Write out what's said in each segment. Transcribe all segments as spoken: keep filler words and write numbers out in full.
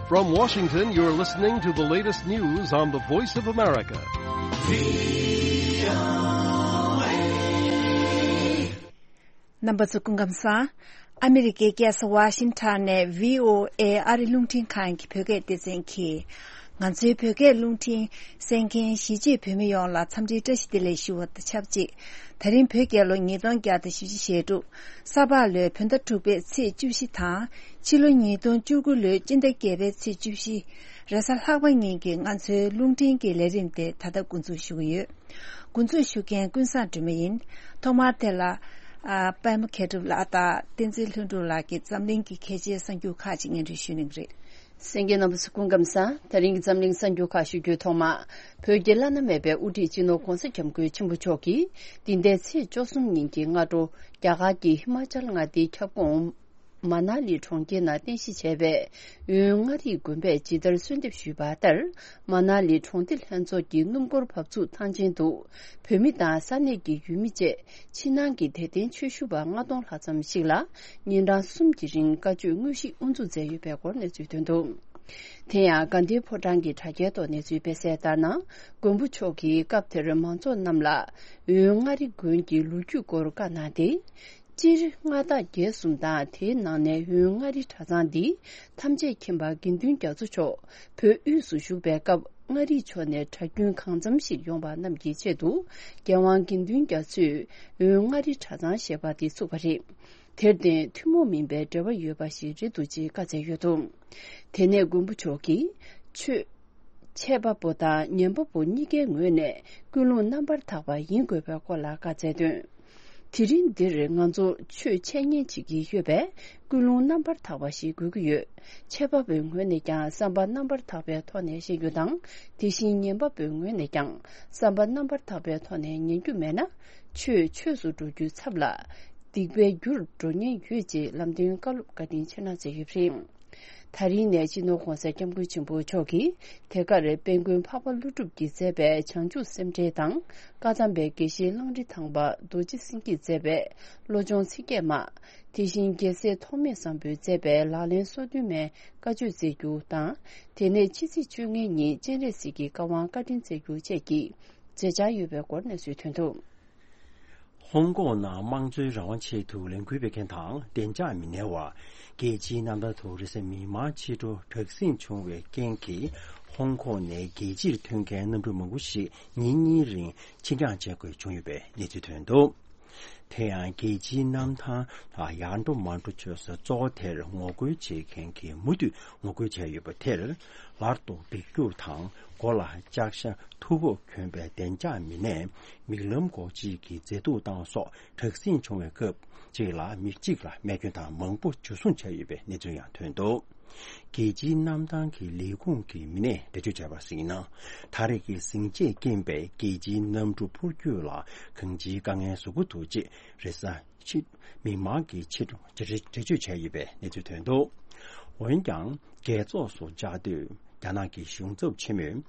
From Washington, you're listening to the latest news on the Voice of America. རྣམ་པ་ཚོ་སྐུ་ཁམས་བཟང་། ཨ་མི་རི་ཀའི་རྒྱལ་ས་ཝ་ཤིང་ཊོན་ནས་བྷི་ཨོ་ཨེ་ཨ་རི་རླུང་འཕྲིན་ཁང་གི་བོད་སྐད་སྡེ་ཚན་གྱིས། ང་ཚོའི་བོད་སྐད་རླུང་འཕྲིན་གསན་མཁན་གཞིས་བྱེས་བོད་མི་ཡོངས་ལ་འཚམས་འདྲིའི་བཀྲ་ཤིས་བདེ་ལེགས་ཞུ་བ་དང་ཆབས་ཅིག་ད་རིང་བོད་རྒྱལ་ལོ་ཉིས་སྟོང་བརྒྱ་དང་བཞི་བཅུ་ཞེ་དྲུག་ས་ཕག་ལོའི་བོད་ཟླ་དྲུག་པའི་ཚེས་བཅུ་བཞི་དང་། ཕྱི་ལོ་ཉིས་སྟོང་བཅུ་དགུ་ལོའི་སྤྱི་ཟླ་བརྒྱད་པའི་ཚེས་བཅུ་བཞི། རེས་གཟའ་ལྷག་པ་ཉིན་གྱི་ང་ཚོའི་རླུང་འཕྲིན་གྱི་ལས་རིམ་དེ་ད་ལྟ་འགོ་འཛུགས་ཞུ་གི་ཡོད། འགོ་འཛུགས་ཞུ་མཁན་ཀུན་བཟང་སྒྲོལ་མ་ཡིན། ཐོག་མར་དེ་ལ། ཨ། པད་མ་མཁས་གྲུབ་ལགས་དང་བསྟན་འཛིན་ལྷུན་གྲུབ་ལགས་ཀྱིས་འཛམ་གླིང་གི་གལ་ཆེའི་གསར་འགྱུར་ཁག་ཅིག་སྙན་སྒྲོན་ཞུ་གནང་གི་རེད། གསན་མཁན་རྣམ་པ་ཚོ་སྐུ་ཁམས་བཟང་། ད་རིང་གི་འཛམ་གླིང་གསར་འགྱུར་ཁག་ཞུ་རྒྱུའི་ཐོག་མ། བོད་ཀྱི་བླ་ན་མེད་པའི་དབུ་ཁྲིད་སྤྱི་ནོར་༧གོང་ས་༧སྐྱབས་མགོན་ཆེན་པོ་མཆོག་གིས་འདི་ཟླའི་ཚེས་བཅུ་གསུམ་ཉིན་གྱི་སྔ་དྲོ། རྒྱ་གར་གྱི་ཧི་མ་ཅལ་མངའ་སྡེའི་ཁྱབ་ཁོངས། མ་ན་ལི་གྲོང་ཁྱེར་ནང་རྟེན་གཞི་བྱས་པའི་འོན་མངའ་རིས་དགོན་པས་ཇི་ལྟར་གསོལ་འདེབས་ཞུས་པ་ལྟར། མ་ན་ལི་གྲོང་སྡེ་ལྷན་ཚོགས་ཀྱི་སྣུམ་འཁོར་བབས་ཚུགས་ཐང་ཆེན་དུ། བོད་མི་དང་ས་གནས་ཀྱི་ཡུལ་མི་བཅས་ཕྱི་ནང་གི་དད་ལྡན་ཆོས་ཞུ་བ་ལྔ་སྟོང་ལྷག་ཙམ་ཞིག་ལ་ཉིན་གྲངས་གསུམ་གྱི་རིང་བཀའ་ཆོས་དངོས་གཞི་དབུ་འཛུགས་མཛད་ཡོད་པའི་སྐོར་གནས་ཚུལ་ཐོན་འདུག་དེ་ཡང་དགའ་ལྡན་ཕོ་བྲང་གི་དྲ་རྒྱའི་ཐོག་གནས་ཚུལ་སྤེལ་གསལ་ལྟར་ན། མགོན་པོ་མཆོག་གིས་སྐབས་དེར་མང་ཚོགས་རྣམས་ལ་འོན་མངའ་རིས་དགོན་གྱི་ལོ་རྒྱུས་སྐོར་བཀའ་གནང་སྟེ། སྤྱིར་མངའ་བདག་བརྒྱད་གསུམ་དང་དེའི་ནང་ནས་འོན་མངའ་རིས་གྲྭ་ཚང་འདི་ཐམས་ཅད་མཁྱེན་པ་དགེ་འདུན་རྒྱ་མཚོ་མཆོག་བོད་དབུས་སུ་བཞུགས་པའི་སྐབས་མངའ་རིས་ཕྱོགས་ནས་གྲྭ་རྒྱུན་གང་འཚམ་ཞིག་ཡོང་བ་རྣམས་ཀྱི་ཆེད་དུ་རྒྱལ་དབང་དགེ་འདུན་རྒྱ་མཚོས་འོན་མངའ་རིས་གྲྭ་ཚང་ཞེས་པ་འདི་བཙུགས་པ་རེད། དེར་བརྟེན་ཐུན་མོང་མིན་པའི་འབྲེལ་བ་ཡོད་པ་ཞིག་རེད་འདུག་ཅེས་བཀའ་སྩལ་ཡོད་འདུག་དེ་ནས་མགོན་པོ་མཆོག་གིས་ཆོས། འཆད་པ་པོ་དང་ཉན་པ་པོ་གཉིས་ཀའི་ངོས་ནས་ཀུན་སློང་རྣམ་པར་དག་པ་ཡིན་དགོས་པའི་སྐོར་ལ་བཀའ་སྩལ་དོན། དེ་རིང་འདིར་ང་ཚོ་ཆོས་འཆད་ཉན་བྱེད་ཀྱི་ཡོད་པས་ཀུན་སློང་རྣམ་པར་དག་པ་ཞིག་དགོས་ཀྱི་ཡོད། འཆད་པ་པོའི་ངོས་ནས་ཀྱང་བསམ་པ་རྣམ་པར་དག་པའི་ཐོག་ནས་བཤད་རྒྱུ་དང་། དེ་བཞིན་ཉན་པ་པོའི་ངོས་ནས་ཀྱང་བསམ་པ་རྣམ་པར་དག་པའི་ཐོག་ནས་ཉན་རྒྱུ་མེད་ན། ཆོས་ཆོས་སུ་འགྲོ་རྒྱུའི་ཚབ་ལ། སྡིག་པའི་རྒྱུར་འགྲོ་ཉེན་ཡོད་ཅེས་ལམ་སྟོན་བཀའ་སློབ་བཀའ་དྲིན་ཆེ་གནང་མཛད་ཡོད་པ་རེད། ད་རིང་ནས་སྤྱི་ནོར་༧གོང་ས་༧སྐྱབས་མགོན་ཆེན་པོ་མཆོག་གིས་དེ་གར་དཔལ་མགོན་འཕགས་པ་ཀླུ་སྒྲུབ་ཀྱིས་མཛད་པའི་བྱང་ཆུབ་སེམས་འགྲེལ་དང་། བཀའ་གདམས་པའི་དགེ་བཤེས་གླང་རི་ཐང་པ་རྡོ་རྗེ་སེང་གེས་མཛད་པའི་བློ་སྦྱོང་ཚིག་བརྒྱད་མ། དེ་བཞིན་རྒྱལ་སྲས་ཐོགས་མེད་བཟང་པོས་མཛད་པའི་ལག་ལེན་སོ་བདུན་མའི་བཀའ་ཆོས་སྩལ་རྒྱུ་དང་། དེ་ནས་ཕྱི་ཚེས་བཅོ་ལྔའི་ཉིན་སྤྱན་རས་གཟིགས་ཀྱི་བཀའ་དབང་བཀའ་དྲིན་སྩལ་རྒྱུ་བཅས་ཀྱི་མཛད་འཆར་ཡོད་པའི་སྐོར་གནས་ཚུལ་ཐོན་འདུག་ཧོང་ཀོང་ནང་དམངས་གཙོའི་རང་དབང་ཆེད་དུ་ལས་འགུལ་སྤེལ་མཁན་དང་བདེ་འཇགས་མི་སྣའི་བར་རྒྱལ་སྤྱིའི་གནམ་ཐང་དུ་རེས་གཟའ་མིག་དམར་ཕྱི་དྲོ་དྲག་ཟིང་བྱུང་བའི་རྐྱེན་གྱིས། ཧོང་ཀོང་ནས་རྒྱལ་སྤྱིར་ཐོན་མཁན་གནམ་གྲུ་མང་པོ་ཞིག་ཉིན་གཉིས་རིང་ཕྱིར་འགྱངས་བྱེད་དགོས་བྱུང་ཡོད་པའི་གནས་ཚུལ་ཐོན་འདུག་དེ་ཡང་རྒྱལ་སྤྱིའི་གནམ་ཐང་ལ་ཡར་འགྲོ་མར་འགྲོ་བྱེད་ས་གཙོ་བོ་དེར་ངོ་རྒོལ་བྱེད་མཁན་གྱིས་མུ་མཐུད་ངོ་རྒོལ་བྱས་ཡོད་པ་དེར། ལར་དུ་འབིགས་སྐྱུག་དང་། མགོ་ལ་ལྕགས་ཤ་མཐུག་པོ་གྱོན་པའི་བདེ་འཇགས་མི་སྣས་མིག་ལམ་འགོག་བྱེད་ཀྱི་མཛེས་སྡུག་བཏང་སོགས་དྲག་ཟིང་བྱུང་བའི་སྐབས་གཅིག་ལ་མི་གཅིག་ལ་རྨས་སྐྱོན་དང་མང་པོ་འཇུ་བཟུང་བྱས་ཡོད་པའི་གནས་ཚུལ་ཡང་ཐོན་འདུག་རྒྱལ་སྤྱིའི་གནམ་ཐང་གི་ལས་ཁུངས་ཀྱི་མི་སྣས་འགྲེལ་བརྗོད་བྱས་པར་གཟིགས་ན། ད་རེས་ཀྱི་ཟིང་ཆས་རྐྱེན་པས་རྒྱལ་སྤྱིའི་གནམ་གྲུ་འཕུར་སྐྱོད་ལ་གང་ཅིའི་དཀའ་ངལ་བཟོ་གི་འདུག་ཅེས་རེས་གཟའ་ཕྱི། མིག་དམར་གྱི་ཕྱི་དྲོ་འགྲེལ་བརྗོད་བྱས་ཡོད་པའི་གནས་ཚུལ་ཐོན་འདུག་འོན་ཀྱང་རྒྱལ་ཚོགས་སུ་བཅར་དུས་རྒྱ་ནག་གི་གཞུང་ཚབ་ཆེན་མོས།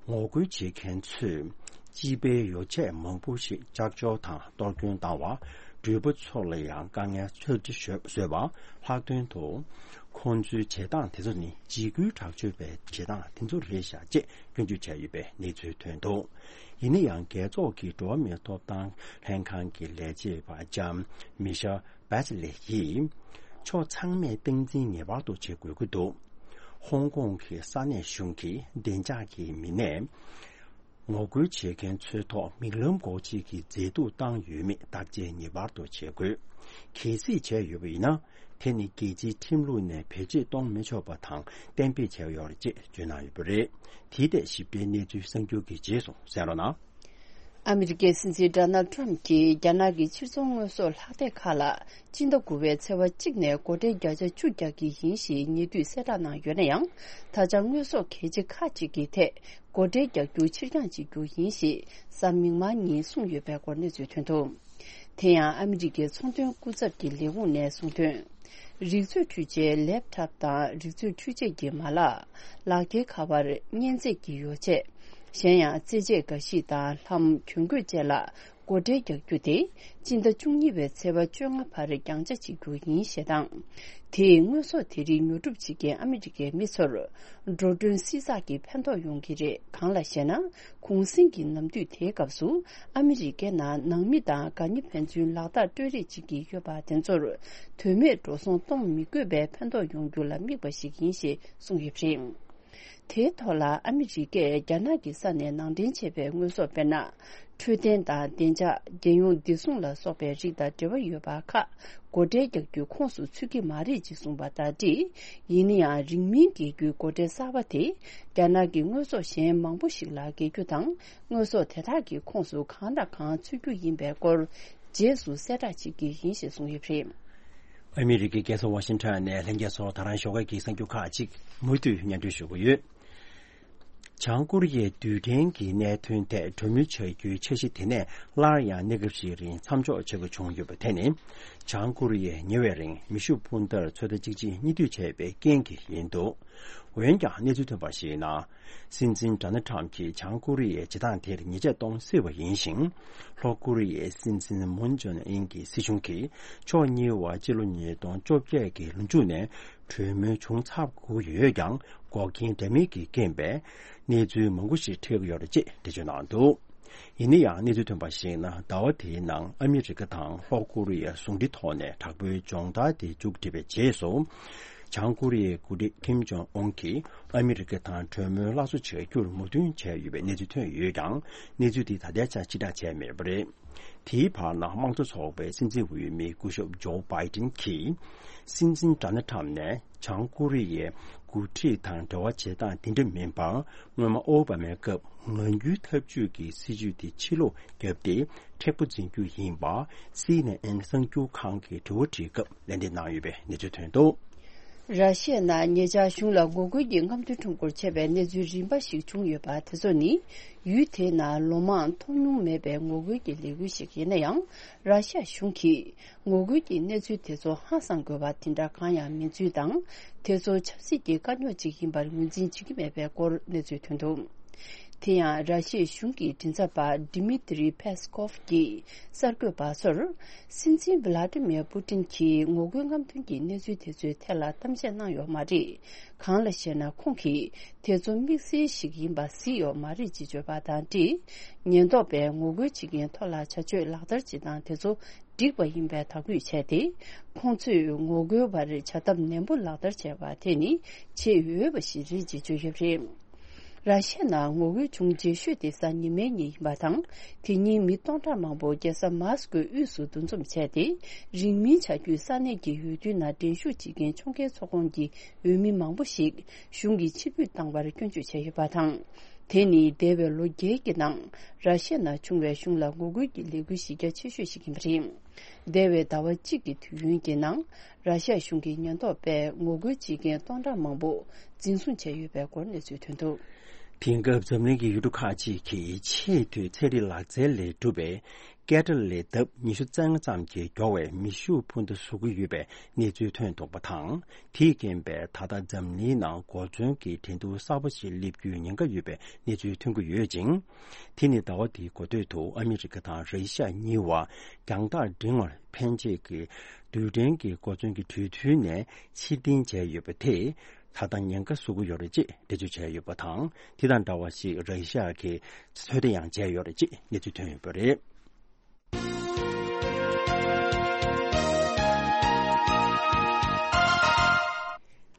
ངོ་རྒོལ་བྱེད་མཁན་ཚོས་སྤྱི་པའི་ཡོ་བྱད་མང་པོ་ཞིག་ལྕགས་ཆོག་དང་གཏོར་སྐྱོན་བཏང་བ། འགྲུལ་པ་ཚོ་ལ་ཡང་དཀའ་ངལ་ཚོད་ཀྱིས་བཟོས་པ། ལྷག་དོན་དུ། ཁོང་ཚོའི་བྱེད་སྟངས་དེ་ཚོ་ནི་འཇིགས་སྐུལ་དྲག་སྤྱོད་པའི་བྱེད་སྟངས་དེ་ཚོ་རེད་ཤག་ཅེས་སྐྱོན་བརྗོད་བྱས་ཡོད་པའི་གནས་ཚུལ་ཐོན་འདུག་ཡིན་ན་ཡང་རྒྱལ་ཚོགས་ཀྱི་འགྲོ་བ་མིའི་ཐོབ་ཐང་ལྷན་ཁང་གི་ལས་བྱེད་པ་ལྕམ་མི་ཤེལ་བེ་ཆི་ལེ་ཡིས། ཕྱོགས་ཚང་མས་སྟངས་འཛིན་ངེས་པར་དུ་བྱེད་དགོས་ཀྱི་འདུག་ཧོང་ཀོང་གི་ས་གནས་གཞུང་གིས་བདེ་འཇགས་ཀྱི་མི་སྣས་ངོ་རྒོལ་བྱེད་མཁན་ཚོའི་ཐོག་མིག་ལམ་འགོག་བྱེད་ཀྱི་མཛེས་སྡུག་བཏང་ཡོད་མེད་བརྟག་དཔྱད་ངེས་པར་དུ་བྱེད་དགོས། གལ་སྲིད་བྱས་ཡོད་པ་ཡིན་ན། དེ་ནི་རྒྱལ་སྤྱིའི་ཁྲིམས་ལུགས་ནས་བེད་སྤྱོད་གཏོང་མི་ཆོག་པ་དང་གཏན་འབེབས་བྱས་ཡོད་རེད་ཅེས་བརྗོད་གནང་ཡོད་པ་རེད། དེའི་ཐད་ཞིབ་ཕྲའི་གནས་ཚུལ་གསར་འགྱུར་གྱི་རྗེས་སུ་གསན་རོགས་གནང་། ཨ་མི་རི་ཀའི་སྲིད་འཛིན་ཌོ་ནལ་ཌི་ཊརམ་ཕི་གྱིས་རྒྱ་ནག་གི་ཕྱིར་ཚོང་དངོས་ཟོག་ལྷག་སྡེ་ཁག་ལ་སྤྱི་ཟླ་དགུ་པའི་ཚེས་པ་གཅིག་ནས་སྒོ་ཁྲལ་བརྒྱ་ཆ་བཅུ་རྒྱག་གི་ཡིན་ཞེས་ཉེ་དུས་གསལ་བསྒྲགས་གནང་ཡོད་ན་ཡང་། ད་ཆ་དངོས་ཟོག་གལ་ཆེ་ཁག་ཅིག་གི་ཐད་སྒོ་ཁྲལ་རྒྱག་རྒྱུ་ཕྱིར་འགྱངས་བྱེད་རྒྱུ་ཡིན་ཞེས་གཟའ་མིག་དམར་ཉིན་གསུངས་ཡོད་པའི་སྐོར་གནས་ཚུལ་ཐོན་འདུག་དེ་ཡང་ཨ་མི་རི་ཀའི་ཚོང་དོན་སྐུ་ཚབ་ཀྱི་ལས་ཁུངས་ནས་གསུངས་དོན། རིག་མཛོད་འཕྲུལ་ཆས་ལེབ་ཊོབ་དང་རིག་མཛོད་འཕྲུལ་ཆས་ཀྱི་མ་ལག་ལག་འཁྱེར་ཁ་པར་མཉེན་ཆས་ཀྱི་ཡོ་བྱད། གཞན་ཡང་རྩེད་ཆས་འགའ་ཞིག་དང་ལྷམ་གྱོན་གོས་བཅས་ལ་ སྒོ་ཁྲལ་རྒྱག་རྒྱུ་དེ་སྤྱི་ཟླ་བཅུ་གཉིས་པའི་ཚེས་པ་བཅོ་ལྔ་བར་རྒྱང་ཆ་བྱེད་རྒྱུ་ཡིན་ཞེས་དང་། དེས་དངོས་ཟོག་དེ་རིགས་ཉོ་སྒྲུབ་བྱེད་མཁན་ཨ་མི་རི་ཀའི་མི་ཚོར་འགྲོ་གྲོན་བསྲི་ཚགས་ཀྱི་ཕན་ཐོགས་ཡོང་གི་རེད། གང་ལགས་ཤེ་ན། གུང་གསེང་གི་ནམ་དུས་དེའི་སྐབས་སུ་ཨ་མི་རི་ཀའི་ནང་ནང་མི་དང་དགའ་ཉེ་ཕན་ཚུན་ལག་རྟགས་སྤྲོད་རེས་བྱེད་ཀྱི་ཡོད་པ་དེ་ཚོར་དོན་མེད་འགྲོ་སོང་གཏོང་མི་དགོས་པའི་ཕན་ཐོགས་ཡོང་རྒྱུ་ལ་དམིགས་པ་ཞིག་ཡིན་ཞེས་གསུངས་ཡོད་པ་རེད། དེའི་ཐོག་ལ་ཨ་མི་རི་ཀས་རྒྱ་ནག་གི་ས་ནས་ནང་འདྲེན་བྱས་པའི་དངོས་ཟོག་དཔེར་ན། འཕྲོད་བསྟེན་དང་བདེ་འཇགས། རྒྱལ་ཡོངས་བདེ་སྲུང་ལ་སོགས་པའི་རིགས་དང་འབྲེལ་བ་ཡོད་པ་ཁག་སྒོ་ཁྲལ་རྒྱག་རྒྱུའི་ཁོངས་སུ་ཚུད་ཀྱི་མ་རེད་ཅེས་གསུངས་པ་དང་འབྲེལ། ཡིན་ན་ཡང་རིང་མིན་རྒྱལ་རྒྱུའི་སྒོ་ཁྲལ་གསར་པ་དེ་རྒྱ་ནག་གི་དངོས་ཟོག་གཞན་མང་པོ་ཞིག་ལ་བརྒལ་རྒྱུ་དང་། དངོས་ཟོག་དེ་དག་གི་ཁོངས་སུ་གང་དང་གང་ཚུད་རྒྱུ་ཡིན་པའི་སྐོར་རྗེས་སུ་གསལ་བསྒྲགས་བྱེད་ཀྱི་ཡིན་ཞེས་གསུངས་ཡོད་པ་རེད། ཨ་མི་རི་ཀའི་རྒྱལ་ས་ཝ་ཤིང་ཊོན་ནས་ལྷན་རྒྱས་ཚོར་ད་རང་ཞོགས་ཀས་ཀྱི་གསར་འགྱུར་ཁག་ཅིག་མུ་མཐུད་སྙན་སྒྲོན་ཞུ་གི་ཡོད། བྱང་ཀོ་རི་ཡའི་རྡུལ་ཕྲན་གྱི་གནད་དོན་ཐད་གྲོས་མོལ་བྱ་རྒྱུའི་འཆར་གཞི་དེ་ནས་སླར་ཡང་གནས་སྐབས་ཤིག་རིང་མཚམས་འཇོག་བྱེད་དགོས་བྱུང་ཡོད་པ་དེ་ནི། བྱང་ཀོ་རི་ཡས་ཉེ་བའི་རིང་མེ་ཤུགས་འཕུར་མདའ་ཚོད་ལྟ་གཅིག་རྗེས་གཉིས་མཐུད་བྱས་པའི་རྐྱེན་གྱིས་ཡིན་འདུག་འོན་ཀྱང་གནས་ཚུལ་ཐོན་པར་གཞིགས་ན། སྲིད་འཛིན་ཌོ་ནལ་ཊམ་གྱིས་བྱང་ཀོ་རི་ཡའི་བྱེད་སྟངས་དེར་ཉེས་ཆད་གཏོང་སྲིད་པ་ཡིན་ཞིང་། ལྷོ་ཀོ་རི་ཡའི་སྲིད་འཛིན་མུན་ཇོན་ཨིན་གྱི་སྲིད་གཞུང་གིས་ཕྱོགས་གཉིས་བར་སྤྱི་ལོ་ཉིས་སྟོང་བཅོ་བརྒྱད་ཀྱི་ལོ་མཇུག་ནས་གྲོས་མོལ་བྱུང་ཚར་དགོས་ཡོད་ཀྱང་། འགོག་རྐྱེན་འདྲ་མིན་གྱི་རྐྱེན་པས་གནས་ཚུལ་མང་པོ་ཞིག་འཕྲད་ཀྱི་ཡོད་རེད་ཅེས་འགྲེལ་བརྗོད་གནང་འདུག་ཡིན་ན་ཡང་གནས་ཚུལ་ཐོན་པར་གཞིགས་ན། ཟླ་བ་དེའི་ནང་ཨ་མི་རི་ཀ་དང་ལྷོ་ཀོ་རི་ཡ་ཟུང་འབྲེལ་ཐོག་ནས་དྲག་པོའི་སྦྱོང་བརྡར་དེ་མཇུག་བསྒྲིལ་བའི་རྗེས་སུ། བྱང་ཀོ་རི་ཡའི་འགོ་ཁྲིད་ཀིམ་ཇོང་ཨུན་གྱིས་ཨ་མི་རི་ཀ་དང་གྲོས་མོལ་སླར་གསོ་བྱ་རྒྱུར་མོས་མཐུན་བྱས་ཡོད་པའི་གནས་ཚུལ་ཐོན་ཡོད་ཀྱང་། གནས་ཚུལ་དེ་ད་ལྟའི་ཆར་ཕྱིར་བསྒྲགས་བྱས་མེད་པ་རེད། དེའི་བར་ན་དམངས་གཙོ་ཚོགས་པའི་སྲིད་འཛིན་འོས་མི་སྐུ་ཞབས་ཇོ་བྷའི་ཏིན་གྱིས། སྲིད་འཛིན་ཌོ་ནལ་ཊམ་ནས་བྱང་ཀོ་རི་ཡའི་འགོ་ཁྲིད་དང་འབྲེལ་བ་བྱེད་སྟངས་དེ་འདྲ་མིན་པར། སྔོན་མ་ཨོ་བྷ་མའི་སྐབས་ངང་རྒྱུད་འཐབ་ཇུས་ཀྱི་སྲིད་ཇུས་དེ་ཕྱིར་ལོག་བརྒྱབ་སྟེ། མཁྲེགས་པོ་འཛིན་རྒྱུ་ཡིན་པ། སི་ཨེན་ཨེན་གསར་འགྱུར་ཁང་གིས་དྲི་བ་དྲིས་སྐབས་ལན་འདེབས་གནང་ཡོད་པའི་གནས་ཚུལ་ཐོན་འདུག་ར་ཤི་ཡ་ནང་ཉེ་ཆར་གཞུང་ལ་ངོ་རྒོལ་གྱི་རྔམ་སྟོན་ཁྲོམ་སྐོར་བྱས་པའི་གནས་ཚུལ་རིམ་པ་ཞིག་བྱུང་ཡོད་པ་དེ་ཚོ་ནི། ཡུལ་དེའི་ནང་ལོ་མང་མཐོང་མྱོང་མེད་པའི་ངོ་རྒོལ་གྱི་ལས་འགུལ་ཞིག་ཡིན་ན་ཡང་། ར་ཤི་ཡ་གཞུང་གིས་ངོ་རྒོལ་གྱི་གནས་ཚུལ་དེ་ཚོ་ཧང་སང་དགོས་པ་དེ་འདྲ་གང་ཡང་མིན་ཚུལ་དང་། དེ་ཚོ་ཆབ་སྲིད་ཀྱི་དཀའ་རྙོག་ཅིག་ཡིན་པར་ངོས་འཛིན་བྱེད་ཀྱི་མེད་པའི་སྐོར་གནས་ཚུལ་ཐོན་འདུག་དེ་ཡང་། ར་ཤི་ཡའི་གཞུང་གི་མགྲིན་ཚབ་པ་ཌི་མི་ཏི་རི་ཕེ་སི་ཀོབ་ཀྱིས་གསར་འགོད་པ་ཚོར། སྲིད་འཛིན་ཝི་ལ་ཏི་མིར་པུ་ཏིན་གྱིས་ངོ་རྒོལ་རྔམ་སྟོན་གྱི་གནས་ཚུལ་དེ་ཚོའི་ཐད་ལ་གཏམ་བཤད་གནང་ཡོད་མ་རེད། གང་ལགས་ཤེ་ན། ཁོང་གིས་དེ་ཚོ་དམིགས་བསལ་ཞིག་ཡིན་པ་གཟིགས་ཡོད་མ་རེད་ཅེས་བརྗོད་པ་དང་འབྲེལ། ཉེན་རྟོག་པས་ངོ་རྒོལ་བྱེད་མཁན་ཐོག་ལ་བྱ་སྤྱོད་ལག་བསྟར་བྱེད་སྟངས་དེ་ཚོ་འགྲིག་པ་ཡིན་པའི་དག་འབུད་བྱས་ཏེ། ཁོང་ཚོས་ངོ་རྒོལ་བར་བྱ་ཐབས་ནན་པོ་ལག་བསྟར་བྱས་པ་དེ་ནི་བྱེད་འོས་པ་ཞིག་རེད་ཅེས་བརྗོད་ཡོད་པ་རེད། ར་ཤི་ཡ་ནང་ངོ་རྒོལ་བྱུང་རྗེས་ཤོས་དེ་གཟའ་ཉི་མའི་ཉིན་ཡིན་པ་དང་། དེ་ཉིན་མི་སྟོང་ཕྲག་མང་པོ་རྒྱལ་ས་མཱ་སི་ཀོའི་དབུས་སུ་འདུ་འཛོམས་བྱས་ཏེ། རིང་མིན་བྱ་རྒྱུའི་ས་གནས་ཀྱི་འོས་བསྡུའི་ནང་འགྲན་ཞུགས་བྱེད་མཁན་ཕྱོགས་འགལ་ཚོགས་ཁོངས་ཀྱི་འོས་མི་མང་པོ་ཞིག་གཞུང་གིས་ཕྱིར་འབུད་བཏང་བར་སྐྱོན་བརྗོད་བྱས་ཡོད་པ་དང་། དེ་ནི་འདས་པའི་ལོ་བརྒྱད་ཀྱི་ནང་ར་ཤི་ཡ་ནང་བྱུང་བའི་གཞུང་ལ་ངོ་རྒོལ་གྱི་ལས་འགུལ་གཞི་རྒྱ་ཆེ་ཤོས་ཤིག་ཡིན་པ་རེད། འདས་པའི་ཟླ་བ་གཅིག་གི་དུས་ཡུན་གྱི་ནང་། ར་ཤི་ཡ་གཞུང་གི་ཉེན་རྟོག་པས་ངོ་རྒོལ་བྱེད་མཁན་སྟོང་ཕྲག་མང་པོ་འཛིན་བཟུང་བྱས་ཡོད་པའི་སྐོར་གནས་ཚུལ་ཐོན་འདུག་དེང་སྐབས་འཛམ་གླིང་གི་ཡུལ་གྲུ་ཁག་ཅིག་གིས་ཆེས་མཐོའི་ཚན་རིག་ལག་རྩལ་ལས་གྲུབ་པའི་སྐེ་ཌ་ལས་ལྡབ་ཉི་ཤུ་རྩ་ལྔ་ཙམ་གྱིས་མགྱོགས་པའི་མེ་ཤུགས་འཕུར་མདའ་བཟོ་གི་ཡོད་པའི་གནས་ཚུལ་ཐོན་འདུག་པ་དང་། དེས་རྐྱེན་པས་ད་ལྟ་འཛམ་གླིང་ནང་གོ་མཚོན་གྱི་འགྲན་བསྡུར་གསར་པ་ཞིག་སླེབས་རྒྱུའི་ཉེན་ཁ་ཡོད་པའི་གནས་ཚུལ་ཐོན་གྱི་ཡོད་ཅིང་། དེ་ནི་ཟླ་བ་འདིའི་འགོ་སྟོད་དུ་ཨ་མི་རི་ཀ་དང་རེ་ཤ་གཉིས་བར་རྒྱང་ཐག་འབྲིང་བར་འཕེན་བྱེད་ཀྱི་རྡུལ་ཕྲན་གྱི་གོ་མཚོན་གྱི་གྲོས་མཐུན་ནས་ཕྱིར་འཐེན་བྱས་ཡོད་པ་དེས། ད་ལྟ་ཉེན་ཁ་བཟོ་གི་ཡོད་རེད་ཅེས་འགྲེལ་བརྗོད་བྱས་ཡོད་པ་དང་། དེ་དང་འདྲ་བ་ཞིག་རེ་ཤ་གིས་ཚོད་ལྟ་ཡང་བྱས་ཡོད་རེད་ཅེས་གནས་ཚུལ་ཐོན་ཡོད་པ་རེད།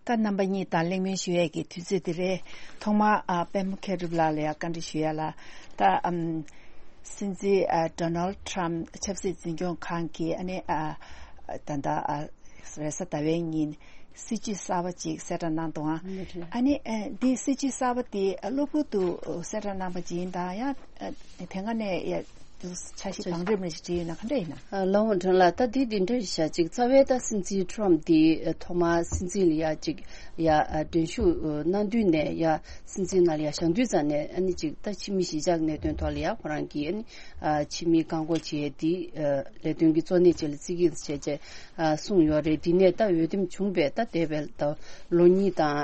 ད་རྣམ་པ་གཉིས་དང་གླེང་མོལ་ཞུ་ཡས་ཀྱི་དུས་ཚོད་འདི་རེད། ཐོག་མར་ཨ་པད་མ་མཁས་གྲུབ་ལགས་ལ་ཡང་བཀའ་འདྲི་ཞུ་ཡ་ལ། ད་ཨམ་སྲིད་འཛིན་ཨ་ཌོ་ནལ་ཌི་ཊརམ་ཕི་ཆབ་སྲིད་འཛིན་སྐྱོང་ཁང་གིས་ཨ་ནི་ཨ་ད་ལྟ་ཨ་རེས་གཟའ་ཟླ་བའི་ཉིན་སྲིད་ཇུས་གསར་པ་ཅིག་གསལ་བསྒྲགས་གནང་འདུག་ཨང་། ཨ་ནི་ཨ་འདི་སྲིད་ཇུས་གསར་པ་འདི་གློ་བུར་དུ་གསལ་བསྒྲགས་གནང་པ་ཅིག་ཡིན་དང་ཡང་དེ་སྔ་ནས་ཡ་འཆར་གཞི་དང་རིམ་རིམ་ཞིག་བྲིས་ཡོད་ན་ག་འདྲ་ཡིན་ན། ལའོ་ཁྲང་ལགས། ད་འདི་འདི་འདྲ་ཞིག་བྱ་ཅིག་རྩ་བའི་ད་སྲིད་འཛིན་ཊརམ་འདི་ཐོག་མར་སྲིད་འཛིན་ལ་ཡ་ཅིག་ཡ་འགྲན་ཞུགས་གནང་དུས་ནས་ཡ་སྲིད་འཛིན་ནང་ལ་ཡ་བཞེངས་དུས་ཙམ་ནས་ཨ་ནི་ཅིག་ད་ཕྱི་མི་གཞིས་ཆགས་གནད་དོན་ཐོག་ལ་ཡ་ཁོ་རང་གིས་ཨ་ནི་ཕྱི་མི་བཀག་འགོག་བྱེད་ཡས་འདི་ལས་དོན་གྱི་གཙོ་གནད་ཅིག་ལ་བརྩི་གི་བྱས་བྱས་གསུངས་ཡོད་རེད། འདི་ནས་ད་འོས་འདེམས་བྱུང་བའི་ད་འདས་པའི་ད་ལོ་གཉིས་དང་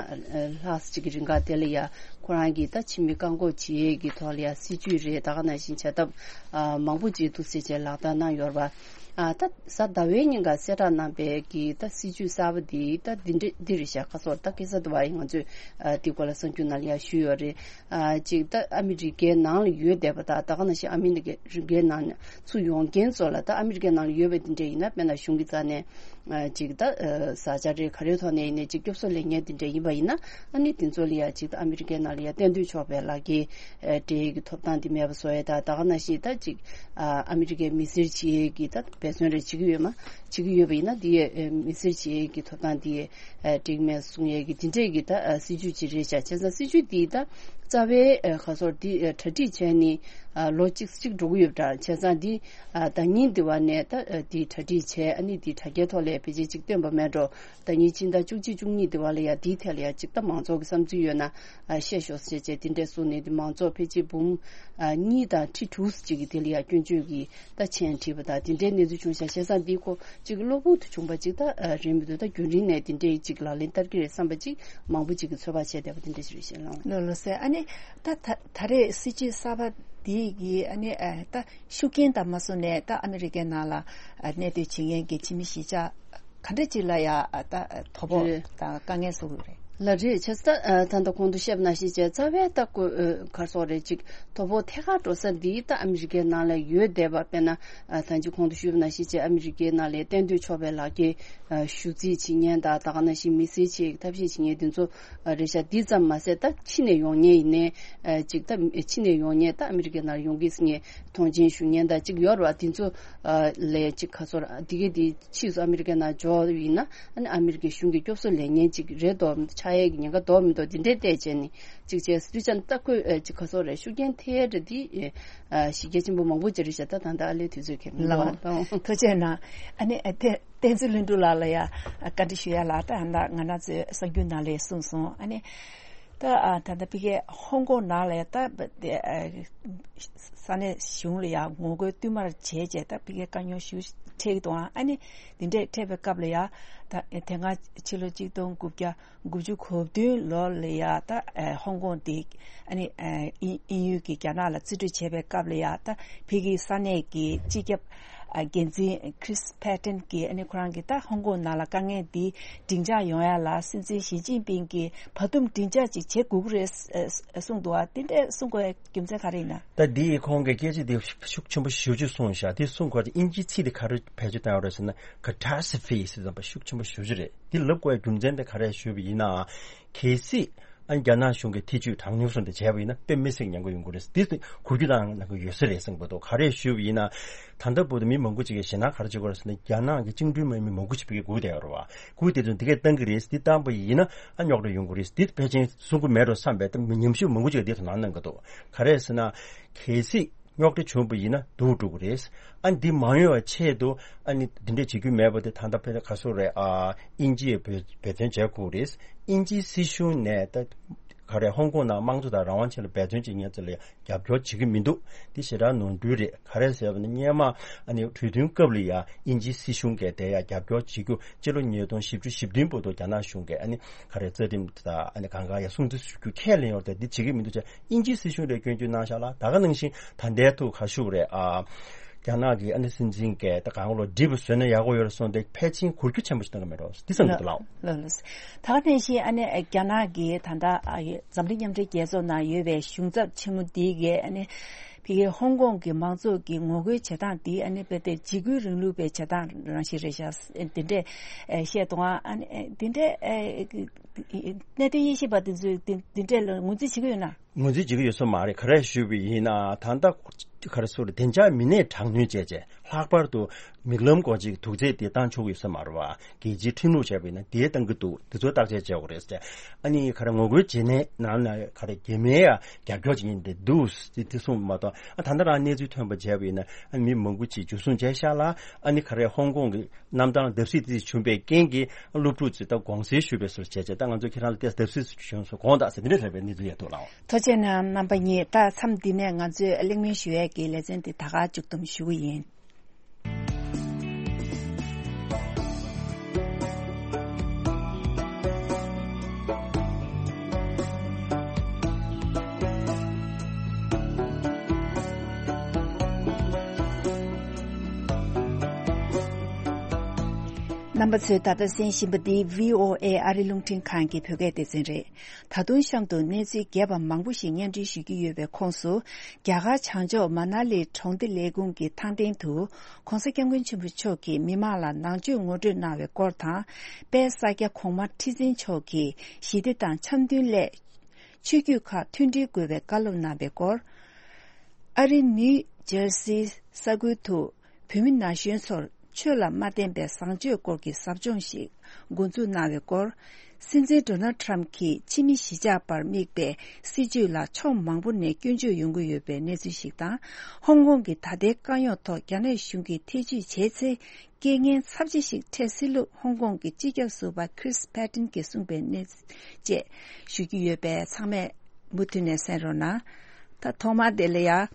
ལྷག་ཅིག་གི་རིང་ག་དེ་ལ་ཡ་ཁོ་རང་གིས་ད་ཕྱི་མི་བཀག་འགོག་བྱེད་ཡས་ཀྱི་ཐོག་ལ་ཡ་སྲིད་ཇུས་རེད། ད་ག་ནང་བཞིན་བྱ་ཐབས་ མང་པོ་ཅིག་འདུག་ཟེར་བྱས་ལག་བསྟར་གནང་ཡོད་རེད་པ། ཨ་ད་གཟའ་ཟླ་བའི་ཉིན་ཀ་གསལ་བསྒྲགས་གནང་པའི་གི་ད་སྲིད་ཇུས་གསར་པ་འདི་ད་འདི་འདྲ་འདི་རེད་ཤག་ཁ་སོར་ད་ཁ་སང་དེ་བ་ཡིན་ང་ཚོས་ཨ་འདི་སྐོར་ལ་གསར་འགྱུར་ནང་ལ་ཡང་ཞུས་ཡོད་རེད། ཨ་ཅིག་ད་ཨ་མི་རི་ཀའི་ནང་ལ་ཡོད་བསྡད་པ་དང་ད་ག་ནང་བཞིན་ཨ་མི་རི་ཀའི་ནང་ཚུར་ཡོང་མཁན་ཚོ་ལ་ད་ཨ་མི་རི་ཀའི་ནང་ལ་ཡོད་པའི་འདི་འདྲ་ཡིན་ན་དཔེར་ན་གཞུང་གི་རྩ་ནས། ཅིག་ད་ས་ཆ་རེ་ག་རེའི་ཐོག་ནས་ཡིན་ནའི་ཅིག་སྐྱོབ་གསོ་ལེན་མཁན་དེ་འདྲ་ཡིན་པ་ཡིན་ན་ཨ་ནི་དེ་ཚོ་ལ་ཡང་ཅིག་ད་ཨ་མི་རི་ཀའི་ནང་ལ་ཡང་གཏན་སྡོད་ཆོག་པའི་ལག་ཁྱེར་སྤྲད་ཡས་ཀྱི་ཐོབ་ཐང་དེ་མེད་པ་བཟོ་ཡས་དང་ད་ག་ནང་བཞིན་ད་ཅིག་ཨ་མི་རི་ཀའི་མི་སེར་བྱེད་ཡས་ཀྱི་ད་འབད་བརྩོན་རེ་བྱེད་ཀྱི་ཡོད་མ་བྱེད་ཀྱི་ཡོད་པ་ཡིན་ན་དེ་ཡས་མི་སེར་བྱེད་ཡས་ཀྱི་ཐོབ་ཐང་དེ་ཡས་འགྲིག་མེད་གསུང་ཡས་ཀྱི་དེ་འདྲས་ཀྱི་ད་སྲིད་ཇུས་ཅིག་རེད་ཤག་བྱས་ཙང་སྲིད་ཇུས་དེ་ད་རྩ་བའི་ཁ་སོར་དེ་གྲ་སྒྲིག་བྱས་ནས་ལོ་གཅིག་གཅིག་འགྲོ་གི་ཡོད་པ་འདྲ་བྱས་ཙང་དེ། ཨ་ད་ཉིན་དེ་བ་ནས་ད་ཨ་དེའི་གྲ་སྒྲིག་བྱས་ཨ་ནི་དེའི་དྲ་རྒྱའི་ཐོག་ལ་ཕལ་ཆེར་ཅིག་བཏོན་པ་མེད་འགྲོ། ད་ཉིན་ཕྱི་ཟླ་བཅུ་གཅིག་བཅུ་གཉིས་དེ་བ་ལ་ཡ་དེའི་ཐད་ལ་ཡ་ཅིག་ད་མང་ཚོགས་ཀྱི་བསམ་ཚུལ་ཡོད་ན་ཨ་བཤད་ཤོག་ཟེར་བྱས་དེ་འདྲས་གསུངས་ནས་དེ་མང་ཚོགས་ཕལ་ཆེར་འབུམ་ཨ་གཉིས་དང་ཁྲི་དྲུག་ཅིག་གི་དེ་ལ་ཡ་སྐྱོན་བརྗོད་ཀྱི་ད་མཆན་བྲིས་པ་དང་དེ་འདྲའི་གནས་ཚུལ་བྱུང་ཤག་བྱས་ཙང་འདིའི་ཁོ་ཅིག་གློ་བུར་དུ་བྱུང་པ་ཅིག་ད་ཨ་རེད་མི་འདུག་ད་རྒྱུན་རིང་ནས་དེ་འདྲས་ཅིག་ལག་ལེན་བསྟར་གྱི་རེད་བསམ་པ་ཅིག་མང་པོ་ཅིག་གིས་ཚོད་དཔག་བྱས་བསྡད་པ་དེ་འདྲས་ཅིག་རེད་བཤད་ལང་། ལོ་ལོ་ཟེར་ཨ་ནི་ད་ད་ད་རེས་སྲིད་ཇུས་གསར་པ་འདི་ཡི་ཨ་ནི་ཨ་ད། ཤུགས་རྐྱེན་དང་མ་སོང་ནས་ད་ཨ་མི་རི་ཀའི་ནང་ལ་ཨ་གནས་སྡོད་བྱེད་མཁན་གྱི་ཕྱི་མི་གཞིས་ཆགས་ག་འདྲ་ཅིག་ལ་ཡ་ཨ་ད་དོ་ཕོག་རེད། དང་དཀའ་ངལ་བཟོ་གི་རེད། ལ་རེད་བྱས་ཙང་ད་ད་ལྟ་གོང་དུ་བཤད་པ་ནང་བཞིན་བྱས་རྩ་བའི་ད་ཀོ་ཨ་ག་རེ་ཟེར་རེད་ཅིག་དོ་ཕོག་ཐད་ཀར་འགྲོ་ས་འདི་ད་ཨ་མི་རི་ཀའི་ནང་ལ་ཡོད་བསྡད་པ་དཔེར་ན་ཨ་ད་ཅི་གོང་དུ་ཞུས་པ་ནང་བཞིན་བྱས་ཨ་མི་རི་ཀའི་ནང་ལ་གཏན་སྡོད་ཆོག་པའི་ལག་ཁྱེར་ཨ་ཞུ་རྩིས་བྱེད་མཁན་དང་ད་ག་ནང་བཞིན་མི་སེར་ཆེད་ཐབས་ཤེས་བྱེད་མཁན་དེ་ཚོ་རེད་ཤག་འདི་ཙམ་མ་ཟད་ད་ཕྱི་ནས་ཡོང་མཁན་ཡིན་ནའི་ཅིག་ད་ཕྱི་ནས་ཡོང་མཁན་ད་ཨ་མི་རི་ཀའི་ནང་ཡོང་གི་ཟེར་མཁན་མཐོང་མཆན་ཞུ་མཁན་ད་ཅིག་ཡོད་རེད་བ། དེ་ཚོ་ལས་ཅིག་ཁ་སོར་དེ་གའི་དེ་ཕྱིས་སུ་ཨ་མི་རི་ཀའི་ནང་འབྱོར་ཡིན་ན་ཨ་ནི་ཨ་མི་རི་ཀའི་གཞུང་གི་སྐྱོབ་གསོ་ལེན་མཁན་ཅིག་རེད་འདུག་ཆགས་ཡས་ཀྱི་ཉེན་ཁ་འདུག་མི་འདུག་དེ་འདྲའི་བལྟས་བྱས་ནས་ཅིག་བྱས་སུ་ཅང་ད་ཁོས་ཅིག་ཁ་སོར་རེད་ཤུགས་རྐྱེན་ཐེབས་རེད་དེ་གཞི་རྒྱ་ཆེན་པོ་མང་པོ་ཅིག་རེད་ཤག་ད་ད་ད་ཨ་ལས་དུས་ཚོད་ཁེལ་མི་འདུག་ལགས། ཐུགས་རྗེ་གནང་། ཨ་ནི་ཨ་དེ། བསྟན་འཛིན་ལྷུན་གྲུབ་ལགས་ལ་ཡ་བཀའ་འདྲི་ཞུ་ཡ་ལ་ད་ད་ང་རང་ཚོའི་གསར་འགྱུར་ནང་ལས་གསུངས་སོང་། ཨ་ནི་ད་ད་ལྟ་ཕ་གིའི་ཧོང་ཀོང་ནང་ལ་ཡ་ད་ས་གནས་གཞུང་ལ་ཡ་ངོ་རྒོལ་བསྟུད་མར་བྱས་རྗེས་ད་ཕ་གིའི་དཀའ་རྙོག་ཞེ་པོ་འཕྲད་ཀྱི་འདུག་ཨ་ནི་འདི་འདྲས་འཕྲད་པའི་སྐབས་ལ་ཡ་ད་དེ་སྔ་ཕྱི་ལོ་གཅིག་སྟོང་དགུ་བརྒྱ་དགུ་བཅུ་གོ་བདུན་ལོ་ལ་ཡ་ད་ཧོང་ཀོང་དེ་ཨ་ནི་དབྱིན་ཡུལ་གྱི་རྒྱ་ནག་ལ་རྩིས་སྤྲོད་བྱས་པའི་སྐབས་ལ་ཡ་ད་ཕ་གིའི་ས་གནས་ཀྱི་སྤྱི་ཁྱབ་འགན་འཛིན་Chris Patten་གྱིས་ཨ་ནི་ཁོ་རང་གིས་ད་ཧོང་ཀོང་ནང་ལ་དཀའ་ངལ་འདི་འབྲིང་ཆགས་ཡོང་ཡ་ལ་སྲིད་འཛིན་ཞི་ཅིན་ཕིང་གིས་བར་འདུམ་འབྲིང་ཆགས་ཅིག་བྱེད་དགོས་ཀྱི་རེད་གསུངས་འདུག་ཨ་དེ་འདྲས་གསུང་དགོས་རྒྱུ་མཚན་ག་རེ་ཡིན་ན། ད་འདི་ཡི་ཁོང་གི་སྐད་ཆ་འདི་ཤུགས་ཆེན་པོ་ཞེ་པོ་ཅིག་གསུངས་ཤག་དེ་གསུང་སྐོར་དེ་དབྱིན་ཇིའི་ཚིག་དེ་ག་རེ་བེད་སྤྱོད་བཏང་ཡོད་རེད་ཟེར་ན་catastrophe་ཟེར་ཙམ་པ་ཤུགས་ཆེན་པོ་ཞེ་པོ་ཅིག་རེད། འདི་ལབ་དགོས་ཡ་རྒྱུ་མཚན་དེ་ག་རེ་ཞུས་པ་ཡིན་ན། གལ་སྲིད་ཨ་ནི་རྒྱ་ནག་གཞུང་གིས་ཐེ་ཇུས་དྲག་གནོན་སོགས་འདི་བྱས་པ་ཡིན་ན་དཔེ་མི་སྲིད་ཉེན་ཁ་ཡོང་གི་རེད། འདི་གོ་རྒྱུ་དང་ནང་གི་ཡོད་ས་རེད་གསུངས་པ་འདུག་ག་རེ་ཞུས་པ་ཡིན་ན། ད་ལྟ་བར་དུ་མི་མང་པོ་ཅིག་གིས་ཞེད་སྣང་ག་རེ་བྱེད་ཀྱི་ཡོད་རེད་ཟེར་ན་རྒྱ་ནག་གི་བཅིངས་འགྲོལ་དམག་མི་མང་པོ་ཞིག་ཕ་གིར་སྒུག་བསྡད་ཡོད་རེད་བ། སྒུག་བསྡད་དུས་འདི་གས་བཏང་གི་རེད། འདི་བཏང་པ་ཡིན་ན་ཨ་རྙོག་དྲ་ཡོང་གི་རེད། འདི་ཕལ་ཆེར་གསུང་གི་མེད་འགྲོ་བསམ་པའི་ཉམས་ཞིབ་མང་པོ་ཅིག་འདི་དོ་སྣང་གནང་གི་འདུག་ག་རེ་ཟེར་ན། གལ་སྲིད་རྙོག་དྲ་བྱུང་བ་ཡིན་ན་སྡུག་འགྲོ་གི་རེད། ཨ་འདི་མ་ཡོང་བའི་ཆེད་དུ་ཨ་ནི་འདི་འདྲས་བྱེད་རྒྱུ་མེད་པ་དེ་ད་ལྟ་ཕལ་ཆེར་ག་ཚོད་རེད་ཨ། དབྱིན་ཇིས་འབད་འབད་བརྩོན་བྱས་དགོས་རེད། དབྱིན་ཇིའི་སྲིད་གཞུང་ནས་ད་ག་རེ་ཧོང་ཀོང་ནང་དམངས་གཙོ་དང་རང་དབང་ཆེད་ལ་འབད་བརྩོན་བྱེད་མཁན་ཚོ་ལ་རྒྱབ་སྐྱོར་བྱེད་ཀྱི་མི་འདུག་འདི་ཞེ་དྲག་ནོར་འཁྲུལ་རེད། ག་རེ་ཟེར་བ་ནི་སྔོན་མ་ཨ་ནི་གྲོས་མཐུན་སྐབས་ལ་ཡ་དབྱིན་ཇིའི་སྲིད་གཞུང་གིས་དེ་ཡ་རྒྱབ་སྐྱོར་བྱེད་རྒྱུ་སྤྱི་ལོ་ཉིས་སྟོང་བཞི་བཅུ་ཞེ་བདུན་བར་དུ་རྒྱ་ནག་གཞུང་གིས་ཨ་ནི་ག་རེ་རྩ་ཁྲིམས་དང་ཨ་ནི་གང་ག་ཡ་སྲུང་བརྩི་ཞུ་རྒྱུ་ཁས་ལེན་ཡོད་རེད། དེ་འདི་བྱེད་ཀྱི་མི་འདུག་ཅེས་དབྱིན་ཇིའི་སྲིད་གཞུང་ལ་སྐྱོན་བརྗོད་གནང་ཤག་ལ་ད་ག་ནང་བཞིན་ད་ལྟའི་ཐུག་ག་ཞུ་བ་རེད་ཨ། རྒྱ་ནག་གི་ཨ་ནི་སྲིད་འཛིན་གྱིས་ད་གང་ལོ་འགྲིག་པ་བཟོས་ན་ཡག་པོ་ཡོད་རེད་གསུངས་ཏེ་ཕལ་ཆེར་འགུལ་སྐྱོད་ཆེན་པོ་ཞིག་གཏོང་གི་མེད་འགྲོ་འདི་བསམ་གྱི་འདུག་ལགས། ལགས་ལགས། ད་ག་ནང་བཞིན་ཨ་ནི་རྒྱ་ནག་གིས་ད་ལྟ་ཨ་འཛམ་གླིང་མཉམ་འབྲེལ་རྒྱལ་ཚོགས་ནང་ཡོད་པའི་གཞུང་ཚབ་ཆེན་མོ་འདི་གིས་ཨ་ནི་ཕ་གིའི་ཧོང་ཀོང་གི་མང་ཚོགས་ཀྱི་ངོ་རྒོལ་བྱེད་སྟངས་འདི་ཨ་ནི་དཔེ་དེ་འཇིགས་སྐུལ་རིང་ལུགས་པའི་བྱེད་སྟངས་རང་བཞིན་རེད་ཤག་འདི་འདྲས་བཤད་འདུག་ཨ་ནི་འདི་འདྲས་གནད་དོན་དབྱེ་ཞིབ་པ་འདི་ཚོས་འདི་འདི་འདྲས་ལ་ངོས་འཛིན་བྱེད་ཀྱི་ཡོད་ན། ངོས་འཛིན་བྱེད་ཀྱི་ཡོད་ས་མ་རེད། ག་རེ་ཞུས་པ་ཡིན་ན་ད་ལྟ་ག་རེ་ཟེར་བདེ་འཇགས་མི་སྣས་དྲག་གནོན་བྱས་རྗེས་ལྷག་པར་དུ་མིག་ལམ་སྒོ་འབྱེད་ཀྱི་དུག་རྫས་དེ་བཏང་ཆོག་གི་ཡོད་ས་མ་རེད་བ། རྒྱལ་སྤྱིའི་ཁྲིམས་ལུགས་བྱས་པ་ཡིན་ན་དེ་བཏང་གི་འདུག་འདི་ཚོ་བརྟག་དཔྱད་བྱེད་དགོས་རེད་ཟེར། ཨ་ནི་ག་རེ་ངོ་རྒོལ་བྱེད་མཁན་ནང་ལ་ག་རེ་རྒྱ་མིའི་ཡ་རྒྱབ་སྐྱོར་བྱེད་མཁན་དེ་འདུག་ཟེར་དེ་གསུངས་མ་གཏོགས་ཨ་ད་ལྟ་རང་གནས་ཚུལ་ཐོན་པ་བྱས་པ་ཡིན་ན་ཨ་ནི་མི་མང་པོ་ཅིག་འཇུ་བཟུང་བྱས་ཤག་ལ་ཨ་ནི་ག་རེ་ཧོང་ཀོང་གི་གནམ་ཐང་བརྡབ་གསིག་དེ་བྱུང་པའི་རྐྱེན་གྱིས་སློབ་ཕྲུག་ཚོས་ད་དགོངས་སེལ་ཞུས་པའི་སྲོལ་བྱས་བྱས་ད་ང་ཚོ་ཁྱེད་རང་ལ་ཏོག་ཙམ་བརྡབ་གསིག་བྱུང་སོང་དགོངས་དག་ཟེར་དེ་འདྲ་རེད་པའི་གནས་ཚུལ་ཡོད་འདུག་ལགས། ཐུགས་རྗེ་གནང་རྣམ་པ་གཉིས། ད་མཚམས་འདི་ནས་ང་ཚོས་གླེང་མོལ་ཞུ་ཡས་ཀྱི་ལེ་ཚན་འདི་ད་ག་མཇུག་བསྡོམས་ཞུ་གི་ཡིན། རྣམ་པ་ཚོས་ད་ལྟ་གསན་བཞིན་པ་འདི་བྷི་ཨོ་ཨེ་ཨ་རི་རླུང་འཕྲིན་ཁང་གི་བོད་སྐད་སྡེ་ཚན་རེད། ད་དུང་གཤམ་དུ་གནས་ཚུལ་རྒྱས་པ་མང་པོ་ཞིག་སྙན་སྒྲོན་ཞུ་རྒྱུ་ཡོད་པའི་ཁོངས་སུ། རྒྱ་གར་བྱང་ཕྱོགས་མ་ན་ལི་གྲོང་སྡེ་ལས་ཁུངས་ཀྱི་ཐང་སྟེང་དུ་༸གོང་ས་༸སྐྱབས་མགོན་ཆེན་པོ་མཆོག་གིས་མི་མང་ལ་ནང་ཆོས་ངོ་སྤྲོད་གནང་བའི་སྐོར་དང་། དཔལ་ས་སྐྱ་གོང་མ་ཁྲི་འཛིན་མཆོག་གིས་ཞི་བདེ་དང་འཆམ་མཐུན་སླད། ཆོས་བརྒྱུད་ཁག་མཐུན་སྒྲིལ་དགོས་པའི་བཀའ་སློབ་གནང་བའི་སྐོར། ཨ་རིའི་ནིའུ་ཇར་སིའི་ས་ཁུལ་དུ་བོད་མི་ན་གཞོན་ཚོར་ཆོས་ལ་མ་བརྟེན་པའི་བཟང་སྤྱོད་སྐོར་གྱི་ཟབ་སྦྱོང་ཞིག་འགོ་འཛུགས་གནང་བའི་སྐོར། སྲིད་འཛིན་ཌོ་ནལ་ཊམ་གྱིས་ཕྱི་མི་གཞིས་ཆགས་པར་དམིགས་པའི་སྲིད་བྱུས་ལ་ཕྱོགས་མང་པོ་ནས་སྐྱོན་བརྗོད་ཡོང་གི་ཡོད་པའི་གནས་ཚུལ་ཞིག་དང་། ཧོང་ཀོང་གི་ད་ལྟའི་དཀའ་རྙོག་ཐོག་རྒྱ་ནག་གཞུང་གིས་ཐེ་ཇུས་བྱས་ཚེ། རྐྱེན་ངན་ཚབས་ཆེ་ཞིག་འཕྲད་སྲིད་ལུགས་ཧོང་ཀོང་གི་སྤྱི་ཁྱབ་ཟུར་པ་ཁྲིས་ཕེ་ཏིན་གྱིས་གསུངས་པའི་གནས་ཚུལ་བཅས་ཞུ་རྒྱུ་ཡོད་པས་ཚང་མས་མུ་མཐུད་ནས་གསན་རོགས་གནང་། ད་ཐོག་མར་དེ་ལ་ཡ། རྒྱ་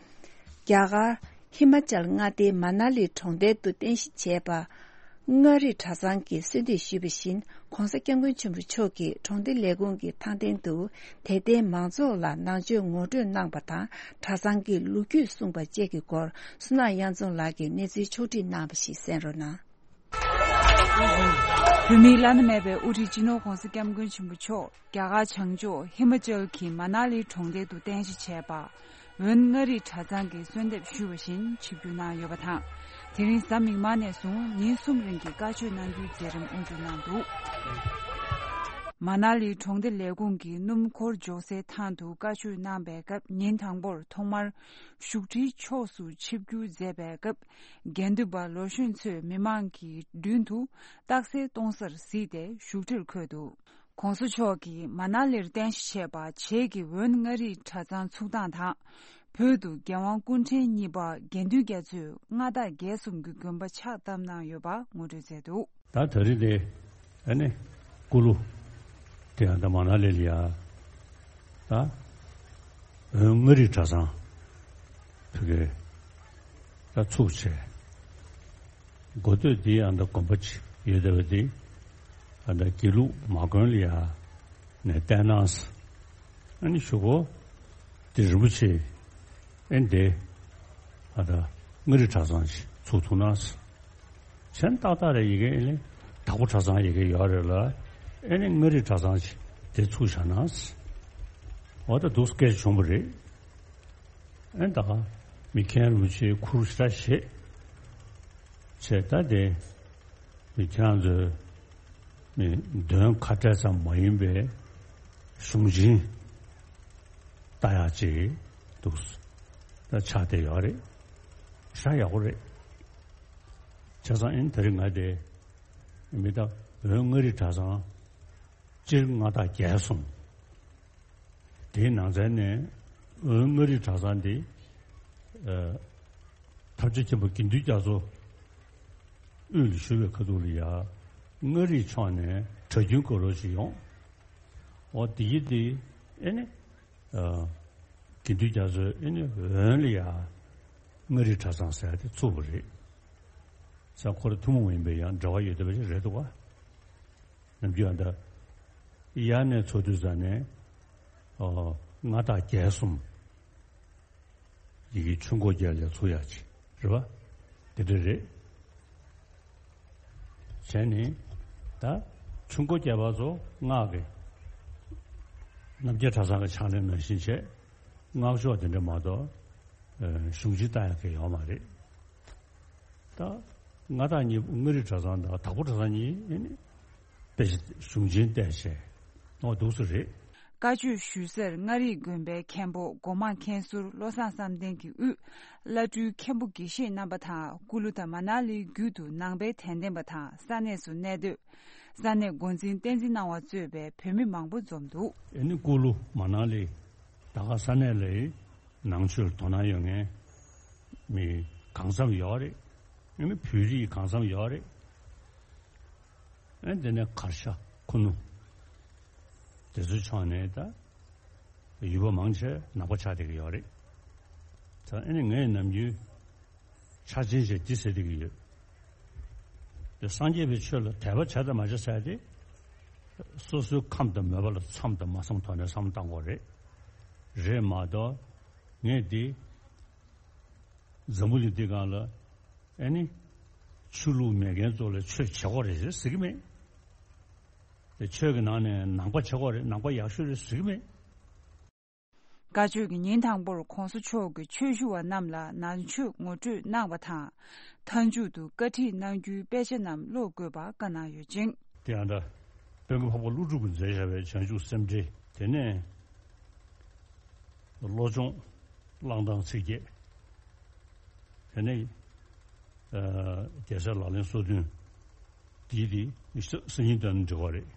གར་ཧི་མ་ཅལ་མངའ་སྡེའི་མ་ན་ལི་གྲོང་རྡལ་དུ་རྟེན་གཞི་བྱས་པ། མངའ་རིས་གྲྭ་ཚང་གིས་གསོལ་འདེབས་ཞུས་པ་བཞིན། ༸གོང་ས་༸སྐྱབས་མགོན་ཆེན་པོ་མཆོག་གིས་གྲོང་སྡེ་ལས་ཁུངས་ཀྱི་ཐང་སྟེང་དུ། དད་ལྡན་མང་ཚོགས་ལ་ནང་ཆོས་ངོ་སྤྲོད་གནང་པ་དང་། གྲྭ་ཚང་གི་ལོ་རྒྱུས་གསུངས་པ་བཅས་ཀྱི་སྐོར། བསོད་ནམས་དབྱངས་འཛོམས་ལགས་ཀྱིས་གནས་ཚུལ་ཕྱོགས་སྒྲིག་གནང་བ་ཞིག་གསན་རོགས་གནང་། བོད་མིའི་བླ་ན་མེད་པའི་དབུ་ཁྲིད་སྤྱི་ནོར་༸གོང་ས་༸སྐྱབས་མགོན་ཆེན་པོ་མཆོག་རྒྱ་གར་བྱང་ཕྱོགས་ཧི་མ་ཅལ་གྱི་མ་ན་ལི་གྲོང་རྡལ་དུ་རྟེན་གཞི་བྱས་པ། ཝོན་མངའ་རིས་གྲྭ་ཚང་གིས་གསོལ་འདེབས་ཞུས་པ་བཞིན་ཆིབས་བསྒྱུར་གནང་ཡོད་པ་དང་། དེ་རིང་གཟའ་མིག་དམར་ནས་བཟུང་ཉིན་གསུམ་རིང་གི་བཀའ་ཆོས་གནང་རྒྱུའི་མཛད་རིམ་དབུ་འཛུགས་གནང་འདུག་མ་ན་ལི་གྲོང་སྡེ་ལས་ཁུངས་ཀྱི་སྣུམ་འཁོར་འཇོག་སའི་ཐང་དུ་བཀའ་ཆོས་གནང་པའི་སྐབས། ཉིན་དང་པོར་ཐོག་མར་བཞུགས་ཁྲིའི་ཕྱོགས་སུ་ཆིབས་བསྒྱུར་མཛད་པའི་སྐབས། དགེ་འདུན་པ་ལོ་གཞོན་ཚོས་མི་མང་གི་མདུན་དུ་རྟགས་གསལ་གཏོང་སར་གཟིགས་ཏེ་བཞུགས་ཁྲིར་འཁོད་འདུག ༸གོང་ས་མཆོག་གིས་མ་ན་ལིར་རྟེན་གཞི་བྱས་པ་བྱེས་ཀྱི་ཝོན་མངའ་རིས་གྲྭ་ཚང་ཚུགས་སྟངས་དང་། བོད་དུ་རྒྱལ་དབང་སྐུ་ཕྲེང་གཉིས་པ་དགེ་འདུན་རྒྱ་མཚོས་མངའ་བདག་རྒྱལ་གསུམ་གྱི་དགོན་པ་ཕྱག་བཏབ་གནང་ཡོད་པ་ངོ་སྤྲོད་མཛད་འདུག་ད་ད་རེས་དེ་ཨ་ནི་སྐུ་ལུ་དེ་ཡང་ད་མ་ན་ལི་ལ་ཡ་ད་ཝོན་མངའ་རིས་གྲྭ་ཚང་ཕ་གི་ད་ཚུགས་བྱས། འགོ་སྟོད་འདི་ཨ་མདའ་དགོན་པ་ཅིག་ཡོད་བསྡད་པ་འདི་ཨ་མདའ་དགེ་ལུགས་མ་དགོན་ལ་ཡ་ནས་བསྟན་གནང་ཟེར། ཨ་ནི་གཞུག་གུ་དེ་རིན་པོ་ཆེ་ཨེ་འདི་ཨ་མདའ་མངའ་རིས་གྲྭ་ཚང་ཅིག་ཚུགས་ཐུབ་ན་ཟེར། མཚན་ཏག་ཏག་རེད། ཡི་གེ་ཨེ་ནི་དྭགས་པོ་གྲྭ་ཚང་ཡི་གེ་ཡོད་རེད་ལ། ཨེ་ནི་མངའ་རིས་གྲྭ་ཚང་ཅིག་དེ་ཚུགས་བཞག་ན་ཟེར། འོ་ད་འདུག་སྐད་ཆ་བྱུང་བ་རེད། ཨེ་ད་ག་མི་མཁན་རིན་པོ་ཆེའི་ཁུར་ཞེ་དྲག་བཞེས་བྱས། ད་དེ་མི་ཁྱེད་རང་ཚོའི་མི་འདོན་ཁ་བྲལ་ཙམ་མ་ཡིན་པའི་གཞུང་ཆེན་ལྟ་ཡག་ཅིག་འདུག་ད་ཆགས་བསྡད་ཡོད་རེད། ཞེ་དྲག་ཡག་པོ་རེད། བྱས་ཙང་ཨེ་ད་རེས་ང་དེ་མི་ད་བོད་མངའ་རིས་གྲྭ་ཚང་སྤྱིར་མངའ་བདག་རྒྱལ་གསུམ། དེའི་ནང་ཚན་ནས་ཝོན་མངའ་རིས་གྲྭ་ཚང་འདི་ཨ་ཐབས་ཆེན་མཁན་པོ་དགེ་འདུན་རྒྱ་མཚོ་དབུས་ལ་བཞུགས་པའི་ཁ་ཐུག་ལ་ཡ་མངའ་རིས་ཕྱོགས་ནས་གྲྭ་རྒྱུན་དགོས་རོགས་ཞིག་ཡོང་། འོ་དེ་ཡི་དེ་ཨེ་ནི་ཨ་དགེ་འདུན་རྒྱ་མཚོས་ཨེ་ནི་ཝོན་ལ་ཡ་མངའ་རིས་གྲྭ་ཚང་ཟེར་ཡ་དེ་ཚུགས་པ་རེད། ས་ཁོ་ར་ཐུན་མོང་མ་ཡིན་པའི་ཡང་འབྲེལ་བ་ཡོད་བསྡད་པ་ཞིག་རེད་འདུག་ག་ནམ་རྒྱུན་ཨ་མདའ་ཡར་ནས་ཚུགས་དུས་ཙ་ནས་ཨོ་མངའ་བདག་རྒྱལ་གསུམ་ཡི་གེ་ཆུ་འགོ་རྒྱལ་ལ་ཚུགས་ཡག་ཅིག་རེད་པ། དེ་འདྲ་རེད། བྱས་ནས་ད་ཆུ་འགོ་རྒྱལ་པ་ཚོ་སྔགས་ཀྱི་རྣམ་རྒྱལ་གྲྭ་ཚང་གི་ཕྱག་ལེན་ནང་བཞིན་བྱས། སྔགས་ཕྱོགས་དེ་འདྲ་མ་གཏོགས་གཞུང་ཆེན་ལྟ་ཡག་གི་ཡོད་མ་རེད། ད་མངའ་བདག་གཉིས་པོ་མངའ་རིས་གྲྭ་ཚང་དང་དྭགས་པོ་གྲྭ་ཚང་གཉིས་ཨེ་ནི་དཔེ་ཆ་གཞུང་ཆེན་བལྟས་བྱས་ཨོ་འདུག་སེ་རེད། བཀའ་ཆོས་ཞུ་སར་མངའ་རིས་དགོན་པའི་མཁན་པོ་སྒོ་མང་མཁན་ཟུར་བློ་བཟང་བསམ་གཏན་གྱི་དབུས་བླ་སྤྲུལ་མཁན་པོ་དགེ་བཤེས་རྣམ་པ་དང་། སྐུ་ལུ་དང་མ་ན་ལིའི་རྒྱུད་དུ་ནང་པའི་དད་ལྡན་པ་དང་ས་གནས་སུ་གནས་སྡོད། ས་གནས་འགོ་འཛིན་བསྟན་འཛིན་སྣང་བ་གཙོས་པའི་བོད་མི་མང་པོ་འཛོམས་འདུག་ཨེ་ནི་སྐུ་ལུ་མ་ན་ལི་ད་ག་ས་གནས་ལ་ནང་ཆོས་ལ་དོ་སྣང་ཡོད་མཁན་མི་གང་འཚམ་ཡོད་རེད། ཨེ་ནི་བོད་རིགས་གང་འཚམ་ཡོད་རེད། ཨེ་དེ་ནས་གར་ཞ་ཁུ་ནུ་དེ་ཚོའི་ཕྱོགས་ནས་ད་ཡུལ་པ་མང་ཆེ་ནག་པོ་ཆགས་བསྡད་ཀྱི་ཡོད་རེད། ད་ཨེ་ནི་ངས་ནམ་རྒྱུན་ཆ་ཆེན་ཞེས་འདི་ཟེར་བསྡད་ཀྱི་ཡོད། དེ་སངས་རྒྱས་པའི་ཆོས་ལ་དད་པ་བྱ་དང་མ་བྱ་ཟེར་ཏེ། སོ་སོའི་ཁམས་དང་མོས་པ་ལ་མཚམས་དང་མ་མཚམས་ཐོག་ནས་བསམ་བློ་བཏང་དགོས་རེད། རེད་མ་གཏོགས་ངས་འདི་འཛམ་བུ་གླིང་འདི་སྒང་ལ་ཨེ་ནི་ ཆོས་ལུགས་མེད་མཁན་ཚོ་ལ་ཆོས་བྱེད་དགོས་རེད་ཟེར་གྱི་མེད། དེ་ཆོས་ཀྱི་ནང་ནས་ནང་པ་བྱེད་དགོས་རེད། ནང་པ་ཡག་ཤོས་རེད་ཟེར་གྱི་མེད། བཀའ་ཆོས་ཀྱི་ཉིན་དང་པོར་༸གོང་ས་མཆོག་གིས་ཆོས་ཞུ་བ་རྣམས་ལ་ནང་ཆོས་ངོ་སྤྲོད་གནང་བ་དང་། མཐའ་མཇུག་ཏུ་བཀའ་ཁྲིད་གནང་རྒྱུའི་དཔེ་ཆ་རྣམས་ཀློག་དགོས་པ་བཀའ་གནང་ཡོད་ཅིང་། དེ་ཡང་ད་དཔལ་མགོན་འཕགས་པ་ཀླུ་སྒྲུབ་ཀྱིས་མཛད་བཞག་པའི་བྱང་ཆུབ་སེམས་འགྲེལ། དེ་ནས་བློ་སྦྱོང་། བླང་དང་ཚིགས་བརྒྱད། དེ་ནས་རྒྱལ་སྲས་ལག་ལེན་སོ་བདུན། འདིའི་དེ་སང་ཉིན་དོན་འགྲིག་པ་རེད།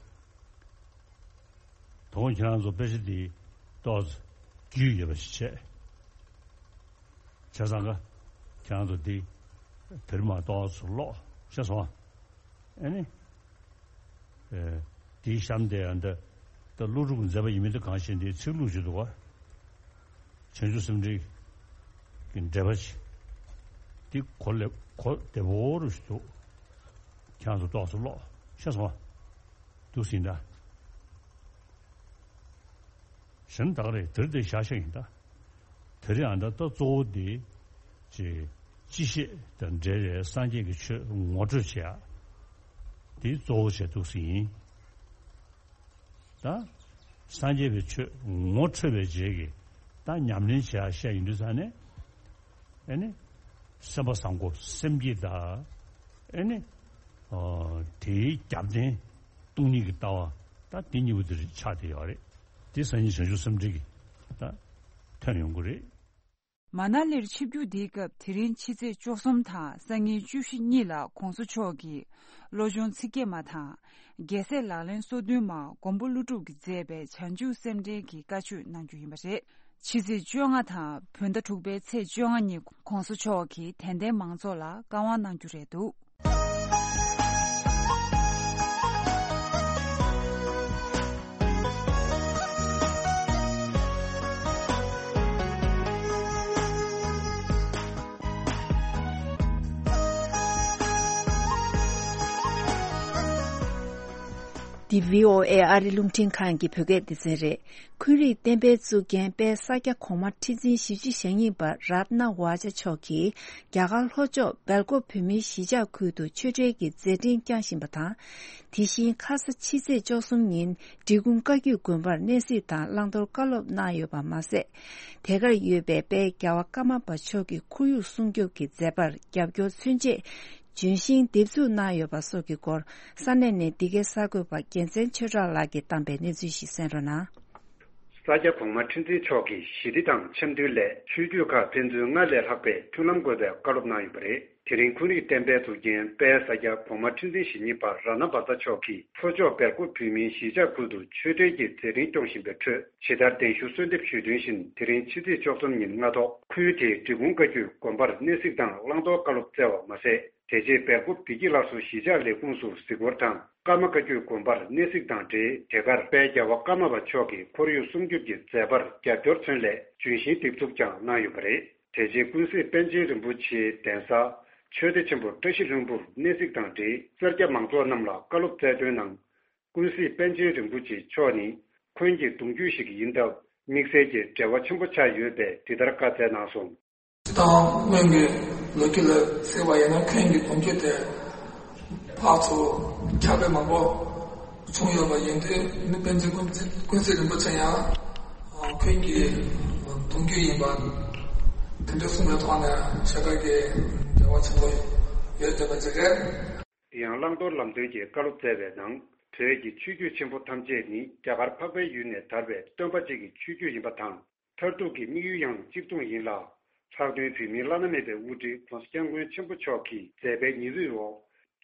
དོ་དགོང་ཁྱེད་རང་ཚོ་དཔེ་ཆ་འདི་ཏོག་ཙམ་རྒྱུས་ཡོད་པ་ཞིག་བྱས། བྱས་ཙང་ཀ་ཁྱེད་རང་ཚོ་འདི་དེ་རིང་མ་ཏོག་ཙམ་ཀློག་ཤེས་སོང་ཨ། ཨེ་ནི། ཨེ། དེའི་གཤམ་དེ་ཡང་འདི་ད་ཀླུ་སྒྲུབ་མཛད་པ་ཡིན་མིན་དེ་གང་ཤེས། འདི་ཚིག་ལྷུག་ཅིག་འདུག་ག་བྱང་ཆུབ་སེམས་འགྲེལ་གྱི་འགྲེལ་པ་ཅིག་འདི་གོ་ལེ་གོ་བདེ་པོ་རུ་ཞིག་འདུག་ཁྱེད་རང་ཚོ་ཏོག་ཙམ་ཀློག་ཤེས་སོང་ཨ། འདུག་ཟིན་ད། གཞན་དག་རེད། དེར་དེ་བཞག་བཞག་ཡིན་ད། དེ་རིང་ཨ་ད་ལྟ་གཙོ་བོ་འདི་ཅི་ཅི་ཤེས་དང་འབྲེལ་བའི་སངས་རྒྱས་ཀྱི་ཆོས་ངོ་སྤྲོད་བྱེད་ཡ། འདི་གཙོ་བོ་བྱས་འདུག་ཟིན་ཡིན། ད་སངས་རྒྱས་པའི་ཆོས་ངོ་འཕྲོད་པའི་རྗེས་ཀྱི་ད་ཉམས་ལེན་བྱེད་ཡ་བཤད་ཡིན་དུས་ཙང་ནས། ཨེ་ནི། སེམས་པ་བཟང་པོ་སེམས་བསྐྱེད་དང་། ཨེ་ནི། ཨོ། དེའི་རྒྱབ་རྟེན་སྟོང་ཉིད་ཀྱི་ལྟ་བ་ད་དེ་གཉིས་པོ་དེ་ཆགས་བསྡད་ཡོད་རེད། དེ་སང་ཉིན་བྱང་ཆུབ་སེམས་འགྲེལ་གྱི་ད་ཐོན་ཡོང་གི་རེད། མ་ན་ལིར་ཆིབས་བསྒྱུར་འདིའི་སྐབས་དེ་རིང་ཕྱི་ཚེས་བཅུ་གསུམ་དང་སང་ཉིན་བཅུ་བཞི་གཉིས་ལ་༸གོང་ས་མཆོག་གིས་བློ་སྦྱོང་ཚིག་བརྒྱད་མ་དང་། རྒྱལ་སྲས་ལག་ལེན་སོ་བདུན་མ་མགོན་པོ་ཀླུ་སྒྲུབ་ཀྱིས་མཛད་པའི་བྱང་ཆུབ་སེམས་འགྲེལ་གྱི་བཀའ་ཆོས་གནང་རྒྱུ་ཡིན་པ་རེད། ཕྱི་ཚེས་བཅོ་ལྔ་དང་བོད་ཟླ་དྲུག་པའི་ཚེས་བཅོ་ལྔ་ཉིན་༸གོང་ས་མཆོག་གིས་དད་ལྡན་མང་ཚོགས་ལ་བཀའ་དབང་གནང་རྒྱུ་རེད་འདུག་འདི་བྷི་ཨོ་ཨེ་ཨ་རི་རླུང་འཕྲིན་ཁང་གི་བོད་སྐད་སྡེ་ཚན་རེད། འཁོན་རིགས་བསྟན་པའི་གཙུག་རྒྱན་དཔལ་ས་སྐྱ་གོང་མ་ཁྲི་འཛིན་ཞེ་བཞི་ཞེ་གཉིས་པ་རཏྣ་བྷ་ཛ་མཆོག་གིས་རྒྱ་གར་ལྷོ་ཕྱོགས་སྦེལ་ཀོབ་བོད་མིའི་གཞིས་ཆགས་ཁུལ་དུ་ཆོས་འབྲེལ་གྱི་མཛད་འཕྲིན་བསྐྱངས་བཞིན་པ་དང་། དེ་བཞིན་ཁ་ས་ཕྱི་ཚེས་བཅུ་གསུམ་ཉིན་འབྲི་གུང་བཀའ་བརྒྱུད་དགོན་པར་གནས་གཟིགས་དང་བླང་དོར་བཀའ་སློབ་གནང་ཡོད་པ་མ་ཟད། དེ་གར་ཡོད་པའི་དཔལ་རྒྱལ་བ་ཀརྨ་པ་མཆོག་གི་ཁོར་ཡུག་སྲུང་སྐྱོབ་ཀྱི་མཛད་པར་རྒྱབ་སྐྱོར་མཚོན་ཆེད། ལྗོན་ཤིང་འདེབས་འཛུགས་གནང་ཡོད་པ་སོགས་ཀྱི་སྐོར་ས་གནས་ནས་འདི་གའི་གསར་འགོད་པ་རྒྱལ་མཚན་ཆོས་གྲགས་ལགས་ཀྱིས་བཏང་པའི་གནས་ཚུལ་ཞིག་གསན་རོགས་གནང་། ས་སྐྱ་གོང་མ་ཁྲི་འཛིན་མཆོག་གིས་ཞི་བདེ་དང་འཆམ་མཐུན་སླད་ཆོས་བརྒྱུད་ཁག་ཕན་ཚུན་སྔར་ལས་ལྷག་པའི་མཐུན་ལམ་དགོས་པའི་བཀའ་སློབ་གནང་ཡོད་པ་རེད། དེ་རིང་འཁོན་རིགས་བསྟན་པའི་གཙུག་རྒྱན་དཔལ་ས་སྐྱ་གོང་མ་ཁྲི་འཛིན་ཞེ་གཉིས་པ་རཏྣ་བྷ་ཛ་མཆོག་གིས་ལྷོ་ཕྱོགས་སྦེལ་ཀོབ་བོད་མིའི་གཞིས་ཆགས་ཁུལ་དུ་ཆོས་འབྲེལ་གྱི་མཛད་འཕྲིན་སྐྱོང་བཞིན་པའི་ཁྲོད། ཇི་ལྟར་གདན་ཞུ་གསོལ་འདེབས་ཞུས་དོན་བཞིན། དེ་རིང་ཕྱི་ཚེས་བཅུ་གསུམ་ཉིན་སྔ་ཐོག་ཁུལ་དེའི་འབྲི་གུང་བཀའ་བརྒྱུད་དགོན་པར་གནས་གཟིགས་དང་བླང་དོར་བཀའ་སློབ་སྩལ་བ་མ་ཟད། དེ་རྗེས་སྦེལ་ཀོབ་བདེ་སྐྱིད་སླར་གསོ་གཞིས་ཆགས་ལས་ཁུངས་སུ་གཟིགས་སྐོར་དང་། ཀརྨ་བཀའ་བརྒྱུད་དགོན་པར་གནས་གཟིགས་དང་འབྲེལ། དེ་གར་དཔལ་རྒྱལ་བ་ཀརྨ་པ་མཆོག་གི་ཁོར་ཡུག་སྲུང་སྐྱོབ་ཀྱི་མཛད་པར་རྒྱབ་སྐྱོར་མཚོན་སླད་ལྗོན་ཤིང་འདེབས་འཛུགས་ཀྱང་གནང་ཡོད་པ་རེད། དེ་རྗེས་ཀུན་གཟིགས་པཎ་ཆེན་རིན་པོ་ཆེའི་གདན་ས་ཆོས་སྡེ་ཆེན་པོ་བཀྲ་ཤིས་ལྷུན་པོར་གནས་གཟིགས་དང་འབྲེལ། སེར་སྐྱ་མང་ཚོགས་རྣམས་ལ་བཀའ་སློབ་སྩལ་དོན་ནང་། ཀུན་གཟིགས་པཎ་ཆེན་རིན་པོ་ཆེ་མཆོག་ནི་འཁོན་གྱི་གདུང་རྒྱུད་ཞིག་ཡིན་སྟབས། དམིགས་བསལ་གྱི་འབྲེལ་བ་ཆེན་པོ་ཆགས་ཡོད་པས། འདི་ལྟར་བཀའ་སྩལ་གནང་སོང་། སྤྱིར་བཏང་སྔོན་གྱི་ལོ་རྒྱུས་ལ་གཟིགས་པ་ཡིན་ན། འཁོན་གྱི་གདུང་རྒྱུད་དེ་ཕར་ཚུར་ཁྱབ་སྤེལ་མང་པོ་བྱུང་ཡོད་པ་ཡིན་དུས། མི་དཔེ་མཛོད་ཀུན་ཀུན་གཟིགས་རིན་པོ་ཆེ་ཡང་འཁོན་གྱི་གདུང་རྒྱུད་ཡིན་པ་དེ་འདྲ་གསུངས་པའི་ཐོག་ནས་ཞེ་དྲག་གི་འབྲེལ་བ་ཆེན་པོ་ཡོད་བསྡད་པ་ཅིག་རེད། དེ་ཡང་བླང་དོར་ལམ་སྟོན་གྱི་བཀའ་སློབ་སྩལ་བའི་ནང་། བོད་ཀྱི་ཆོས་བརྒྱུད་ཆེན་པོ་ཐམས་ཅད་ནི་རྒྱ་གར་འཕགས་པའི་ཡུལ་ནས་དར་བའི་སྟོན་པ་གཅིག་གི་ཆོས་བརྒྱུད་ཡིན་པ་དང་། མཐར་ཐུག་གི་དམིགས་ཡུལ་ཡང་གཅིག་མཚུངས་ཡིན་ལ། ལྷག་དོན་བོད་མིའི་བླ་ན་མེད་པའི་དབུ་ཁྲིད་༸གོང་ས་༸སྐྱབས་མགོན་ཆེན་པོ་མཆོག་གི་མཛད་པའི་ཉི་འོད་འོག་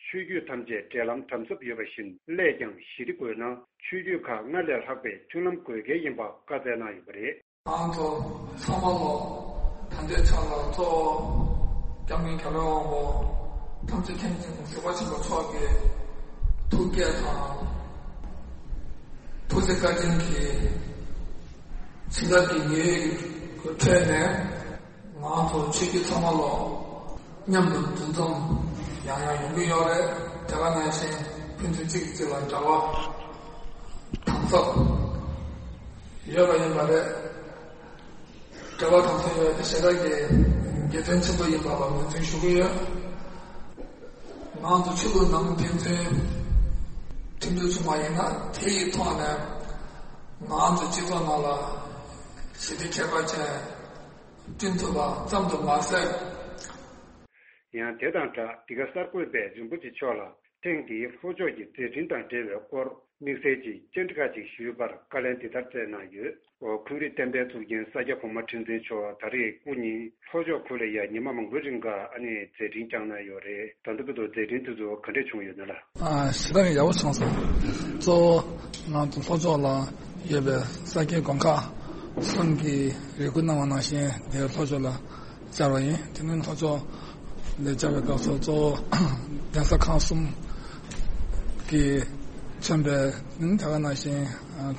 ཆོས་བརྒྱུད་ཐམས་ཅད་འབྲེལ་ལམ་དམ་ཟབ་ཡོད་པ་བཞིན། སླད་ཀྱང་ཞི་བདེ་དགོས་ན་ཆོས་བརྒྱུད་ཁག་སྔར་ལས་ལྷག་པའི་མཐུན་ལམ་དགོས་གལ་ཡིན་པ་བཀའ་སྩལ་གནང་ཡོད་པ་རེད། ང་ཚོ་ཚང་མ་ལོ། ད་ལྟའི་ཆ་ལ་གཙོ་བོ་༸སྐྱབས་མགོན་རྒྱལ་བའི་དབང་པོ་ཐམས་ཅད་མཁྱེན་ཅིང་གཟིགས་པ་ཆེན་པོ་མཆོག་གི་ཐུགས་བསྐྱེད་དང་། ཐུགས་རྗེ་བཀའ་དྲིན་གྱིས། བྱིན་རླབས་ཀྱི་ཉི་འོད་ཀྱི་ཁྲོད་ནས། ང་ཚོ་ཆོས་བརྒྱུད་ཚང་མ་ལོ། མཉམ་དུ་འདུ་འཛོམས་ཡང་ཡང་ཡོང་གི་ཡོད་རེད། དེ་ག་ནང་བཞིན་ཕན་ཚུན་གཅིག་གིས་གཅིག་ལ་འབྲེལ་བ་དམ་ཟབ་ཡོད་པ་ཡིན་པ་རེད། འབྲེལ་བ་དམ་ཟབ་ཡོད་པ་དེ་ཞེ་དྲག་གི་དགེ་མཚན་ཆེན་པོ་ཡིན་པ་ལ་ངོས་འཛིན་ཞུ་གི་ཡོད། ང་ཚོ་ཆོས་ལུགས་ནང་ཕན་ཚུན་མཐུན་སྒྲིལ་བྱུང་བ་ཡིན་ན། དེ་ཡི་ཐོག་ནས་ང་ཚོ་སྤྱི་ཚོགས་ནང་ལ་ཞི་བདེ་ཁྱད་པར་ཅན། བསྐྲུན་ཐུབ་པ་ཙམ་དུ་མ་ཟད། ཡང་དེ་དང་སྦྲགས། འདི་ག་གསར་འགོད་པས་རིན་པོ་ཆེ་མཆོག་ལ་ཐེངས་འདིའི་ལྷོ་ཕྱོགས་ཀྱི་མཛད་འཕྲིན་དང་འབྲེལ་བའི་སྐོར་དམིགས་བསལ་གྱི་བཅར་འདྲི་ཁག་ཅིག་ཞུས་པར། བཀའ་ལན་འདི་ལྟར་སྩལ་གནང་ཡོད། འོ། ཁུལ་རིག་བསྟན་པའི་གཙུག་རྒྱན་ས་སྐྱ་གོང་མ་ཁྲི་འཛིན་མཆོག་ད་རེས་སྐུ་ཉིད་ལྷོ་ཕྱོགས་ཁུལ་ལ་ཡང་ཉི་མ་མང་པོའི་རིང་ག་ཨ་ནི་མཛད་འཕྲིན་བསྐྱངས་གནང་ཡོད་རེད། ད་ལྟ་བར་དུ་མཛད་འཕྲིན་དེ་ཚོ་ག་འདྲས་བྱུང་ཡོད་ན་ལགས། ཨ། ཞེ་དྲག་ཡག་པོ་བྱུང་སོང་། གཙོ་བོ་ང་ཚོ་ལྷོ་ཕྱོགས་ལ་ཡོད་པའི་ས་སྐྱའི་དགོན་ཁག་གསུམ་གྱིས་རེ་སྐུལ་གནང་བ་ནང་བཞིན་དེ་ལྷོ་ཕྱོགས་ལ་བཅར་བ་ཡིན། དེ་ནས་ལྷོ་ཕྱོགས་ལ་བཅར་བའི་སྐབས་སུ་གཙོ་བོ་གདན་ས་ཁག་གསུམ་གྱིས་མཚོན་པའི་ནི་དེ་ག་ནང་བཞིན། ཨ།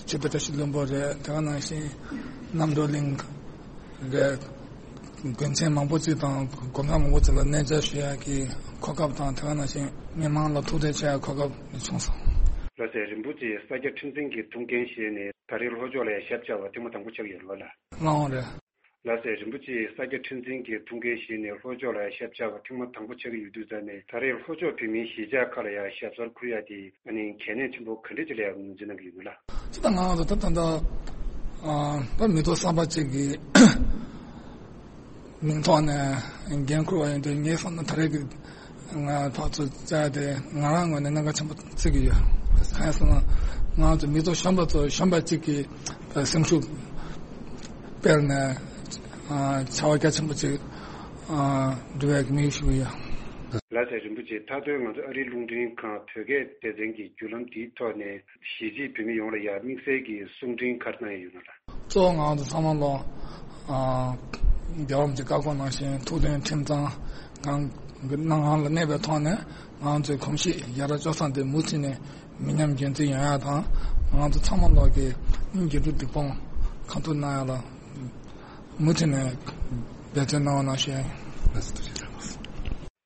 ཆོས་རྗེ་བཀྲ་ཤིས་ལྷུན་པོ་རེད། དེ་ག་ནང་བཞིན་རྣམ་གྲོལ་གླིང་རེད། དགོན་ཆེན་མང་པོ་ཅིག་དང་དགོན་ཁག་མང་པོ་ཅིག་ལ་གནས་མཇལ་ཞུ་ཡག་གི་གོ་སྐབས་དང་། དེ་ག་ནང་བཞིན་མི་མང་ལ་ཐུག་འཕྲད་བྱེད་ཡག་གོ་སྐབས་བྱུང་སོང་། ལགས་སེ། རིན་པོ་ཆེ་ས་སྐྱ་ཁྲི་འཛིན་གྱི་ཐུགས་འགན་བཞེས་ནས་ད་རེས་ལྷོ་ཕྱོགས་ལ་ཡང་ཞབས་བཅར་བ་ཐེངས་མ་དང་པོ་ཆགས་ཡོད་རེད་པ་ལགས། ལགས་འོང་རེད། ལགས་སེ། རིན་པོ་ཆེ་ས་སྐྱ་ཁྲི་འཛིན་གྱི་ཐུགས་འགན་བཞེས་ནས་ལྷོ་ཕྱོགས་ལ་ཡང་ཞབས་བཅར་བ་ཐེངས་མ་དང་པོ་ཆགས་ཀྱི་ཡོད་དུས་ཙང་ནས། ད་རེས་ལྷོ་ཕྱོགས་བོད་མིའི་གཞིས་ཆགས་ཁག་ལ་ཡང་ཞབས་སོར་འཁོད་ཡག་དེ་ཨ་ནི་གལ་གནད་ཆེན་པོ་ག་འདྲས་ཅིག་ལ་ཡང་ངོས་འཛིན་གནང་གི་ཡོད་ན་ལགས། སྤྱིར་བཏང་ང་ཚོ་ད་ད་ལྟ་ཨ་ད་མི་ཐོག་གསར་པ་ཅིག་གི་མིང་ཐོག་ནས་འགན་འཁུར་བ་ཡིན་དུས། ངའི་བསམ་ན་ད་རེས་ཀྱི་ང་ཕར་ཚུར་བཅར་ཡག་དེ་ང་རང་ངོས་ནས་གནད་འགག་ཆེན་པོ་བརྩི་གི་ཡོད། གང་ཡིན་ཟེར་ན་ང་ཚོ་མི་ཐོག་གཞོན་པ་ཚོ་གཞོན་པ་ཅིག་གི་སེམས་ཤུགས་སྤེལ་ནས་ཨ་བྱ་བ་རྒྱ་ཆེན་པོ་ཅིག་ཨ་སྒྲུབ་ཡག་གི་དམིགས་ཡུལ་ཞུ་གི་ཡོད། ལགས་སེ། རིན་པོ་ཆེ། མཐའ་དོན་ང་ཚོ་ཨ་རིའི་རླུང་འཕྲིན་ཁང་བོད་སྐད་སྡེ་ཚན་གྱི་བརྒྱུད་ལམ་འདིའི་ཐོག་ནས་གཞིས་བྱེས་བོད་མི་ཡོངས་ལ་ཡང་དམིགས་བསལ་གྱི་གསུང་འཕྲིན་ག་རེ་གནང་ཡས་ཡོད་ན་ལགས། གཙོ་བོ་ང་ཚོ་ཚང་མ་ལོ། ཨ། རྒྱལ་བ་རིན་པོ་ཆེའི་བཀའ་དགོངས་ནང་བཞིན་ཐུགས་མཐུན་ཁྲིམས་གཙང་ངང་གི་སྣང་ངང་ལ་གནས་པའི་ཐོག་ནས། ང་ཚོའི་གོམས་གཤིས་ཡ་རབས་སྤྱོད་བཟང་དེ་མུ་མཐུད་ནས་མི་ཉམས་རྒྱུན་འཛིན་ཡོང་ཡག་དང་། ང་ཚོ་ཚང་མ་ལོ་གི་སྙིང་རྗེ་དྲུག་སྡིག་སྤོང་གང་ཐུབ་གནང་ཡག་ལ་མུ་མཐུད་ནས་འབད་བརྩོན་གནང་བ་ནང་བཞིན།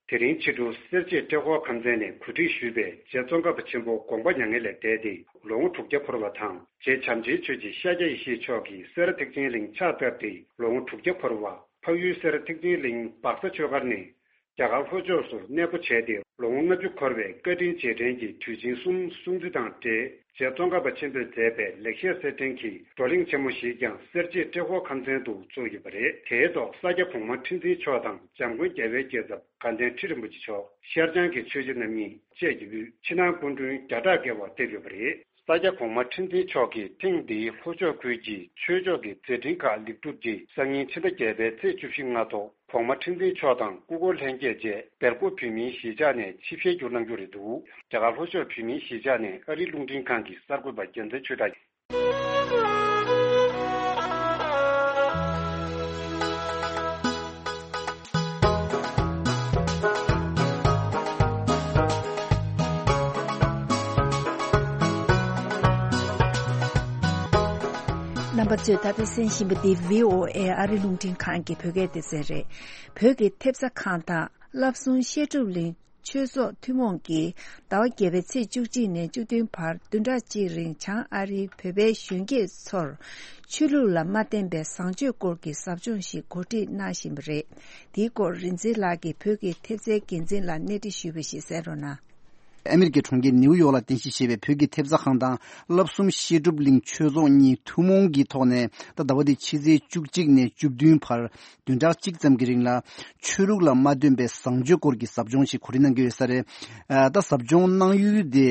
དེ་རིང་ཕྱི་དྲོ་སེར་བྱེས་ཏྲེ་ཧོར་ཁམས་ཚན་ནས་གོ་སྒྲིག་ཞུས་པའི་རྗེ་ཙོང་ཁ་པ་ཆེན་པོ་དགོངས་པ་མྱ་ངན་ལས་འདས་ཏེ་ལོ་ངོ་དྲུག་བརྒྱ་འཁོར་བ་དང་། རྗེ་བྱམས་ཆེན་ཆོས་ཀྱི་ཤཱཀྱ་ཡེ་ཤེས་མཆོག་གིས་སེ་ར་ཐེག་ཆེན་གླིང་ཕྱག་བཏབ་སྟེ་ལོ་ངོ་དྲུག་བརྒྱ་འཁོར་བ། འཕགས་ཡུལ་སེ་ར་ཐེག་ཆེན་གླིང་སྦག་ས་ཆོས་སྒར་ནས་རྒྱ་གར་ལྷོ་ཕྱོགས་སུ་གནས་སྤོ་བྱས་ཏེ་ལོ་ངོ་ལྔ་བཅུ་འཁོར་བའི་བཀའ་དྲིན་རྗེས་དྲན་གྱི་དུས་ཆེན་གསུམ་སྲུང་བརྩི་དང་འབྲེལ། རྗེ་ཙོང་ཁ་པ་ཆེན་པོས་མཛད་པའི་ལེགས་བཤད་གསེར་ཕྲེང་གི་བགྲོ་གླེང་ཆེན་མོ་ཞིག་ཀྱང་སེར་བྱེས་ཏྲེ་ཧོར་ཁམས་ཚན་དུ་བཙུགས་ཡོད་པ་རེད། དེའི་ཐོག་ས་སྐྱ་གོང་མ་ཁྲི་འཛིན་མཆོག་དང་འཇམ་མགོན་རྒྱལ་བའི་རྒྱལ་ཚབ་དགའ་ལྡན་ཁྲི་རིན་པོ་ཆེ་མཆོག། ཤར་བྱང་གི་ཆོས་རྗེ་རྣམ་གཉིས་བཅས་ཀྱི་དབུས་ཕྱི་ནང་སྐུ་མགྲོན་བརྒྱ་ཕྲག་བརྒལ་བ་ཕེབས་ཡོད་པ་རེད། ས་སྐྱ་གོང་མ་ཁྲི་འཛིན་མཆོག་གིས་ཐེངས་འདིའི་ལྷོ་ཕྱོགས་ཁུལ་གྱི་ཆོས་ཕྱོགས་ཀྱི་མཛད་འཕྲིན་ཁག་ལེགས་གྲུབ་རྗེས། སང་ཉིན་ཕྱི་ཟླ་བརྒྱད་པའི་ཚེས་བཅུ་བཞི་སྔ་དྲོ་གོང་མ་ཁྲི་འཛིན་མཆོག་དང་སྐུ་འཁོར་ལྷན་རྒྱས་བཅས་སྦེལ་ཀོབ་བོད་མིའི་གཞིས་ཆགས་ནས་ཆིབས་ཞལ་བསྒྱུར་གནང་རྒྱུ་རེད་འདུག། རྒྱ་གར་ལྷོ་ཕྱོགས་བོད་མིའི་གཞིས་ཆགས་ནས་ཨ་རིའི་རླུང་འཕྲིན་ཁང་གི་གསར་འགོད་པ་རྒྱལ་མཚན་ཆོས་གྲགས། རྣམ་པ་ཚོས་ད་ལྟ་གསན་བཞིན་པ་འདི་བྷི་ཨོ་ཨེ་ཨ་རི་རླུང་འཕྲིན་ཁང་གི་བོད་སྐད་སྡེ་ཚན་རེད། བོད་ཀྱི་ཐེབས་རྩ་ཁང་དང་བསླབ་གསུམ་བཤད་སྒྲུབ་གླིང་ཆོས་ཚོགས་ཐུན་མོང་གིས་ཟླ་བ་བརྒྱད་པའི་ཚེས་བཅུ་གཅིག་ནས་བཅུ་བདུན་བར་བདུན་ཕྲག་གཅིག་རིང་བྱང་ཨ་རིའི་བོད་པའི་གཞོན་སྐྱེས་ཚོར་ཆོས་ལུགས་ལ་མ་བརྟེན་པའི་བཟང་སྤྱོད་སྐོར་གྱི་ཟབ་སྦྱོང་ཞིག་གོ་སྒྲིག་གནང་བཞིན་པ་རེད། དེའི་སྐོར་རིག་འཛིན་ལགས་ཀྱིས་བོད་ཀྱི་ཐེབས་རྩའི་འགན་འཛིན་ལ་གནས་འདྲི་ཞུས་པ་ཞིག་གསན་རོགས་གནང་། ཨ་མེ་རི་ཀའི་གྲོང་ཁྱེར་ནེའུ་ཡོག་ལ་རྟེན་གཞི་བྱས་པའི་བོད་ཀྱི་ཐེབས་རྩ་ཁང་དང་བསླབ་གསུམ་བཤད་སྒྲུབ་གླིང་ཆོས་ཚོགས་གཉིས་ཐུན་མོང་གི་ཐོག་ནས། ད་ཟླ་བ་འདིའི་ཕྱི་ཚེས་བཅུ་གཅིག་ནས་བཅུ་བདུན་བར་བདུན་ཕྲག་གཅིག་ཙམ་གྱི་རིང་ལ་ཆོས་ལུགས་ལ་མ་བརྟེན་པའི་བཟང་སྤྱོད་སྐོར་གྱི་ཟབ་སྦྱོང་ཞིག་གོ་སྒྲིག་གནང་གི་ཡོད་ས་རེད། ཨ། ད་ཟབ་སྦྱོང་གནང་ཡུལ་དེ་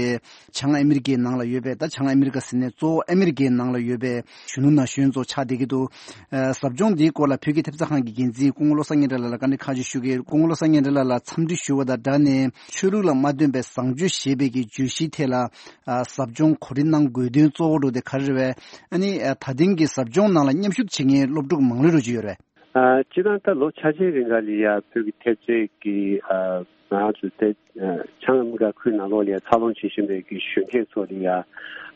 བྱང་ཨ་མེ་རི་ཀའི་ནང་ལ་ཡོད་པའི། ད་བྱང་ཨ་མེ་རི་ཀ་ཟེར་ནས་གཙོ་བོ་ཨ་མེ་རི་ཀའི་ནང་ལ་ཡོད་པའི་གཞོན་ནུ་ན་གཞོན་ཚོ་ཆགས་བསྡད་ཀྱི་འདུག། ཨ། ཟབ་སྦྱོང་འདིའི་སྐོར་ལ་བོད་ཀྱི་ཐེབས་རྩ་ཁང་གི་འགན་འཛིན་སྐུ་ངོ་བློ་བཟང་སྙན་གྲགས་ལགས་ལ་བཀའ་འདྲི་ཁག་ཅིག་ཞུ་གི་ཡོད། སྐུ་ངོ་བློ་བཟང་སྙན་གྲགས་ལགས་ལ་འཚམས་འདྲི་ཞུ་བ་དང་སྦྲགས་ནས། ཆོས་ལུགས་ལ་མ་བརྟེན་པའི་བཟང་སྤྱོད་ཞེས་པའི་གི་བརྗོད་གཞིའི་ཐད་ལ། ཨ། ཟབ་སྦྱོང་གོ་སྒྲིག་གནང་དགོས་དོན་གཙོ་བོ་འདྲ་བོ་དེ་ག་རེ་རེད་པས། ཨ་ནི། ཨ། ད་ཐེངས་ཀྱི་ཟབ་སྦྱོང་ནང་ལ་མཉམ་ཞུགས་བྱེད་མཁན་སློབ་ཕྲུག་མང་ལོས་འགྲོ་གི་ཡོད་རེད། ཨ། སྤྱིར་བཏང་ད་ལོ་ཆ་ཆའི་རིང་ག་ལ་ཡ་བོད་ཀྱི་ཐེབས་རྩའི་གི། ཨ། ང་ཚོ་ད་བྱང་ཨ་མེ་རི་ཀ་ཁུལ་ནང་ལོགས་ལ་ཡ་འཚར་ལོངས་བྱེད་བཞིན་པའི་གི་གཞོན་སྐྱེས་ཚོ་ལ་ཡ་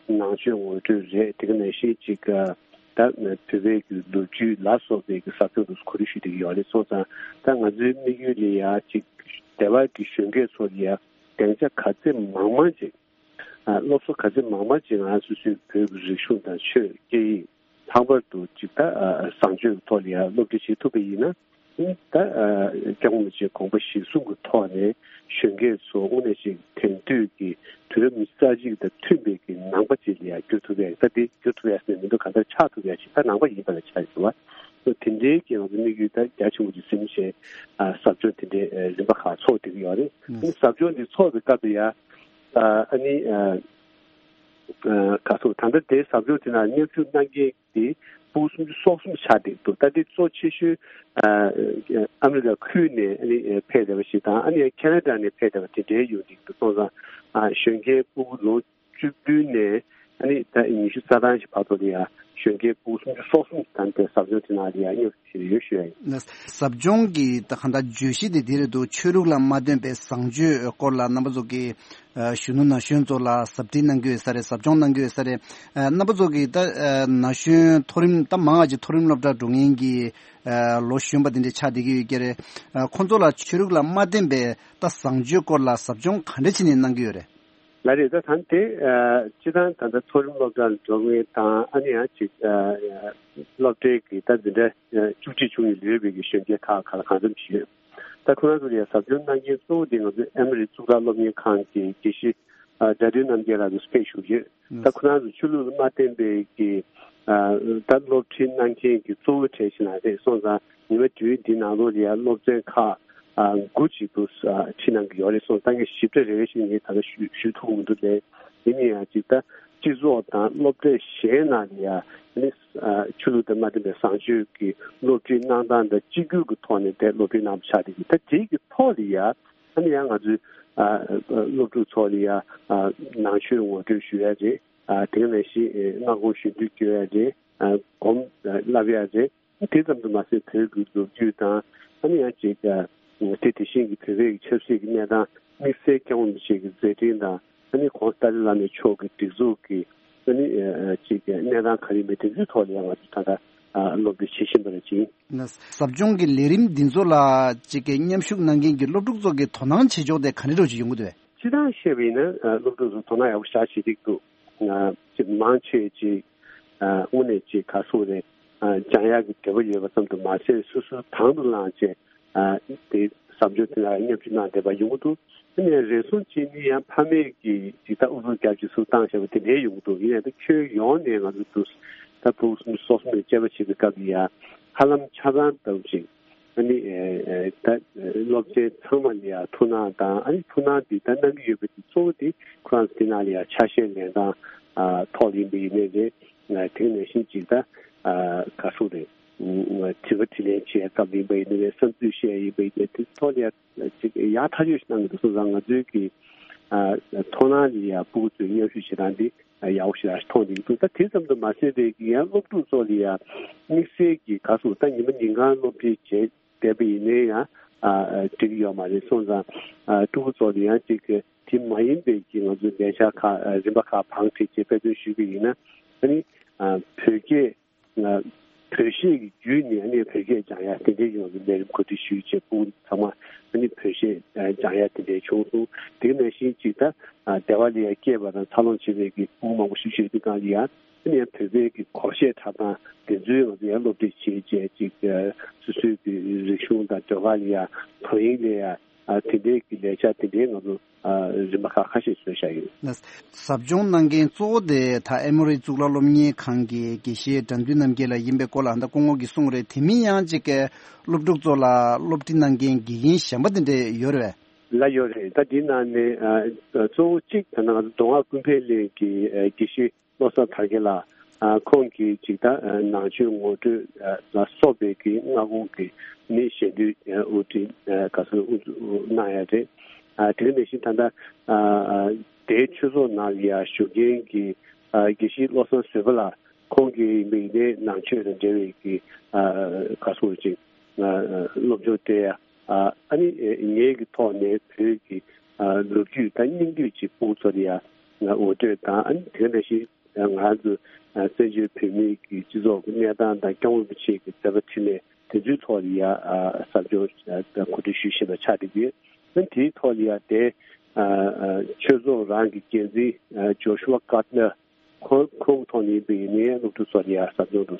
ནང་ཆོས་ངོ་སྤྲོད་རེད། དེ་ག་ནང་བཞིན་ཅིག། ཨ། ད་བོད་པའི་གི་ལོ་རྒྱུས་ལ་སོགས་པའི་གི་ཟབ་སྦྱོང་དུ་གོ་སྒྲིག་ཞུས་བསྡད་ཀྱི་ཡོད་རེད། སོང་ཙང་ད་ང་ཚོའི་དམིགས་ཡུལ་ལ་ཡ་ཅིག་སྡེ་བ་གི་གཞོན་སྐྱེས་ཚོ་ལ་ཡ་སྡིངས་ཆ་ག་ཚད་མང་མང་ཅིག། ཨ། སློབ་གསོ་ག་ཚད་མང་མང་ཅིག་ང་སོ་སོའི་བོད་ཀྱི་རིག་གཞུང་དང་ཆོས་སྐད་ཡིག་ལྷག་པར་དུ་ཅིག་ད། ཨ། བཟང་སྤྱོད་ཐོག་ལ་ཡ་སློབ་ཁྲིད་བྱེད་ཐུབ་པ་ཡིན་ན། ད་སྐྱབས་མགོན་རིན་པོ་ཆེའི་དགོངས་པ་གཞིར་བཟུང་གི་ཐོག་ནས་གཞོན་སྐྱེས་ཚོ་དངོས་གནས་ཤིག་དེང་དུས་ཀྱི་དུས་རབས་ཉི་ཤུ་རྩ་གཅིག་དང་མཐུན་པའི་གི་ནང་པ་ཅིག་ལ་ཡང་བསྒྱུར་ཐུབ་ཡ་ད་དེ་བསྒྱུར་ཐུབ་ཡ་ཟེར་མི་འདུག་གང་ལྟར་ཆགས་ཐུབ་ཡ་ཞིག་ད་ནང་པ་ཡིན་པ་ལ་ཆགས་ཡོད་པ། དེ་འདྲའི་གི་ང་ཚོ་དམིགས་ཡུལ་ད་རྒྱ་ཆེན་པོ་ཅིག་ཟིན་བྱས་ཟབ་སྦྱོང་དེ་འདྲའི་རིམ་པ་ཁག་ཚོགས་བསྡད་ཀྱི་ཡོད་རེད། ཟབ་སྦྱོང་འདི་ཚོགས་པའི་སྐབས་ལ་ཡང་ཨ་ནི་ག་ཚོད་ད་ལྟ་དེ་ཟབ་སྦྱོང་དེ་ནང་མཉམ་ཞུགས་གནང་མཁན་དེ་ཕྲུ་གུ་སུམ་ཅུ་སོ་གསུམ་ཆགས་བསྡད་འདུག་ད་དེ་གཙོ་ཆེ་ཤོས་ཨ་ཨ་མི་རི་ཀ་ཁུལ་ནས་ཨ་ནི་ཕེབས་བསྡད་པ་ཞིག་དང་ཨ་ནི་ཁེ་ན་ཌ་ནས་ཕེབས་བསྡད་པ་དེ་འདྲའི་ཡོང་གི་འདུག་སོང་ཙང་ཨ་གཞོན་སྐྱེས་ཕྲུ་གུ་ལོ་བཅུ་བདུན་ནས་ཨ་ནི་ད་ཉི་ཤུ་རྩ་གྲངས་ཤིག་བར་དུ་ལ་ཡང་གཞོན་སྐྱེས་ཕྲུ་གུ་སུམ་ཅུ་སོ་གསུམ་ད་ལྟའི་ཟབ་སྦྱོང་དེ་ནང་ལ་ཡང་མཉམ་ཞུགས་བྱས་ཡོད་ཞུ་ཡ་ཡིན། ཟབ་སྦྱོང་གི་ད་གང་ལྟར་བརྗོད་གཞི་དེ་དེ་རེད་འདུག་ཆོས་ལུགས་ལ་མ་བརྟེན་པའི་བཟང་སྤྱོད་སྐོར་ལ་རྣམ་པ་ཚོ་གི་གཞོན་ནུ་ན་གཞོན་ཚོ་ལ་ཟབ་ཁྲིད་གནང་གི་ཡོད་ས་རེད། ཟབ་སྦྱོང་གནང་གི་ཡོད་ས་རེད། རྣམ་པ་ཚོ་གི་ད་ན་གཞོན་མཐོ་རིམ་ད་མང་ང་ཅིག་མཐོ་རིམ་སློབ་གྲྭ་འགྲོ་མཁན་གྱི་ལོ་གཞོན་པ་དེ་འདྲ་ཆགས་བསྡད་ཀྱི་ཡོད་ཀྱི་རེད། ཁོང་ཚོ་ལ་ཆོས་ལུགས་ལ་མ་བརྟེན་པའི་ད་བཟང་སྤྱོད་སྐོར་ལ་ཟབ་སྦྱོང་ག་འདྲ་བྱས་ནས་གནང་གི་ཡོད་རེད། ལགས་རེད། ད་ད་དེ་སྤྱི་བཏང་ད་ལྟ་མཐོ་རིམ་སློབ་གྲྭར་འགྲོ་མཁན་དང་ཨ་ནི་ཡང་ཅིག་སློབ་གྲྭའི་གི་ད་འཛིན་གྲྭ་བཅུ་གཅིག་བཅུ་གཉིས་ལོན་པའི་གི་གཞོན་སྐྱེས་ཁག་ཁག་གང་འཚམ་ཞིག་ཡོད། ད་ཁོ་རང་ཚོ་ལ་ཡང་ཟབ་སྦྱོང་གནང་མཁན་གཙོ་བོ་དེ་ང་ཚོའི་ཨ་མི་རི་གཙུག་ལག་སློབ་གཉེར་ཁང་གི་དགེ་བཤེས་དགྲ་འདུལ་རྣམ་རྒྱལ་ལགས་ཚོ་ཕེབས་བཞུགས་ཡོད། ད་ཁོ་རང་ཚོ་ཆོས་ལུགས་ལ་མ་བརྟེན་པའི་གི་ད་སློབ་ཁྲིད་གནང་མཁན་གྱི་གཙོ་བོ་གྲས་ཤིག་ན་རེད། སོང་ཙང་ཉི་མ་དྲུག་འདི་ནང་ལོགས་ལ་ཡང་སློབ་ཚན་ཁག་དགུ་ཅིག་ཏུ་ཁྲིད་གནང་གི་ཡོད་རེད། སོང་ཙང་ངས་ཞིབ་ཕྲ་རེ་རེ་བཞིན་ངས་ད་ལྟ་ཞུ་ཞུ་ཐུབ་མི་འདུག་ལས། ཡིན་ན་ཡང་ཅིག་ད་སྤྱི་ཚོགས་དང་སློབ་གྲྭ་གཞན་ནང་ལ་ཡང་ནི་ཆོས་ལུགས་དང་མ་མཐུན་པའི་བཟང་སྤྱོད་ཀྱི་སློབ་ཁྲིད་གནང་སྟངས་དང་གཅིག་གྱུར་གྱི་ཐོག་ནས་དེ་སློབ་ཁྲིད་གནང་པ་ཆགས་བསྡད་ཀྱི། ད་དེ་གི་ཐོག་ལ་ཡང་ཨ་ནི་ཡང་ང་ཚོའི་སློབ་ཕྲུག་ཚོ་ལ་ཡང་ནང་ཆོས་ངོ་སྤྲོད་ཞུ་ཡ་རེད། དེ་ནང་བཞིན་སྔ་དགོང་གཞོན་དུས་སྐྱོར་ཡ་རེད། སྒོམ་བསླབ་ཡ་རེད། དེ་ཙམ་དུ་མ་ཟད་བོད་ཀྱི་ལོ་རྒྱུས་དང་ཨ་ནི་ཡང་ཅིག་དེ་དེ་བཞིན་གྱི་བོད་པའི་ཆབ་སྲིད་ཀྱི་གནས་སྟངས་དམིགས་བསལ་སྐྱབས་མགོན་རིན་པོ་ཆེ་གི་མཛད་འཕྲིན་དང་ཨ་ནི་ཁོང་ཏཱ་ལའི་བླ་མའི་མཆོག་གི་སྒྲིག་འཛུགས་ཀྱི་ཨ་ནི་ཅིག་གནས་སྟངས་ག་རེ་མེད་དེ་ཚོའི་ཐོག་ལ་ཡང་ང་ཚོ་ད་ལྟ་སློབ་ཁྲིད་བྱེད་བཞིན་པ་རེད་ཅིང་། ཟབ་སྦྱོང་གི་ལས་རིམ་འདི་ཚོ་ལ་ཅིག་གི་མཉམ་ཞུགས་གནང་མཁན་གྱི་སློབ་ཕྲུག་ཚོ་གི་དོ་སྣང་བྱེད་ཕྱོགས་དེ་ག་འདྲ་འདྲ་ཅིག་ཡོང་གི་འདུག་བས། སྤྱིར་བཏང་བཤད་པ་ཡིན་ན་སློབ་ཕྲུག་ཚོ་དོ་སྣང་ཡག་པོ་ཞེ་དྲག་བྱེད་ཀྱི་འདུག་ཅིག་མང་ཆེ་ཅིག་དངོས་གནས་ཅིག་ག་སོགས་རེད། སྦྱང་ཡག་གི་འདོད་པ་ཡོད་པ་ཙམ་དུ་མ་ཟད་སོ་སོའི་དང་དུ་བླངས་བྱས་དེ་ཟབ་སྦྱོང་དེ་ལ་མཉམ་ཞུགས་གནང་བསྡད་པ་ཡོང་གི་འདུག་དེ་ནས་རེ་ཟུང་གཅིག་ནི་ཡང་ཕ་མས་ཀྱིས་ཇི་ལྟར་ཨུ་ཚུགས་རྒྱབ་ཀྱི་ཚུར་བཏང་བཞག་པ་དེ་འདྲའི་ཡོང་གི་འདུག་ཡིན་ཡང་ད་ཁྱོན་ཡོངས་ནས་ང་ཚོ་འདུག་ད་ཕྲུ་གུ་སོ་སོ་ནས་དཔྱད་པ་བྱེད་པའི་སྐབས་ལ་ཡང་ཧ་ལམ་ཆ་ཚང་ལྟ་བུ་ཞིག་ཨ་ནི་ད་སློབ་ཚན་ཚང་མ་ལ་ཡང་ཐུགས་སྣང་དང་ཨ་ནི་ཐུགས་སྣང་འདི་ད་གནང་གི་ཡོད་པ་དེ་གཙོ་བོ་དེ་ཁོ་རང་ཚོ་དེ་ནང་ལ་ཡང་ཆ་ཤས་ལེན་སྟངས་ཐོག་ཡིན་པ་ཡིན་ནའི་རེད། དེ་ནང་བཞིན་ཅིག་ད་ག་སོགས་རེད། དྲི་བ་དྲིས་ལན་བྱེད་སྐབས་ཡིན་པ་ཡིན་ནའི་རེད། བསམ་ཚུལ་བཤད་ཡིན་པ་ཡིན་ནའི་དེ་ཐོག་ལ་ཡང་ཅིག་ཡག་ཐག་ཆོད་ཞིག་གནང་གི་འདུག་སོང་ཙང་ང་ཚོའི་གི་མཐོང་སྣང་ལ་ཡང་ཕྲུ་གུ་ཚོའི་མཉམ་ཞུགས་བྱེད་སྟངས་འདི་ཡག་པོ་ཞིག་མཐོང་བསྡད་ཀྱི་འདུག་ད་དེ་ཙམ་དུ་མ་ཟད་རེད་ཀྱི་ཡང་སློབ་ཕྲུག་ཚོ་ལ་ཡང་དམིགས་བསལ་གྱི་ག་སོགས་ད་ཉི་མ་ཉིན་གང་སློབ་ཁྲིད་བྱས་བསྡད་པ་ཡིན་ནའི་ཡང་འགྲིག་གི་ཡོད་མ་རེད། སོང་ཙང་ཕྲུ་གུ་ཚོ་ལ་ཡང་ཅིག་དེ་མ་ཡིན་པའི་གི་ང་ཚོའི་ལས་འཆར་ཁག་རིམ་པ་ཁག་བང་བསྒྲིགས་བྱས་དཔེ་སྟོན་ཞུས་པ་ཡིན་ན་ཨ་ནི་བོད་སྐད་བོད་གཞས་ཀྱི་བརྒྱུད་ནས་ཨ་ནི་བོད་སྐད་སྦྱང་ཡ་དེ་འདྲའི་ཡོང་བའི་ལས་རིམ་གོ་སྒྲིག་ཞུས་བྱས་ཕྲུ་གུ་ཚང་མ་ཨ་ནི་བོད་གཞས་སྦྱང་ཡ་དེ་འདྲའི་བྱུང་སོང་། དེ་ནང་བཞིན་ཅིག་ད་སྡེ་བ་ལ་ཡ་སྐྱེས་པ་དང་འཚར་ལོངས་བྱེད་པའི་གི་ཕྲུ་གུ་མང་པོ་ཞིག་ཡོད་དུས་སྒང་ལ་ཡ་ཨ་ནི་ཡང་བོད་པའི་གི་སྒོར་གཞས་འཁྲབ་སྟངས་དེ་ཚོའི་ང་ཚོ་ཡང་སློབ་ཁྲིད་བྱེད་བྱས་ཅིག་སོ་སོའི་གི་རིག་གཞུང་དང་ཟློས་གར་ལ་ཡ་དོ་དབྱིངས་ལ་ཡ་དེ་འདྲའི་གི་ལས་འཆར་དེ་འདྲའི་ང་ཚོ་རིམ་པ་ཁག་ཁ་ཤས་བཟོས་བཞག་ཡོད། ཟབ་སྦྱོང་གནང་མཁན་གཙོ་བོ་དེ་ད་ཨེ་མོ་རི་གཙུག་ལག་སློབ་གཉེར་ཁང་གི་དགེ་བཤེས་དགྲ་འདུལ་རྣམ་རྒྱལ་ལགས་ཡིན་པའི་སྐོར་ལ་ད་སྐུ་ངོ་གིས་གསུངས་རེད། དེ་མིན་ཡང་ཅིག་གི་སློབ་ཕྲུག་ཚོ་ལ་སློབ་ཁྲིད་གནང་མཁན་དགེ་རྒན་གཞན་པ་དེ་འདྲས་ཡོད་རེད་པས། ལགས་ཡོད་རེད། ད་འདི་ནང་ནས་གཙོ་བོ་གཅིག་ད་ནང་མདོ་སྔགས་ཀུན་ཕན་གླིང་གི་དགེ་བཤེས་བློ་བཟང་དར་རྒྱས་ལགས་ཁོང་གིས་ཅིག་ད་ནང་ཆོས་ངོ་སྤྲོད་ལ་སོགས་པའི་གི་སྔ་དགོང་གི་མི་ཞལ་འདོན་དབུ་ཁྲིད་ག་ཚོད་དབུ་འཛུགས་གནང་ཡ་རེད། དེ་ག་ནང་བཞིན་ད་ལྟ་དེའི་ཆོས་ཚོགས་ནང་ལ་ཡ་བཞུགས་མཁན་གྱི་དགེ་བཤེས་བློ་བཟང་བཟོད་པ་ལགས་ཁོང་གིས་མི་ཡིན་ནའི་ནང་ཆོས་དང་འབྲེལ་བའི་གི་ག་ཚོད་ཅིག་སློབ་སྦྱོང་སྤྲད་ཡ། ཨ་ནི་ངེད་ཀྱི་ཐོག་ནས་བོད་ཀྱི་ལོ་རྒྱུས་དང་སྙིང་བསྡུས་ཀྱི་ཕྲུ་གུ་ཚོ་ལ་ཡང་ངོ་སྤྲོད་དང་ཨ་ནི་དེ་འདྲ་ཞིག་ང་ཚོ་བཙན་བྱོལ་བོད་མིའི་གི་སྤྱི་ཚོགས་ཀྱི་གནས་སྟངས་དང་སྐྱབས་མགོན་རིན་པོ་ཆེ་གི་མཛད་པ་འཕྲིན་ལས་དེ་ཚོའི་ཐོག་ལ་ཡང་ཟབ་སྦྱོང་གོ་སྒྲིག་ཞུ་བཞིན་པ་ཆགས་བསྡད་ཡོད། ཨ་ནི་དེའི་ཐོག་ལ་ཡང་དེ་ཆོས་ཚོགས་རང་གི་འགན་འཛིན་ཇོ་ཤུ་ཝ་ཀར་ནར། ཁོང་ཁོང་ཐོག་ནས་བོད་ནས་སློབ་ཕྲུག་ཚོ་ལ་ཡ་ཟབ་སྦྱོང་དུ་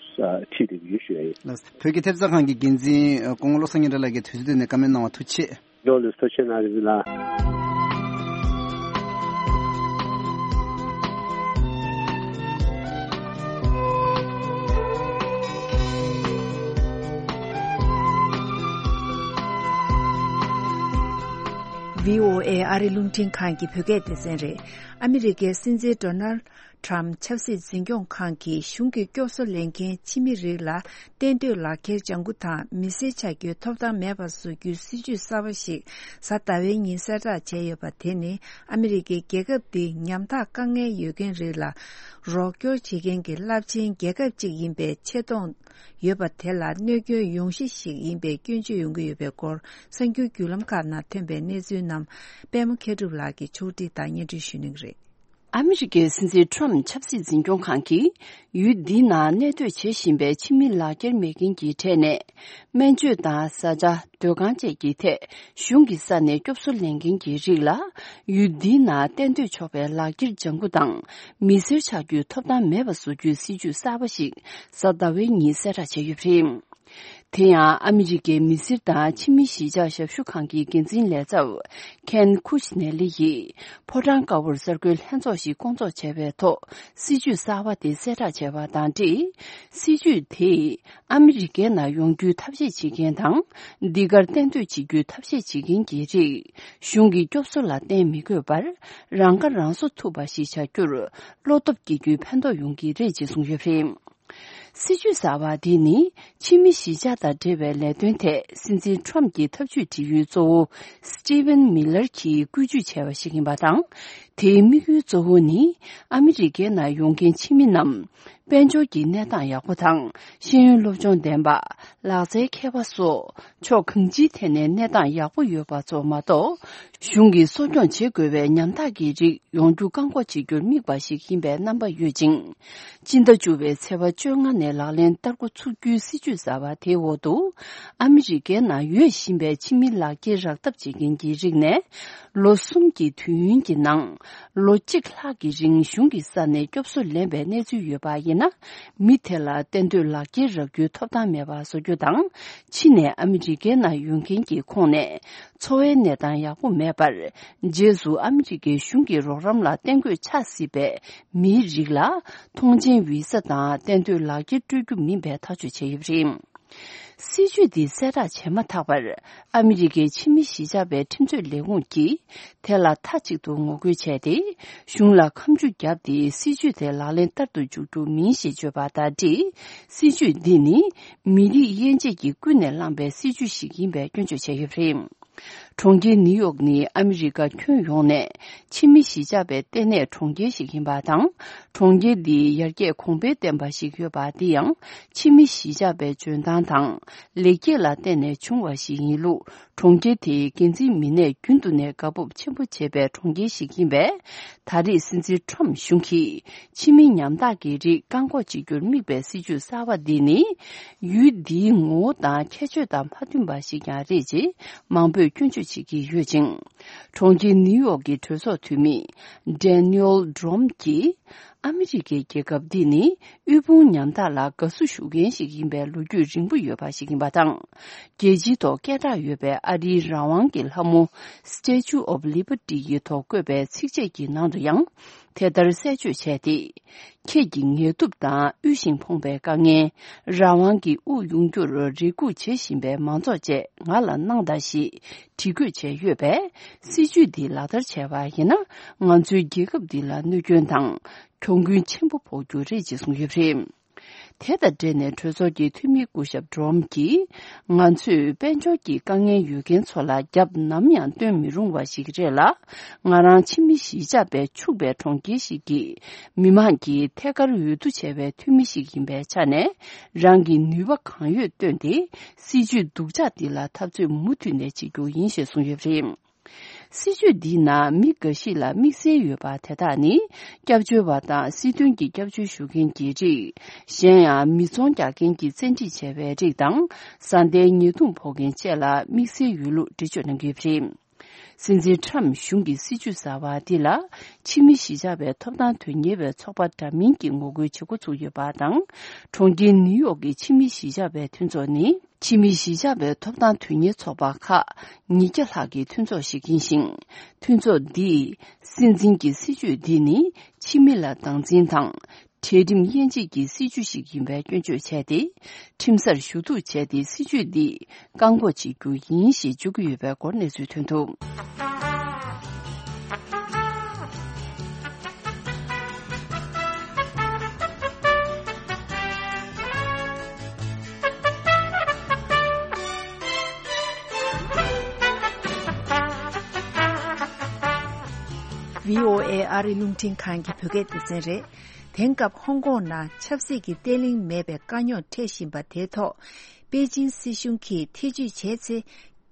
ཁྲིད་བསྡད་ཀྱི་ཡོད་ཞུ་ཡ་ཡིན། ལགས། བོད་ཀྱི་ཐེབས་རྩ་ཁང་གི་འགན་འཛིན་སྐུ་ངོ་བློ་བཟང་སྙན་གྲགས་ལགས་ཀྱིས་དུས་ཚོད་བཏོན་ནས་བཀའ་མོལ་གནང་བ་ཐུགས་རྗེ་ཆེ། ལགས་ལགས། ཐུགས་རྗེ་གནང་རིག་ལགས། བྷི་ཨོ་ཨེ་ཨ་རི་རླུང་འཕྲིན་ཁང་གི་བོད་སྐད་སྡེ་ཚན་རེད། ཨ་མི་རི་ཀའི་སྲིད་འཛིན་ཌོ་ནལ་ཊམ་ཆབ་སྲིད་འཛིན་སྐྱོང་ཁང་གིས་གཞུང་གི་སྐྱོབ་གསོ་ལེན་མཁན་ཕྱི་མི་རིགས་ལ་གཏན་སྡོད་ལག་འཁྱེར་ལྗང་ཁུ་དང་མི་སེར་ཆགས་རྒྱུའི་ཐོབ་ཐང་མེད་པ་བཟོ་རྒྱུའི་སྲིད་ཇུས་གསར་པ་ཞིག་གཟའ་ཟླ་བའི་ཉིན་གསལ་བསྒྲགས་བྱས་ཡོད་པ་དེ་ནི་ཨ་མི་རི་ཀའི་རྒྱལ་ཁབ་འདི་ཉམ་ཐག་དཀའ་ངལ་ཡོད་མཁན་རིགས་ལ་རོགས་སྐྱོར་བྱེད་མཁན་གྱི་རླབས་ཆེན་རྒྱལ་ཁབ་ཅིག་ཡིན་པའི་ཆེ་མཐོང་ཡོད་པ་དེ་ལ་གནོད་སྐྱོན་ཡོང་གཞི་ཞིག་ཡིན་པའི་སྐྱོན་བརྗོད་ཡོང་གི་ཡོད་པའི་སྐོར་གསར་འགྱུར་བརྒྱུད་ལམ་ཁག་ནང་ཐོན་པའི་གནས་ཚུལ་རྣམས་པད་མ་མཁས་གྲུབ་ལགས་ཀྱིས་ཕྱོགས་སྒྲིག་དང་སྙན་སྒྲོན་ཞུ་གནང་གི་རེད། ཨ་མི་རི་ཀའི་སྲིད་འཛིན་ཊམ་ཆབ་སྲིད་འཛིན་སྐྱོང་ཁང་གིས་ཡུལ་འདིའི་ནང་གནས་སྡོད་བྱེད་བཞིན་པའི་ཕྱི་མི་ལག་འཁྱེར་མེད་མཁན་གྱི་གྲས་ནས་སྨན་བཅོས་དང་བཟའ་བཅའ། སྡོད་ཁང་བཅས་ཀྱི་ཐད་གཞུང་གི་ས་ནས་སྐྱོབ་གསོ་ལེན་མཁན་གྱི་རིགས་ལ་ཡུལ་འདིའི་ནང་གཏན་སྡོད་ཆོག་པའི་ལག་འཁྱེར་ལྗང་ཁུ་དང་མི་སེར་ཆགས་རྒྱུའི་ཐོབ་ཐང་མེད་པ་བཟོ་རྒྱུའི་སྲིད་ཇུས་གསར་པ་ཞིག་གཟའ་ཟླ་བའི་ཉིན་གསལ་བསྒྲགས་བྱས་ཡོད་པ་རེད། དེ་ཡང་ཨ་མི་རི་ཀའི་མི་སེར་དང་ཕྱི་མི་གཞིས་ཆགས་ཞབས་ཞུ་ཁང་གི་འགན་འཛིན་ལས་ཚབ་ཁེན་ཁུ་ཤི་ནེ་ལི་ཡིས་ཕོ་བྲང་དཀར་པོར་གསར་འགོད་ལྷན་ཚོགས་ཤིག་བསྐོང་ཚོགས་བྱས་པའི་ཐོག་སྲིད་ཇུས་གསར་པ་དེ་གསལ་བསྒྲགས་བྱས་པ་དང་འབྲེལ། སྲིད་ཇུས་དེས་ཨ་མི་རི་ཀའི་ནང་ཡོང་རྒྱུའི་ཐབས་ཤེས་བྱེད་མཁན་དང་། འདི་གར་གཏན་སྡོད་བྱེད་རྒྱུའི་ཐབས་ཤེས་བྱེད་མཁན་གྱི་རིགས་གཞུང་གི་སྐྱོབ་གསོ་ལ་བརྟེན་མི་དགོས་པར་རང་ཁ་རང་གསོ་ཐུབ་པ་ཞིག་བྱ་རྒྱུར་བློ་སྟོབས་སྐྱེ་རྒྱུའི་ཕན་ཐོགས་ཡོང་གི་རེད་ཅེས་གསུངས་ཡོད་པ་རེད། སྲིད་ཇུས་གསར་པ་འདི་ནི་ཕྱི་མི་གཞིས་ཆགས་དང་འབྲེལ་བའི་ལས་དོན་ཐད་སྲིད་འཛིན་ཊམ་གྱི་ཐབས་ཇུས་སྒྲིག་ཡུལ་གཙོ་བོ་སི་ཊི་ཝན་མི་ལར་གྱིས་བཀོད་ཇུས་བྱས་པ་ཞིག་ཡིན་པ་དང་། དེའི་དམིགས་ཡུལ་གཙོ་བོ་ནི་ཨ་མི་རི་ཀའི་ནང་ཡོང་མཁན་ཕྱི་མི་རྣམས་དཔལ་འབྱོར་གྱི་གནས་སྟངས་ཡག་པོ་དང་། ཤེས་ཡོན་སློབ་སྦྱོང་ལྡན་པ། ལག་རྩལ་མཁས་པ་སོགས་ཕྱོགས་གང་ཅིའི་ཐད་ནས་གནས་སྟངས་ཡག་པོ་ཡོད་པ་ཙམ་མ་གཏོགས། གཞུང་གིས་གསོ་སྐྱོང་བྱེད་དགོས་པའི་ཉམ་ཐག་གི་རིགས་ཡོང་རྒྱུ་བཀག་འགོག་བྱེད་རྒྱུར་དམིགས་པ་ཞིག་ཡིན་པའི་རྣམ་པ་ཡོད་ཅིང་། སྤྱི་ཟླ་བཅུ་པའི་ཚེས་པ་བཅོ་ལྔ་ནས་ལག་ལེན་བསྟར་འགོ་ཚུགས་རྒྱུའི་སྲིད་ཇུས་གསར་པ་དེའི་འོག་ཏུ། ཨ་མི་རི་ཀའི་ནང་ཡོད་བཞིན་པའི་ཕྱི་མི་ལག་འཁྱེར་རག་ཐབས་བྱེད་མཁན་གྱི་རིགས་ནས། ལོ་གསུམ་གྱི་དུས་ཡུན་གྱི་ནང་། ལོ་གཅིག་ལྷག་གི་རིང་གཞུང་གི་ས་ནས་སྐྱོབ་གསོ་ལེན་པའི་གནས་ཚུལ་ཡོད་པ་ཡིན་ན། མི་དེ་ལ་གཏན་སྡོད་ལག་འཁྱེར་རག་རྒྱུའི་ཐོབ་ཐང་མེད་པ་བཟོ་རྒྱུ་དང་། ཕྱི་ནས་ཨ་མི་རི་ཀའི་ནང་ཡོང་མཁན་གྱི་ཁོངས་ནས། འཚོ་བའི་གནས་སྟངས་ཡག་པོ་མེད་པར། རྗེས་སུ་ཨ་མི་རི་ཀའི་གཞུང་གི་རོགས་རམ་ལ་གཏན་སྡོད་ཆགས་སྲིད་པའི་མིའི་རིགས་ལ། ཐོངས་མཆན་བི་ས་དང་གཏན་སྡོད་ལག་འཁྱེར་སྤྲོད་རྒྱུ་མིན་པའི་ཐག་གཅོད་བྱས་ཡོད་པ་རེད། སྲིད་ཇུས་འདི་གསལ་བསྒྲགས་བྱས་མ་ཐག་པར། ཨ་མི་རི་ཀའི་ཕྱི་མི་གཞིས་ཆགས་པའི་ཁྲིམས་རྩོད་ལས་ཁུངས་ཀྱིས་དེ་ལ་མཐའ་གཅིག་ཏུ་ངོ་རྒོལ་བྱས་ཏེ། གཞུང་ལ་ཁ་མཆུ་བརྒྱབ་སྟེ། སྲིད་ཇུས་དེ་ལག་ལེན་བསྟར་དུ་འཇུག་རྒྱུ་མིན་ཞེས་བརྗོད་པ་དང་འབྲེལ། སྲིད་ཇུས་འདི་ནི་མི་རིགས་དབྱེ་འབྱེད་ཀྱིས་ཀུན་ནས་བསླངས་པའི་སྲིད་ཇུས་ཤིག་ཡིན་པའི་སྐྱོན་བརྗོད་བྱས་ཡོད་པ་རེད། གྲོང་ཁྱེར་ནིའུ་ཡོག་ནི་ཨ་མི་རི་ཀ་ཁྱོན་ཡོངས་ནས་ཕྱི་མི་གཞིས་ཆགས་པའི་ལྟེ་གནས་གྲོང་ཁྱེར་ཞིག་ཡིན་པ་དང་། གྲོང་ཁྱེར་འདི་ཡར་རྒྱས་གོང་འཕེལ་ལྡན་པ་ཞིག་ཡོད་པ། འདི་ཡང་ཕྱི་མི་གཞིས་ཆགས་པའི་འཇོན་ཐང་དང་ལེགས་སྐྱེས་ལ་བརྟེན་ནས་བྱུང་བ་ཞིག་ཡིན་ལུགས། གྲོང་ཁྱེར་དེའི་འགན་འཛིན་མི་སྣས་རྒྱུན་དུ་ནས་དགའ་སྤོབས་ཆེན་པོ་བྱེད་པའི་གྲོང་ཁྱེར་ཞིག་ཡིན་པས། ད་རེས་སྲིད་འཛིན་ཁྲོམ་གཞུང་གིས་ཕྱི་མི་ཉམ་ཐག་གི་རིགས་བཀག་འགོག་བྱེད་རྒྱུར་དམིགས་པའི་སྲིད་ཇུས་གསར་བ་འདི་ནི། ཡུལ་འདིའི་ངོ་བོ་དང་ཁྱད་ཆོས་དང་མ་མཐུན་པ་ཞིག་ཀྱང་རེད་ཅེས་མང་པོས་སྐྱོན་བརྗོད་བྱེད་ཀྱི་ཡོད་ཅིང་། གྲོང་ཁྱེར་ནིའུ་ཡོག་གི་གྲོས་ཚོགས་འཐུས་མི་Daniel Dromm་གྱིས། ཨ་མི་རི་ཀའི་རྒྱལ་ཁབ་འདི་ནི་དབུལ་ཕོངས་ཉམ་ཐག་ལ་དགའ་བསུ་ཞུ་མཁན་ཞིག་ཡིན་པའི་ལོ་རྒྱུས་རིང་པོ་ཡོད་པ་ཞིག་ཡིན་པ་དང་། རྒྱལ་སྤྱིའི་ཐོག་སྐད་གྲགས་ཡོད་པའི་ཨ་རིའི་རང་དབང་གི་ལྷ་མོ་Statue of Liberty་ཡི་ཐོག་བཀོད་པའི་ཚིགས་བཅད་ཀྱི་ནང་དུ་ཡང་དེ་ལྟར་གསལ་བརྗོད་བྱས་ཏེ། ཁྱེད་ཀྱི་ངལ་དུབ་དང་དབུལ་ཞིང་ཕོངས་པའི་དཀའ་ངལ། རང་དབང་གི་དབུགས་དབྱུང་རྒྱུར་རེ་སྒུག་བྱེད་བཞིན་པའི་མང་ཚོགས་བཅས་ང་ལ་གནང་དང་ཞེས་བྲིས་འགོད་བྱས་ཡོད་པས། སྲིད་ཇུས་འདི་ལག་བསྟར་བྱས་པ་ཡིན་ན། ང་ཚོའི་རྒྱལ་ཁབ་འདི་ལ་གནོད་སྐྱོན་དང་གྱོང་གུན་ཆེན་པོ་ཕོག་རྒྱུ་རེད་ཅེས་གསུངས་ཡོད་པ་རེད། དེ་དང་འབྲེལ་ནས་གྲོས་ཚོགས་ཀྱི་འཐུས་མི་སྐུ་ཞབས་Dromm་གྱིས། ང་ཚོས་དཔལ་འབྱོར་གྱི་དཀའ་ངལ་ཡོད་མཁན་ཚོ་ལ་རྒྱབ་ནམ་ཡང་སྟོན་མི་རུང་བ་ཞིག་རེད་ལ། ང་རང་ཕྱི་མི་གཞིས་ཆགས་པའི་ཕྱུག་པའི་གྲོང་ཁྱེར་ཞིག་གི་མི་མང་གི་ཐད་ཀར་འོས་བསྡུ་བྱས་པའི་འཐུས་མི་ཞིག་ཡིན་པའི་ཆ་ནས། རང་གི་ནུས་པ་གང་ཡོད་བཏོན་ཏེ། སྲིད་ཇུས་སྡུག་ཅག་འདི་ལ་འཐབ་རྩོད་མུ་མཐུད་ནས་བྱེད་རྒྱུ་ཡིན་ཞེས་གསུངས་ཡོད་པ་རེད། སྲིད་ཇུས་འདིའི་ནང་མི་འགའ་ཞིག་ལ་དམིགས་བསལ་ཡོད་པ་དེ་དག་ནི། སྐྱབས་བཅོལ་བ་དང་སྲིད་དོན་གྱི་སྐྱབས་བཅོལ་ཞུ་མཁན་གྱི་རིགས། གཞན་ཡང་མི་ཚོང་རྒྱག་མཁན་གྱིས་བཙན་ཁྲིད་བྱས་པའི་རིགས་དང་། བཟའ་ཟླའི་ཉེས་རྡུང་ཕོག་མཁན་བཅས་ལ་དམིགས་བསལ་ཡོད་ལུགས་འགྲེལ་བརྗོད་གནང་གི་ཡོད་པ་རེད། སྲིད་འཛིན་ཁྲམ་གཞུང་གི་སྲིད་ཇུས་གསར་བ་འདི་ལ་ཕྱི་མི་གཞིས་ཆགས་པའི་ཐོབ་ཐང་དོན་གཉེར་བའི་ཚོགས་པ་འདྲ་མིན་གྱིས་ངོ་རྒོལ་བྱེད་འགོ་ཚུགས་ཡོད་པ་དང་། གྲོང་ཁྱེར་ནིའུ་ཡོག་གི་ཕྱི་མི་གཞིས་ཆགས་པའི་མཐུན་ཚོགས་ནི། ཕྱི་མི་གཞིས་ཆགས་པའི་ཐོབ་ཐང་དོན་གཉེར་ཚོགས་པ་ཁག་ཉིས་བརྒྱ་ལྷག་གི་མཐུན་ཚོགས་ཤིག་ཡིན་ཞིང་། མཐུན་ཚོགས་འདིས་སྲིད་འཛིན་གྱི་སྲིད་ཇུས་འདི་ནི་ཕྱི་མི་ལ་སྡང་འཛིན་དང་། གྲལ་རིམ་དབྱེ་འབྱེད་ཀྱི་སྲིད་ཇུས་ཤིག་ཡིན་པའི་སྐྱོན་བརྗོད་བྱས་ཏེ། ཁྲིམས་སར་ཞུ་གཏུག་བྱས་ཏེ་སྲིད་ཇུས་འདི་བཀག་འགོག་བྱེད་རྒྱུ་ཡིན་ཞེས་བརྗོད་ཀྱི་ཡོད་པའི་སྐོར་གནས་ཚུལ་ཐོན་འདུག། བྷི་ཨོ་ཨེ་ཨ་རི་རླུང་འཕྲིན་ཁང་གི་བོད་སྐད་སྡེ་ཚན་རེད། དེང་སྐབས་ཧོང་ཀོང་ནང་ཆབ་སྲིད་ཀྱི་བརྟན་ལྷིང་མེད་པའི་དཀའ་རྙོག་འཕྲད་བཞིན་པ་དེའི་ཐོག་པེ་ཅིང་སྲིད་གཞུང་གིས་ཐེ་ཇུས་བྱས་ཚེ།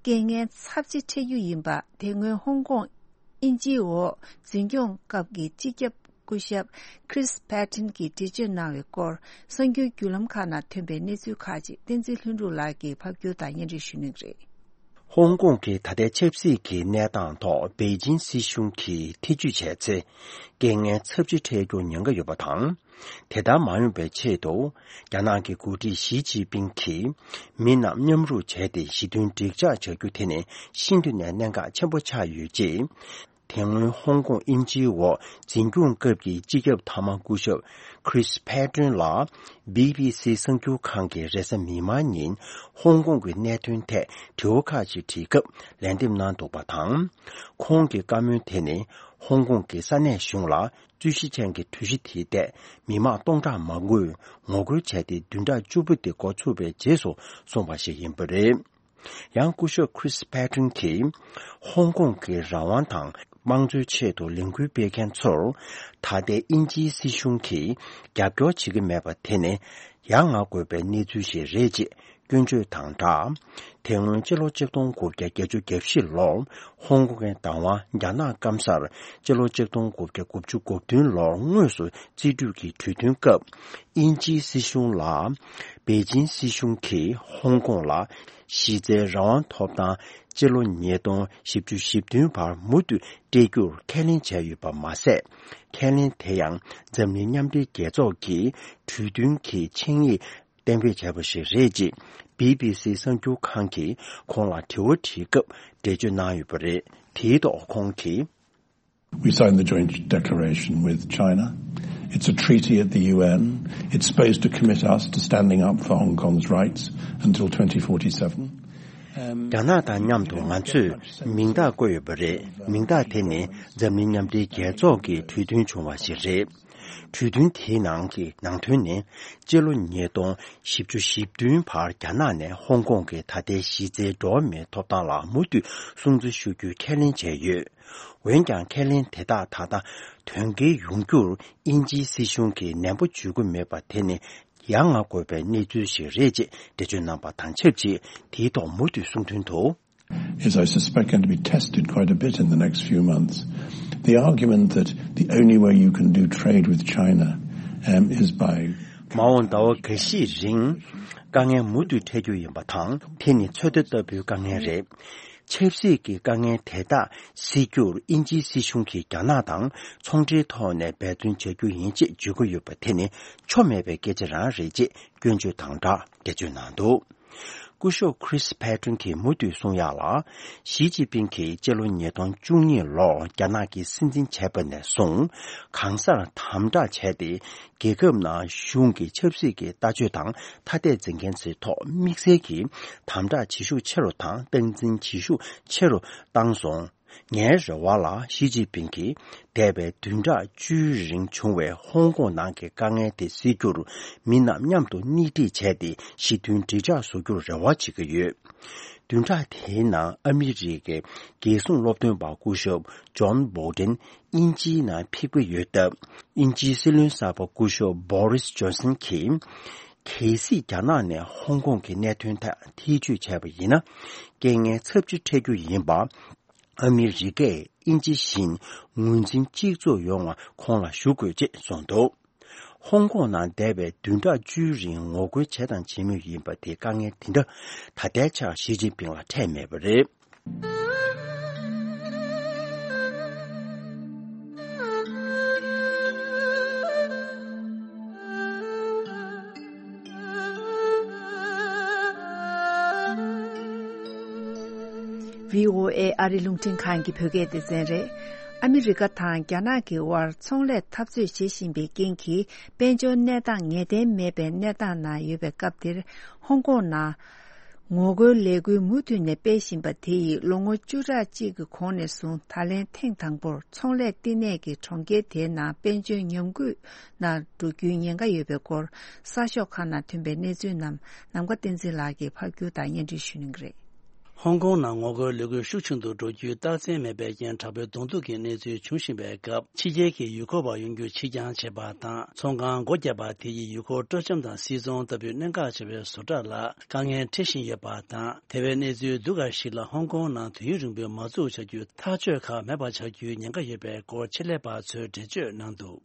རྐྱེན་ངན་ཚབས་ཆེ་འཕྲད་རྒྱུ་ཡིན་པ། དེ་སྔོན་ཧོང་ཀོང་དབྱིན་ཇིའི་འོག་འཛིན་སྐྱོང་སྐབས་ཀྱི་སྤྱི་ཁྱབ་སྐུ་ཞབས་Chris Patten་གྱིས་འགྲེལ་བརྗོད་གནང་བའི་སྐོར། གསར་འགྱུར་བརྒྱུད་ལམ་ཁག་ནང་ཐོན་པའི་གནས་ཚུལ་ཁག་ཅིག་བསྟན་འཛིན་ལྷུན་གྲུབ་ལགས་ཀྱིས་ཕབ་སྒྱུར་དང་སྙན་སྒྲོན་ཞུ་གནང་གི་རེད། ཧོང་ཀོང་གི་ད་ལྟའི་ཆབ་སྲིད་ཀྱི་གནས་སྟངས་ཐོག་པེ་ཅིང་སྲིད་གཞུང་གིས་ཐེ་ཇུས་བྱས་ཚེ། རྐྱེན་ངན་ཚབས་ཆེ་འཕྲད་རྒྱུར་ཉེན་ཁ་ཡོད་པ་དང་། དེ་ལྟར་མ་ཡོང་བའི་ཆེད་དུ། རྒྱ་ནག་གི་འགོ་ཁྲིད་ཞི་ཅིན་ཕིང་གིས། མི་རྣམས་མཉམ་རུབ་བྱས་ཏེ་ཞི་མཐུན་འགྲིག་འཇགས་བྱ་རྒྱུ་དེ་ནི་ཤིན་ཏུ་ནས་གནད་འགག་ཆེན་པོ་ཆགས་ཡོད་ཅེས། དེ་སྔོན་ཧོང་ཀོང་དབྱིན་ཇིའི་འོག་འཛིན་སྐྱོང་སྐབས་ཀྱི་སྤྱི་ཁྱབ་མཐའ་མ་སྐུ་ཞབས་Chris Patten་ལ་བྷི་བྷི་སི་གསར་འགྱུར་ཁང་གི་རེས་གཟའ་མིག་དམར་ཉིན་ཧོང་ཀོང་གི་གནད་དོན་ཐད་དྲི་བ་ཁག་ཅིག་དྲིས་སྐབས་ལན་འདེབས་གནང་འདུག་པ་དང་། ཁོང་གི་བཀའ་མོལ་དེ་ནི་ཧོང་ཀོང་གི་ས་གནས་གཞུང་ལ་རྩོད་གཞི་ཅན་གྱི་གྲོས་གཞི་དེའི་ཐད་མི་མང་སྟོང་ཕྲག་མང་པོས་ངོ་རྒོལ་བྱས་ཏེ་བདུན་ཕྲག་བཅུ་པ་དེ་འགོ་ཚུགས་པའི་རྗེས་སུ་སོང་བ་ཞིག་ཡིན་པ་རེད། ཡང་སྐུ་ཞབས་Chris Patten་གྱིས་ཧོང་ཀོང་གི་རང་དབང་དང་དམངས་གཙོའི་ཆེད་དུ་ལས་འགུལ་སྤེལ་མཁན་ཚོར་ད་ལྟའི་དབྱིན་ཇིའི་སྲིད་གཞུང་གིས་རྒྱབ་སྐྱོར་བྱེད་ཀྱི་མེད་པ་དེ་ནི་ཡ་ང་དགོས་པའི་གནས་ཚུལ་ཞིག་རེད་ཅེས་སྐྱོན་བརྗོད་དང་སྦྲགས། དེ་སྔོན་ཕྱི་ལོ་ཆིག་སྟོང་དགུ་བརྒྱ་བརྒྱད་ཅུ་གྱ་བཞི་ལོར་ཧོང་ཀོང་གི་བདག་དབང་རྒྱ་ནག་སྐམ་སར་ཕྱི་ལོ་ཆིག་སྟོང་དགུ་བརྒྱ་དགུ་བཅུ་གོ་བདུན་ལོར་དངོས་སུ་རྩིས་སྤྲོད་ཀྱི་གྲོས་མཐུན་སྐབས། དབྱིན་ཇིའི་སྲིད་གཞུང་ལ། པེ་ཅིང་སྲིད་གཞུང་གིས་ཧོང་ཀོང་ལ་གཞི་རྩའི་རང་དབང་ཐོབ་ཐང་སྤྱི་ལོ་ཉིས་སྟོང་བཞི་བཅུ་ཞེ་བདུན་བར་མུ་མཐུད་སྤྲད་རྒྱུར་ཁས་ལེན་བྱས་ཡོད་པ་མ་ཟད། ཁས་ལེན་དེ་ཡང་འཛམ་གླིང་མཉམ་འབྲེལ་རྒྱལ་ཚོགས་ཀྱི་གྲོས་མཐུན་གྱི་ཆིངས་ཡིག་གཏན་འབེབས་བྱས་པ་ཞིག་རེད་ཅེས་བྷི་བྷི་སི་གསར་འགྱུར་ཁང་གིས་ཁོང་ལ་དྲི་བ་དྲིས་སྐབས་འགྲེལ་བརྗོད་གནང་ཡོད་པ་རེད། དེའི་ཐོག་ཁོང་གིས། We signed the joint declaration with China. It's a treaty at the U N. It's supposed to commit us to standing up for Hong Kong's rights until twenty forty-seven. རྒྱ་ནག་དང་མཉམ་དུ་ང་ཚོས་མིང་རྟགས་བཀོད་ཡོད་པ་རེད། མིང་རྟགས་དེ་ནི་འཛམ་གླིང་མཉམ་འབྲེལ་རྒྱལ་ཚོགས་ཀྱི་གྲོས་མཐུན་བྱུང་བ་ཞིག་རེད། གྲོས་མཐུན་དེའི་ནང་གི་ནང་དོན་ནི། སྤྱི་ལོ་ཉིས་སྟོང་བཞི་བཅུ་ཞེ་བདུན་བར་རྒྱ་ནག་ནས་ཧོང་ཀོང་གི་ད་ལྟའི་གཞི་རྩའི་འགྲོ་བ་མིའི་ཐོབ་ཐང་ལ་མུ་མཐུད་སྲུང་བརྩི་ཞུ་རྒྱུའི་ཁས་ལེན་བྱས་ཡོད། འོན་ཀྱང་ཁས་ལེན་དེ་དག་ད་ལྟ་དོན་འཁྱོལ་ཡོང་རྒྱུར་དབྱིན་ཇིའི་སྲིད་གཞུང་གིས་ནན་པོ་འཇུག་གི་མེད་པ་དེ་ནི་ཡ་ང་དགོས་པའི་གནས་ཚུལ་ཞིག་རེད་ཅེས་འགྲེལ་བརྗོད་གནང་པ་དང་ཆབས་ཅིག་དེའི་ཐོག་མུ་མཐུད་གསུང་དོན་དུ། Is I suspect going to be tested quite a bit in the next few months. The argument that the only way you can do trade with China, um, is by མ་འོངས་ཟླ་བ་འགའ་ཤས་རིང་དཀའ་ངལ་མུ་མཐུད་འཕྲད་རྒྱུ་ཡིན་པ་དང་། དེ་ནི་ཚོད་ལྟ་ལྟ་བུའི་དཀའ་ངལ་རེད། ཆབ་སྲིད་ཀྱི་དཀའ་ངལ་དེ་དག་སེལ་རྒྱུར་དབྱིན་ཇིའི་སྲིད་གཞུང་གིས་རྒྱ་ནག་དང་ཚོང་འབྲེལ་ཐོག་ནས་འབད་བརྩོན་བྱ་རྒྱུ་ཡིན་ཅེས་བརྗོད་ཀྱི་ཡོད་པ་དེ་ནི་ཆོ་མེད་པའི་སྐད་ཆ་རང་རེད་ཅེས་སྐྱོན་བརྗོད་དང་སྦྲགས་འགྲེལ་བརྗོད་གནང་འདུག། སྐུ་ཞབས་Chris Patten་གྱིས་མུ་མཐུད་གསུང་ཡག་ལ། ཞི་ཅིན་ཕིང་གིས་སྤྱི་ལོ་ཉིས་སྟོང་བཅུ་གཉིས་ལོར་རྒྱ་ནག་གི་སྲིད་འཛིན་བྱས་པ་ནས་བཟུང་གང་སར་དམ་དྲག་བྱས་ཏེ། རྒྱལ་ཁབ་ནང་གཞུང་གི་ཆབ་སྲིད་ཀྱི་ལྟ་སྤྱོད་དང་ཐ་དད་འཛིན་མཁན་ཚོའི་ཐོག་དམིགས་བསལ་གྱིས་དམ་དྲག་བྱེད་ཤུགས་ཆེ་རུ་དང་སྟངས་འཛིན་བྱེད་ཤུགས་ཆེ་རུ་བཏང་སོང་། ངའི་རེ་བ་ལ་ཞི་ཅིན་ཕིང་གིས་འདས་པའི་བདུན་ཕྲག་བཅུའི་རིང་བྱུང་བའི་ཧོང་ཀོང་ནང་གི་དཀའ་ངལ་དེ་སེལ་རྒྱུར་མི་རྣམས་མཉམ་དུ་སྣེ་ཁྲིད་བྱས་ཏེ་ཞི་མཐུན་འགྲིག་འཇགས་བཟོ་རྒྱུར་རེ་བ་བྱེད་ཀྱི་ཡོད། བདུན་ཕྲག་དེའི་ནང་ཨ་མི་རི་ཀའི་རྒྱལ་སྲུང་སློབ་སྟོན་པ་སྐུ་ཞབས་ཇོན་བྷོལ་ཏན་དབྱིན་ཇིའི་ནང་ཕེབས་ཀྱི་ཡོད་སྟབས། དབྱིན་ཇིའི་སྲིད་བློན་གསར་པ་སྐུ་ཞབས་བྷོ་རིས་ཇོན་སན་གྱིས། གལ་སྲིད་རྒྱ་ནག་ནས་ཧོང་ཀོང་གི་གནད་དོན་ཐད་ཐེ་བྱུས་བྱས་པ་ཡིན་ན། རྐྱེན་ངན་ཚབས་ཆེ་འཕྲད་རྒྱུ་ཡིན་པ། ཨ་མི་རི་ཀས་དབྱིན་ཇི་བཞིན་ངོས་འཛིན་གཅིག་མཚུངས་ཡོང་བ་ཁོང་ལ་ཞུ་དགོས་ཅེས་གསུངས་འདུག། ཧོང་ཀོང་ནང་འདས་པའི་བདུན་ཕྲག་བཅུའི་རིང་ངོ་རྒོལ་བྱས་དང་བྱེད་མུས་ཡིན་པ་དེ་དཀའ་ངལ་དེ་འདྲ་ད་ལྟའི་ཆར་ཞི་ཅིན་ཕིང་ལ་འཕྲད་མེད་པ་རེད། བྷི་ཨོ་ཨེ་ཨ་རི་རླུང་འཕྲིན་ཁང་གི་བོད་སྐད་སྡེ་ཚན་རེད། ཨ་མི་རི་ཀ་དང་རྒྱ་ནག་གི་དབར་ཚོང་ལས་འཐབ་རྩོད་བྱེད་བཞིན་པའི་རྐྱེན་གྱིས་དཔལ་འབྱོར་གནས་སྟངས་ངེས་གཏན་མེད་པའི་གནས་སྟངས་ནང་ཡོད་པའི་སྐབས་འདིར། ཧོང་ཀོང་ནང་ངོ་རྒོལ་ལས་འགུལ་མུ་མཐུད་ནས་སྤེལ་བཞིན་པ་དེ་ཡིས་ལོ་ངོ་བཅུ་ཕྲག་གཅིག་གི་གོང་ནས་བཟུང་ད་ལན་ཐེངས་དང་པོར་ཚོང་ལས་བསྟི་གནས་ཀྱི་གྲོང་ཁྱེར་དེའི་ནང་དཔལ་འབྱོར་ཉམས་རྒུད་ནང་འགྲོ་རྒྱུའི་ཉེན་ཁ་ཡོད་པའི་སྐོར་གསར་ཤོག་ཁག་ནང་ཐོན་པའི་གནས་ཚུལ་རྣམས་ནམ་མཁའ་བསྟན་འཛིན་ལགས་ཀྱིས་ཕབ་སྒྱུར་དང་སྙན་སྒྲོན་ཞུ་གནང་གི་རེད། ཧོང་ཀོང་ནང་ངོ་རྒོལ་ལས་འགུལ་ཤུགས་ཆུང་དུ་འགྲོ་རྒྱུའི་རྟགས་མཚན་མེད་པའི་རྐྱེན་དྲག་པོའི་གདོང་ཐུག་གི་གནས་ཚུལ་འབྱུང་བཞིན་པའི་སྐབས། ཕྱི་རྒྱལ་གྱི་ཡུལ་སྐོར་བ་ཡོང་རྒྱུ་ཕྱིར་འགྱངས་བྱས་པ་དང་། ཚོང་ཁང་སྒོ་བརྒྱབ་པ་དེ་ཡིས་ཡུལ་སྐོར་སྤྲོ་འཆམ་དང་སིལ་ཚོང་ལྟ་བུའི་གནད་འགག་ཆེ་བའི་བཟོ་གྲྭ་ལ་དཀའ་ངལ་འཕྲད་བཞིན་ཡོད་པ་དང་། དེ་བས་གནས་ཚུལ་སྡུག་ཁག་ཞིག་ལ་ཧོང་ཀོང་ནང་དུས་ཡུན་རིང་པོའི་མ་འཛུགས་བྱ་རྒྱུའི་ཐག་གཅོད་ཁག་མེད་པ་ཆགས་རྒྱུའི་ཉེན་ཁ་ཡོད་པའི་སྐོར་ཆེད་ལས་པ་ཚོས་འགྲེལ་བརྗོད་གནང་འདུག་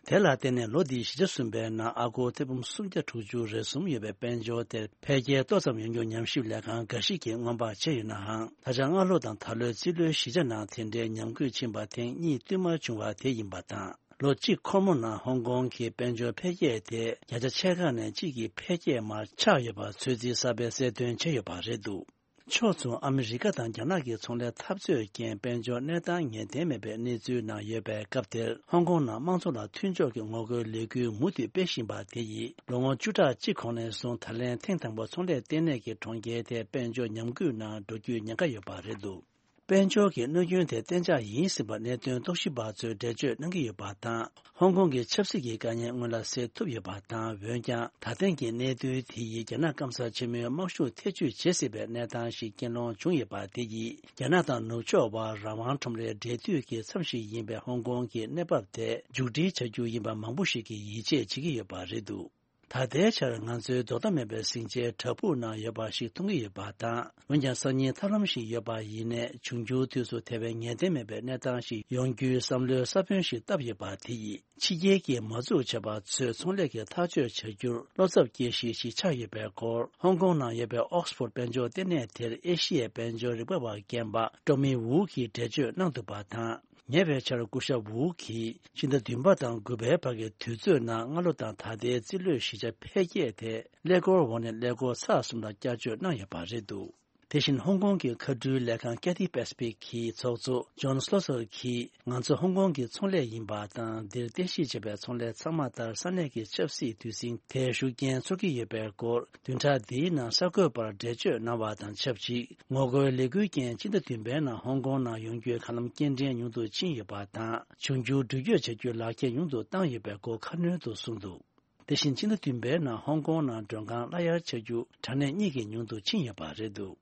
དེ་ལ་བརྟེན་ནས་ལོ་འདིའི་བཞི་ཆ་གསུམ་པའི་ནང་ཨ་སྒོར་ཐེར་འབུམ་སུམ་བརྒྱ་དྲུག་ཅུ་རེ་གསུམ་ཡོད་པའི་དཔལ་འབྱོར་དེར་འཕེལ་རྒྱས་ཏོག་ཙམ་ཡོང་རྒྱུར་ཉམས་ཞིབ་ལས་ཁང་འགའ་ཞིག་གིས་སྔོན་དཔག་བྱས་ཡོད་ནའང་། ད་ཆ་སྔ་ལོ་དང་ད་ལོའི་རྩིས་ལོའི་བཞི་ཆ་ནང་དེ་འདྲའི་ཉམས་རྒུད་ཕྱིན་པ་ཐེངས་གཉིས་བསྟུད་མར་བྱུང་བ་དེ་ཡིན་པ་དང་། ལོ་གཅིག་འཁོར་མོ་ནང་ཧོང་ཀོང་གི་དཔལ་འབྱོར་འཕེལ་རྒྱས་དེ་བརྒྱ་ཆ་ཕྱེད་ཀ་ནས་གཅིག་གི་འཕེལ་རྒྱས་མར་ཆག་ཡོད་པ་ཚོད་རྩིས་གསར་པས་གསལ་སྟོན་བྱས་ཡོད་པ་རེད་འདུག་ཕྱོགས་མཚུངས། ཨ་མི་རི་ཀ་དང་རྒྱ་ནག་གི་ཚོང་ལས་འཐབ་རྩོད་རྐྱེན་དཔལ་འབྱོར་གནས་སྟངས་ངེས་གཏན་མེད་པའི་གནས་ཚུལ་ནང་ཡོད་པའི་སྐབས་དེར། ཧོང་ཀོང་ནང་དམངས་གཙོ་ལ་མཐུན་ཕྱོགས་ཀྱི་ངོ་རྒོལ་ལས་འགུལ་མུ་མཐུད་སྤེལ་བཞིན་པ་དེ་ཡིས་ལོ་ངོ་བཅུ་ཕྲག་གཅིག་གོང་ནས་བཟུང་ད་ལན་ཐེངས་དང་པོ་ཚོང་ལས་ལྟེ་གནས་ཀྱི་གྲོང་ཁྱེར་དེ་དཔལ་འབྱོར་ཉམས་རྒུད་ནང་འགྲོ་རྒྱུའི་ཉེན་ཁ་ཡོད་པ་རེད་འདུག་དཔལ་འབྱོར་གྱི་གནོད་སྐྱོན་དེ་གཏན་འཇགས་ཡིན་ཟིན་པ་གནད་དོན་རྟོག་ཞིབ་པ་ཚོས་འགྲེལ་བརྗོད་གནང་གི་ཡོད་པ་དང་། ཧོང་ཀོང་གི་ཆབ་སྲིད་ཀྱི་དཀའ་ངལ་སྔོན་ལ་སེལ་ཐུབ་ཡོད་པ་དང་། འོན་ཀྱང་ད་ཐེངས་ཀྱི་གནད་དོན་དེ་ཡིས་རྒྱ་ནག་སྐམ་ས་ཆེན་མོའི་དམག་ཤུགས་ཐེ་བྱུས་བྱེད་སྲིད་པའི་གནས་སྟངས་ཤིག་རྐྱེན་སློང་བྱུང་ཡོད་པ་དེ་ཡིས་རྒྱ་ནག་དང་ནུབ་ཕྱོགས་བར་རང་དབང་ཁྲོམ་རའི་འབྲེལ་མཐུད་ཀྱི་མཚམས་ཤིག་ཡིན་པའི་ཧོང་ཀོང་གི་གནས་བབ་དེ་མཇུག་སྒྲིལ་བྱ་རྒྱུ་ཡིན་པ་མང་པོ་ཞིག་གིས་ཡིད་ཆེས་བྱེད་ཀྱི་ཡོད་པ་རེད་འདུག་ད་ལྟའི་ཆར་ང་ཚོའི་རྡོག་རྡོག་མེད་པའི་ཟིང་ཆའི་བྲག་ཕུག་ནང་ཡོད་པ་ཞིག་མཐོང་གི་ཡོད་པ་དང་། འོན་ཀྱང་སང་ཉིན་ཐབས་ལམ་ཞིག་ཡོད་པ་ཡིན་ནའི། འབྱུང་འགྱུར་དུས་སུ་དེ་བས་ངེས་གཏན་མེད་པའི་གནས་སྟངས་ཤིག་ཡོང་རྒྱུའི་བསམ་བློའི་ས་བོན་ཞིག་བཏབ་ཡོད་པ་དེ་ཡིས། ཕྱི་རྒྱལ་གྱི་མ་འཛུགས་བྱས་པ་ཚོས་ཚོང་ལས་ཀྱི་ཐག་གཅོད་བྱ་རྒྱུར་བློ་འཚབ་སྐྱེ་གཞི་ཞིག་ཆགས་ཡོད་པའི་སྐོར། ཧོང་ཀོང་ནང་ཡོད་པའི་ཨོག་སི་ཕོར་དཔལ་འབྱོར་ལྟེ་གནས་དེར་ཨེ་ཤི་ཡའི་དཔལ་འབྱོར་རིག་པ་བ་རྒན་པ་ཀྲོ་མི་ཝུའུ་གིས་འགྲེལ་བརྗོད་གནང་འདུག་པ་དང་། ཉེ་བའི་ཆར་སྐུ་ཞབས་ཝུའུ་གིས་ཕྱི་ཟླ་བདུན་པ་དང་དགུ་པའི་བར་གྱི་དུས་ཚོད་ནང་སྔ་ལོ་དང་ད་ལྟའི་རྩིས་ལོའི་བཞི་ཆ་འཕེལ་རྒྱས་དེ་ཀླད་ཀོར་འོག་ནས་ཀླད་ཀོར་ཚེག་གསུམ་ལ་བསྐྱར་བཅོས་གནང་ཡོད་པ་རེད་འདུག་དེ་བཞིན་ཧོང་ཀོང་གི་མཁའ་འགྲུལ་ལས་ཁང་ཀེ་ཐི་པེ་སི་ཕིག་གི་ཚོགས་གཙོ་ཇོན་སི་ལོ་སར་གྱིས། ང་ཚོ་ཧོང་ཀོང་གི་ཚོང་ལས་ཡིན་པ་དང་། འདིར་རྟེན་གཞི་བྱས་པའི་ཚོང་ལས་ཚང་མ་ལྟར་ས་གནས་ཀྱི་ཆབ་སྲིད་དུས་ཟིང་དེར་ཤུགས་རྐྱེན་ཚོར་གྱི་ཡོད་པའི་སྐོར། བདུན་ཕྲག་འདིའི་ནང་གསར་འགོད་པར་འགྲེལ་བརྗོད་གནང་བ་དང་ཆབས་ཅིག་ངོ་རྒོལ་ལས་འགུལ་རྐྱེན་སྤྱི་ཟླ་བདུན་པའི་ནང་ཧོང་ཀོང་ནང་ཡོང་རྒྱུའི་མཁའ་ལམ་སྐྱེལ་འདྲེན་ཉུང་དུ་ཕྱིན་ཡོད་པ་དང་། འབྱུང་འགྱུར་འགྲུལ་སྐྱོད་བྱ་རྒྱུའི་ལག་ཁྱེར་ཉུང་དུ་བཏང་ཡོད་པའི་སྐོར་ཁ་སྣོན་དུ་གསུངས་འདུག་དེ་བཞིན་ཕྱི་ཟླ་བདུན་པའི་ནང་ཧོང་ཀོང་ནང་མགྲོན་ཁང་གླ་གཡར་བྱ་རྒྱུ་དྲ་གནས་གཉིས་ཀྱིས་ཉུང་དུ་ཕྱིན་ཡོད་པ་རེད་འདུག་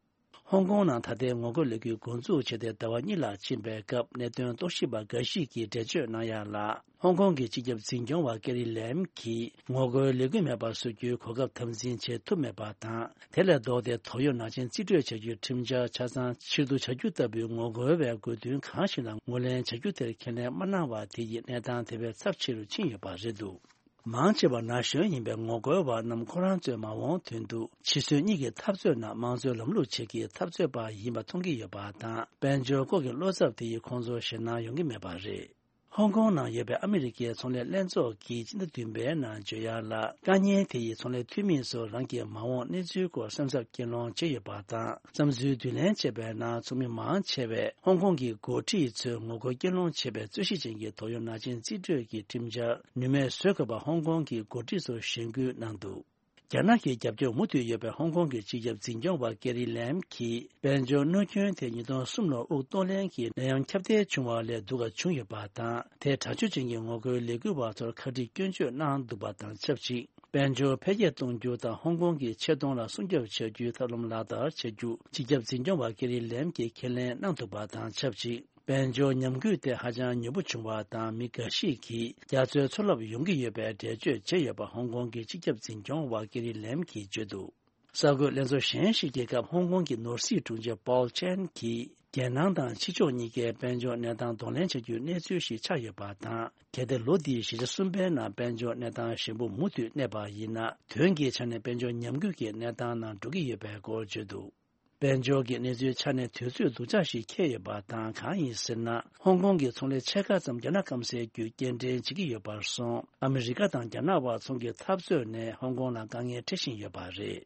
ཧོང་ཀོང་ནང་ད་ལྟའི་ངོ་རྒོལ་ལས་འགུལ་འགོ་འཛུགས་བྱས་ཏེ་ཟླ་བ་གཉིས་ལྷག་ཕྱིན་པའི་སྐབས། གནད་དོན་རྟོག་ཞིབ་པ་འགའ་ཞིག་གིས་འགྲེལ་བརྗོད་གནང་ཡག་ལ། ཧོང་ཀོང་གི་སྤྱི་ཁྱབ་འཛིན་སྐྱོང་བ་ཀེ་རི་ལེམ་གྱིས། ངོ་རྒོལ་ལས་འགུལ་མེད་པར་བཟོ་རྒྱུའི་གོ་སྐབས་དམ་འཛིན་བྱེད་ཐུབ་མེད་པ་དང་། དེ་ལས་ལྡོག་སྟེ་ཏོག་དབྱིབས་ནང་ཆེན་རྩིས་སྤྲོད་བྱ་རྒྱུའི་ཁྲིམས་འཆར་ཆ་ཚང་ཕྱིར་བསྡུ་བྱ་རྒྱུ་ལྟ་བུའི་ངོ་རྒོལ་བའི་དགོས་འདུན་གང་ཞིག་ལ་ངོས་ལེན་བྱ་རྒྱུ་དེར་ཁས་ལེན་མ་གནང་བ་དེ་ཡིས་གནས་སྟངས་དེ་བས་ཚབས་ཆེ་རུ་ཕྱིན་ཡོད་པ་རེད་འདུག་མང་ཆེ་བ་ན་གཞོན་ཡིན་པའི་ངོ་རྒོལ་བ་རྣམས་ཁོ་རང་ཚོའི་མ་འོངས་དོན་དུ་ཕྱི་སྲོལ་གཉིས་ཀྱི་འཐབ་རྩོད་ནང་དམངས་གཙོའི་ལམ་ལུགས་ཆེད་ཀྱི་འཐབ་རྩོད་པ་ཡིན་པ་མཐོང་གི་ཡོད་པ་དང་། དཔལ་འབྱོར་སྐོར་གྱི་བློ་འཚབ་དེ་ཡིས་ཁོང་ཚོར་ཞེད་སྣང་ཡོང་གི་མེད་པ་རེད། ཧོང་ཀོང་ནང་ཡོད་པའི་ཨ་མི་རི་ཀའི་ཚོང་ལས་ལྷན་ཚོགས་ཀྱིས་སྤྱི་ཟླ་བདུན་པའི་ནང་བརྗོད་ཡག་ལ། དཀའ་ཉེན་དེ་ཡིས་ཚོང་ལས་འཐུས་མི་ཚོར་རང་གི་མ་འོངས་གནས་ཚུལ་སྐོར་སེམས་འཚབ་རྐྱེན་སློང་བྱས་ཡོད་པ་དང་། བསམ་ཚུལ་བསྡུ་ལེན་བྱས་པའི་ནང་ཚོགས་མི་མང་ཆེ་བས་ཧོང་ཀོང་གི་འགོ་ཁྲིད་ཚོས་ངོ་རྒོལ་རྐྱེན་སློང་བྱེད་པའི་རྩོད་གཞི་ཅན་གྱི་ཏོག་དབྱིབས་ནང་ཆེན་རྩིས་སྤྲོད་ཀྱི་ཁྲིམས་འཆར་ནུས་མེད་བཟོ་དགོས་པ་ཧོང་ཀོང་གི་འགོ་ཁྲིད་ཚོར་ཞེན་སྐུལ་གནང་འདུག་རྒྱ་ནག་གི་རྒྱབ་སྐྱོར་མུ་མཐུད་ཡོད་པའི་ཧོང་ཀོང་གི་སྤྱི་ཁྱབ་འཛིན་སྐྱོང་བ་ཀེ་རི་ལེམ་གྱིས། དཔལ་འབྱོར་གནོད་སྐྱོན་དེ་ཉིས་སྟོང་གསུམ་ལོར་དབུགས་གཏོང་ལེན་གྱི་ནད་ཡམས་ཁྱབ་གདལ་བྱུང་བ་ལས་སྡུག་ག་བྱུང་ཡོད་པ་དང་། དེས་དྲག་སྤྱོད་ཅན་གྱི་ངོ་རྒོལ་ལས་འགུལ་བ་ཚོར་ཁ་དཀྲིས་སྐྱོན་བརྗོད་གནང་འདུག་པ་དང་ཆབས་ཅིག་དཔལ་འབྱོར་འཕེལ་རྒྱས་གཏོང་རྒྱུ་དང་ཧོང་ཀོང་གི་ཆེ་མཐོང་ལ་སྲུང་སྐྱོབ་བྱ་རྒྱུའི་ཐབས་ལམ་ལག་བསྟར་བྱ་རྒྱུ་སྤྱི་ཁྱབ་འཛིན་སྐྱོང་བ་ཀེ་རི་ལེམ་གྱིས་ཁས་ལེན་གནང་འདུག་པ་དང་ཆབས་ཅིག་དཔལ་འབྱོར་ཉམས་རྒུད་དེ་ཧ་ཅང་མྱུར་པོ་བྱུང་བ་དང་། མི་འགའ་ཞིག་གིས་རྒྱ་མཚོའི་མཚོ་རླབས་ཡོང་གི་ཡོད་པའི་འགྲེལ་བརྗོད་བྱས་ཡོད་པ་ཧོང་ཀོང་གི་སྤྱི་ཁྱབ་འཛིན་སྐྱོང་བ་ཀེ་རི་ལེམ་གྱིས་བརྗོད་འདུག་གསར་འགོད་ལྷན་ཚོགས་གཞན་ཞིག་གི་སྐབས། ཧོང་ཀོང་གི་ནོར་སྲིད་དྲུང་ཆེ་པོལ་ཆན་གྱིས། རྒྱལ་ནང་དང་ཕྱི་ཕྱོགས་གཉིས་ཀའི་དཔལ་འབྱོར་གནས་སྟངས་གདོང་ལེན་བྱ་རྒྱུའི་གནས་ཚུལ་ཞིག་ཆགས་ཡོད་པ་དང་། གལ་ཏེ་ལོ་འདིའི་བཞི་ཆ་གསུམ་པའི་ནང་དཔལ་འབྱོར་གནས་སྟངས་ཞན་པོ་མུ་མཐུད་གནས་པ་ཡིན་ན། དོན་གྱི་ཆ་ནས་དཔལ་འབྱོར་ཉམས་རྒུད་ཀྱི་གནས་སྟངས་ནང་འགྲོ་གི་ཡོད་པའི་སྐོར་བརྗོད་འདུག་དཔལ་འབྱོར་གྱི་གནས་ཚུལ་ཆ་ནས་དུས་ཚོད་སྡུག་ཅག་ཞིག་འཁེལ་ཡོད་པ་དང་། གང་ཡིན་ཟེར་ན། ཧོང་ཀོང་གི་ཚོང་ལས་ཕྱེད་ཀ་ཙམ་རྒྱ་ནག་སྐམ་སའི་བརྒྱུད་སྐྱེལ་འདྲེན་བྱེད་ཀྱི་ཡོད་པར་སོང་། ཨ་མི་རི་ཀ་དང་རྒྱ་ནག་དབར་ཚོང་གི་འཐབ་རྩོད་ནས་ཧོང་ཀོང་ལ་དཀའ་ངལ་འཕྲད་བཞིན་ཡོད་པ་རེད།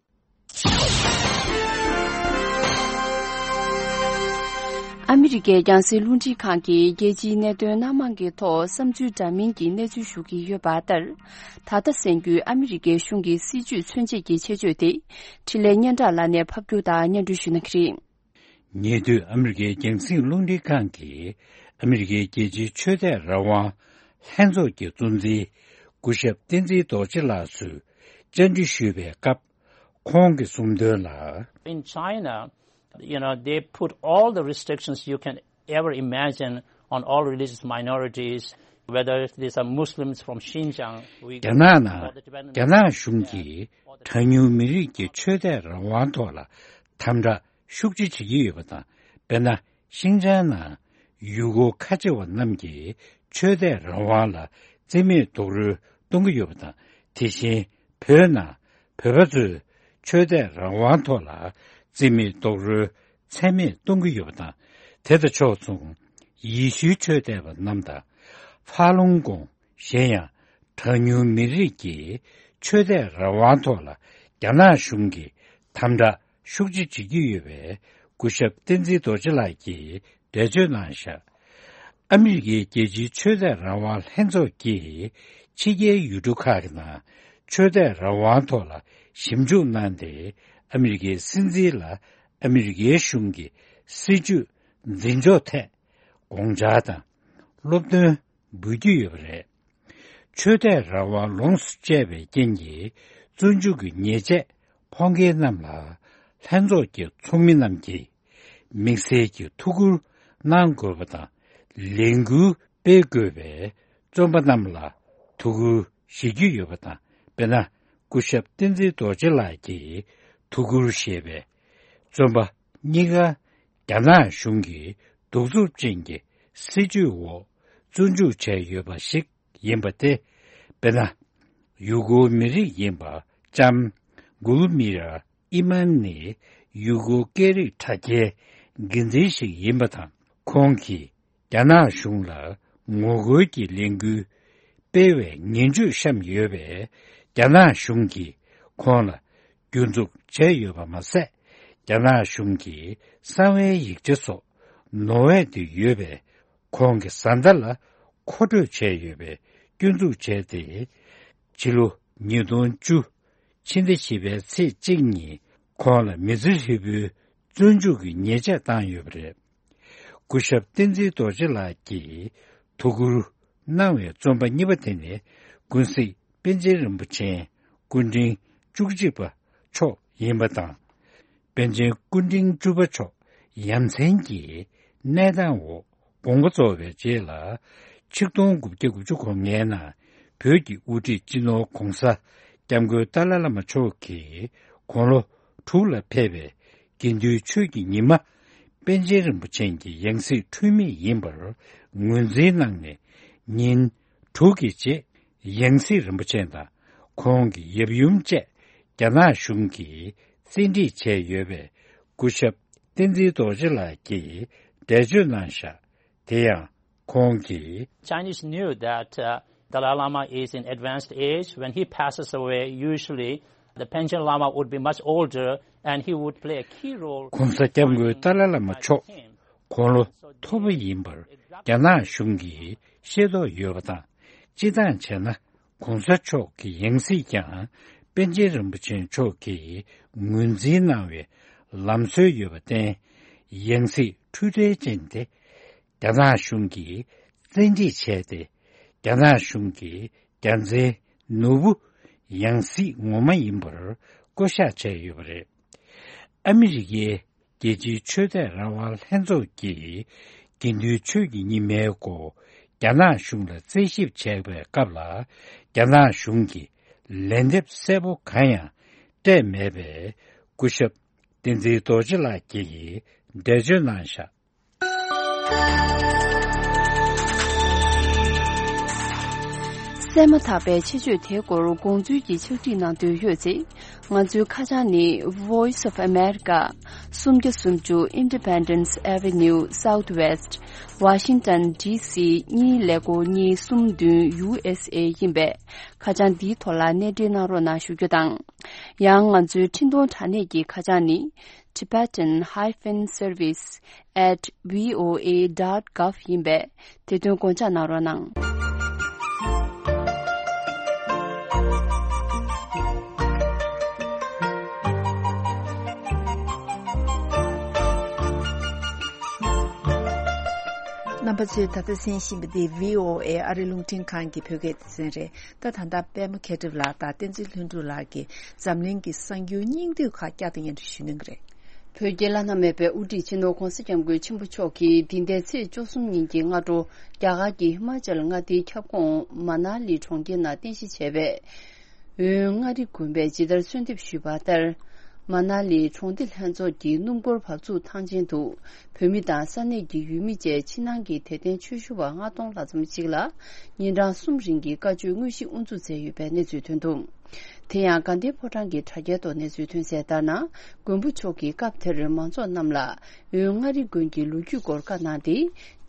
ཨ་མི་རི་ཀའི་རྒྱང་སྲིང་རླུང་འཕྲིན་ཁང་གིས་རྒྱལ་སྤྱིའི་གནད་དོན་སྣ་མང་གི་ཐོག་བསམ་ཚུལ་འདྲ་མིན་གྱི་གནས་ཚུལ་ཞུ་གི་ཡོད་པ་ལྟར། ད་ལྟ་གསན་རྒྱུའི་ཨ་མི་རི་ཀའི་གཞུང་གི་སྲིད་ཇུས་མཚོན་བྱེད་ཀྱི་ཆེད་བརྗོད་དེ། འཕྲིན་ལས་སྙན་གྲགས་ལགས་ནས་ཕབ་སྒྱུར་དང་སྙན་སྒྲོན་ཞུ་གནང་གི་རེད། ཉེ་དུས་ཨ་མི་རི་ཀའི་རྒྱང་སྲིང་རླུང་འཕྲིན་ཁང་གིས་ཨ་མི་རི་ཀའི་རྒྱལ་སྤྱིའི་ཆོས་དད་རང་དབང་ལྷན་ཚོགས་ཀྱི་གཙོ་འཛིན་སྐུ་ཞབས་བསྟན་འཛིན་རྡོ་རྗེ་ལགས་སུ་བཅར་འདྲི་ཞུས་པའི་སྐབས། ཁོང་གིས་གསུངས་དོན་ལ། In China, you know, they put all the restrictions you can ever imagine on all religious minorities, whether these are Muslims from Xinjiang, Uyghurs, རྒྱ་ནག་ནང་། or the Tibetan རྒྱ་ནག་གཞུང་གིས་གྲངས་ཉུང་མི་རིགས་ཀྱི་ཆོས་དད་རང་དབང་ཐོག་ལ་དམ་དྲག་ཤུགས་ཆེ་བྱེད་ཀྱི་ཡོད་པ་དང་། དཔེར་ན། ཤིང་ཅང་ནང་ཡུ་གུར་ཁ་ཆེ་བ་རྣམས་ཀྱི་ཆོས་དད་རང་དབང་ལ་བརྩི་མེད་རྡོག་རོལ་གཏོང་གི་ཡོད་པ་དང་། དེ་བཞིན་བོད་ནང་བོད་པ་ཚོའི་ཆོས་དད་རང་དབང་ཐོག་ལ་བརྩི་མེད་རྡོག་རོལ་ཚད་མེད་གཏོང་གི་ཡོད་པ་དང་། དེ་དང་ཕྱོགས་མཚུངས་ཡེ་ཤུའི་ཆོས་དད་པ་རྣམས་དང་། ཧྥ་ལུང་གོང་། གཞན་ཡང་གྲངས་ཉུང་མི་རིགས་ཀྱི་ཆོས་དད་རང་དབང་ཐོག་ལ་རྒྱ་ནག་གཞུང་གིས་དམ་དྲག་ཤུགས་ཆེ་བྱེད་ཀྱི་ཡོད་པའི་སྐུ་ཞབས་བསྟན་འཛིན་རྡོ་རྗེ་ལགས་ཀྱིས་འགྲེལ་བརྗོད་གནང་བཞག་ཨ་མི་རི་ཀའི་རྒྱལ་སྤྱིའི་ཆོས་དད་རང་དབང་ལྷན་ཚོགས་ཀྱིས་ཕྱི་རྒྱལ་ཡུལ་གྲུ་ཁག་གི་ནང་ཆོས་དད་རང་དབང་ཐོག་ལ་ཞིབ་འཇུག་གནང་སྟེ། ཨ་མི་རི་ཀའི་སྲིད་འཛིན་ལ་ཨ་མི་རི་ཀའི་གཞུང་གི་སྲིད་ཇུས་འཛིན་ཕྱོགས་ཐད་དགོངས་འཆར་དང་སློབ་སྟོན་འབུལ་རྒྱུ་ཡོད་པ་རེད། ཆོས་དད་རང་དབང་ལོངས་སུ་སྤྱད་པའི་རྐྱེན་གྱིས་བཙོན་འཇུག་གི་ཉེས་ཆད་ཕོག་མཁན་རྣམས་ལ་ལྷན་ཚོགས་ཀྱི་ཚོགས་མི་རྣམས་ཀྱིས་དམིགས་བསལ་གྱི་ཐུགས་ཁུར་གནང་དགོས་པ་དང་། ལས་འགུལ་སྤེལ་དགོས་པའི་བཙོན་པ་རྣམས་ལ་ཐུགས་ཁུར་བཞེས་རྒྱུ་ཡོད་པ་དང་། དཔེར་ན། སྐུ་ཞབས་བསྟན་འཛིན་རྡོ་རྗེ་ལགས་ཀྱིས་ཐུགས་ཁུར་བཞེས་པའི་བཙོན་པ་གཉིས་ཀ་རྒྱ་ནག་གཞུང་གི་གདུག་རྩུབ་ཅན་གྱི་སྲིད་བྱུས་འོག་བཙོན་འཇུག་བྱས་ཡོད་པ་ཞིག་ཡིན་པ་སྟེ། དཔེར་ན། ཡུ་གུར་མི་རིགས་ཡིན་པ་ལྕམ་གུལ་མི་ར་ཨི་མན་ནི་ཡུ་གུར་སྐད་རིགས་དྲ་རྒྱའི་འགན་འཛིན་ཞིག་ཡིན་པ་དང་། ཁོང་གིས་རྒྱ་ནག་གཞུང་ལ་ངོ་རྒོལ་གྱི་ལས་འགུལ་སྤེལ་བའི་ངན་ཇུས་བཤམས་ཡོད་པས། རྒྱ་ནག་གཞུང་གིས་ཁོང་ལ་སྐྱོན་འཛུགས་བྱས་ཡོད་པ་མ་ཟད། རྒྱ་ནག་གཞུང་གིས་གསང་བའི་ཡིག་ཆ་སོགས་ནོར་བས་བསྡུས་ཡོད་པས། ཁོང་གི་བཟའ་ཟླ་ལ་མཁོ་སྤྲོད་བྱས་ཡོད་པའི་སྐྱོན་འཛུགས་བྱས་ཏེ། ཕྱི་ལོ་ཉིས་སྟོང་བཅུ་ཕྱི་ཟླ་བཞི་པའི་ཚེས་གཅིག་ཉིན་ཁོང་ལ་མི་ཚེ་ཧྲིལ་པོའི་བཙོན་འཇུག་གི་ཉེས་ཆད་བཏང་ཡོད་པ་རེད། སྐུ་ཞབས་བསྟན་འཛིན་རྡོ་རྗེ་ལགས་ཀྱིས་ཐུགས་ཁུར་གནང་བའི་བཙོན་པ་གཉིས་པ་དེ་ནི་ཀུན་གཟིགས་པཎ་ཆེན་རིན་པོ་ཆེ་སྐུ་ཕྲེང་བཅུ་གཅིག་པ་མཆོག་ཡིན་པ་དང་། པཎ་ཆེན་སྐུ་ཕྲེང་བཅུ་པ་མཆོག་ཡ་མཚན་གྱི་གནས་སྟངས་འོག་དགོངས་པ་རྫོགས་པའི་རྗེས་ལ། ཆིག་སྟོང་དགུ་བརྒྱ་དགུ་བཅུ་གོ་ལྔའི་ནང་བོད་ཀྱི་དབུ་ཁྲིད་སྤྱི་ནོར་༧གོང་ས་༧སྐྱབས་མགོན་ཏཱ་ལའི་བླ་མ་མཆོག་གིས་དགུང་ལོ་དྲུག་ལ་ཕེབས་པའི་དགེ་འདུན་ཆོས་ཀྱི་ཉི་མ་པཎ་ཆེན་རིན་པོ་ཆེ་གི་ཡང་སྲིད་འཁྲུལ་མེད་ཡིན་པར་ངོས་འཛིན་གནང་ནས། ཉིན་དྲུག་གི་རྗེས་ཡང་སྲིད་རིན་པོ་ཆེ་དང་ཁོང་གི་ཡབ་ཡུམ་བཅས་རྒྱ་ནག་གཞུང་གིས་བཙན་ཁྲིད་བྱས་ཡོད་པས། སྐུ་ཞབས་བསྟན་འཛིན་རྡོ་རྗེ་ལགས་ཀྱིས་འགྲེལ་བརྗོད་གནང་བཞག་དེ་ཡང་ཁོང་གིས། Chinese knew that, uh, Dalai Lama is in advanced age. When he passes away, usually the Panchen Lama would be much older and he would play a key role. ༧གོང་ས་༧སྐྱབས་མགོན་ཏཱ་ལའི་བླ་མ་མཆོག་དགུང་ལོ་མཐོ་པོ་ཡིན་པར་རྒྱ་ནག་གཞུང་གིས་ཤེས་རྟོགས་ཡོད་པ་དང་། སྤྱིར་བཏང་བྱས་ན། ༧གོང་ས་མཆོག་གི་ཡང་སྲིད་ཀྱང་པཎ་ཆེན་རིན་པོ་ཆེ་མཆོག་གིས་ངོས་འཛིན་གནང་བའི་ལམ་སྲོལ་ཡོད་པར་བརྟེན། ཡང་སྲིད་འཁྲུལ་བྲལ་ཅན་དེ་རྒྱ་ནག་གཞུང་གིས་བཙན་ཁྲིད་བྱས་ཏེ། རྒྱ་ནག་གཞུང་གིས་རྒྱལ་མཚན་ནོར་བུ་ཡང་སྲིད་ངོ་མ་ཡིན་པར་བསྐོ་བཞག་བྱས་ཡོད་པ་རེད། ཨ་མི་རི་ཀའི་རྒྱལ་སྤྱིའི་ཆོས་དད་རང་དབང་ལྷན་ཚོགས་ཀྱིས་དགེ་འདུན་ཆོས་ཀྱི་ཉི་མའི་སྐོར་རྒྱ་ནག་གཞུང་ལ་རྩད་ཞིབ་བྱས་པའི་སྐབས་ལ། རྒྱ་ནག་གཞུང་གིས་ལན་འདེབས་གསལ་པོ་གང་ཡང་སྤྲད་མེད་པས། སྐུ་ཞབས་བསྟན་འཛིན་རྡོ་རྗེ་ལགས་ཀྱིས་འགྲེལ་བརྗོད་གནང་བཞག་གསན་མ་ཐག་པའི་ཆེད་བརྗོད་དེའི་སྐོར་དགོངས་ཚུལ་གྱི་ཕྱག་བྲིས་གནང་འདོད་ཡོད་ཚེ། ང་ཚོའི་ཁ་བྱང་ནི། Voice of America, སུམ་བརྒྱ་སུམ་ཅུ་Independence Avenue Southwest, Washington D C གཉིས་ཀླད་ཀོར་གཉིས་གསུམ་བདུན། U S A ཡིན་པས། ཁ་བྱང་འདིའི་ཐོག་ལ་གནས་འབྲེལ་གནང་རོགས་གནང་ཞུ་རྒྱུ་དང་། ཡང་ང་ཚོའི་འཕྲིན་གཏོང་དྲ་གནས་ཀྱི་ཁ་བྱང་ནི། tibetan hyphen service at voa dot gov ཡིན་པས། དེ་དོན་དགོངས་འཇགས་གནང་རོགས་གནང་། རྣམ་པ་ཚོས་ད་ལྟ་གསན་བཞིན་པ་འདི་བྷི་ཨོ་ཨེ་ཨ་རི་རླུང་འཕྲིན་ཁང་གི་བོད་སྐད་སྡེ་ཚན་རེད། ད་ད་ལྟ་པད་མ་མཁས་གྲུབ་ལགས་དང་བསྟན་འཛིན་ལྷུན་གྲུབ་ལགས་ཀྱིས་འཛམ་གླིང་གི་གསར་འགྱུར་སྙིང་བསྡུས་ཁག་བསྐྱར་དུ་སྙན་སྒྲོན་ཞུ་གནང་གི་རེད། བོད་རྒྱལ་ལ་མནའ་མེད་པའི་དབུ་ཁྲིད་སྤྱི་ནོར་༧གོང་ས་༧སྐྱབས་མགོན་ཆེན་པོ་མཆོག་གིས་འདི་ཟླའི་ཚེས་བཅུ་གསུམ་ཉིན་གྱི་སྔ་དྲོ། རྒྱ་གར་གྱི་ཧི་མ་ཅལ་མངའ་སྡེའི་ཁྱབ་ཁོངས་མ་ན་ལི་གྲོང་ཁྱེར་ནང་རྟེན་གཞི་བྱས་པའི་འོན་མངའ་རིས་དགོན་པས་ཇི་ལྟར་གསོལ་འདེབས་ཞུས་པ་ལྟར། མ་ན་ལི་གྲོང་སྡེ་ལྷན་ཚོགས་ཀྱི་སྣུམ་འཁོར་བབས་ཚུགས་ཐང་ཆེན་དུ། བོད་མི་དང་ས་གནས་ཀྱི་ཡུལ་མི་བཅས་ཕྱི་ནང་གི་དད་ལྡན་ཆོས་ཞུ་བ་ལྔ་སྟོང་ལྷག་ཙམ་ཞིག་ལ། ཉིན་གྲངས་གསུམ་རིང་གི་བཀའ་ཆོས་དངོས་གཞི་དབུ་འཛུགས་མཛད་ཡོད་པའི་གནས་ཚུལ་ཐོན་འདུག་དེ་ཡང་དགའ་ལྡན་ཕོ་བྲང་གི་དྲ་རྒྱའི་ཐོག་གནས་ཚུལ་ཐོན་གསལ་ལྟར་ན། མགོན་པོ་མཆོག་གིས་སྐབས་དེར་མང་ཚོགས་རྣམས་ལ། འོན་མངའ་རིས་དགོན་གྱི་ལོ་རྒྱུས་སྐོར་བཀའ་གནང་སྟེ།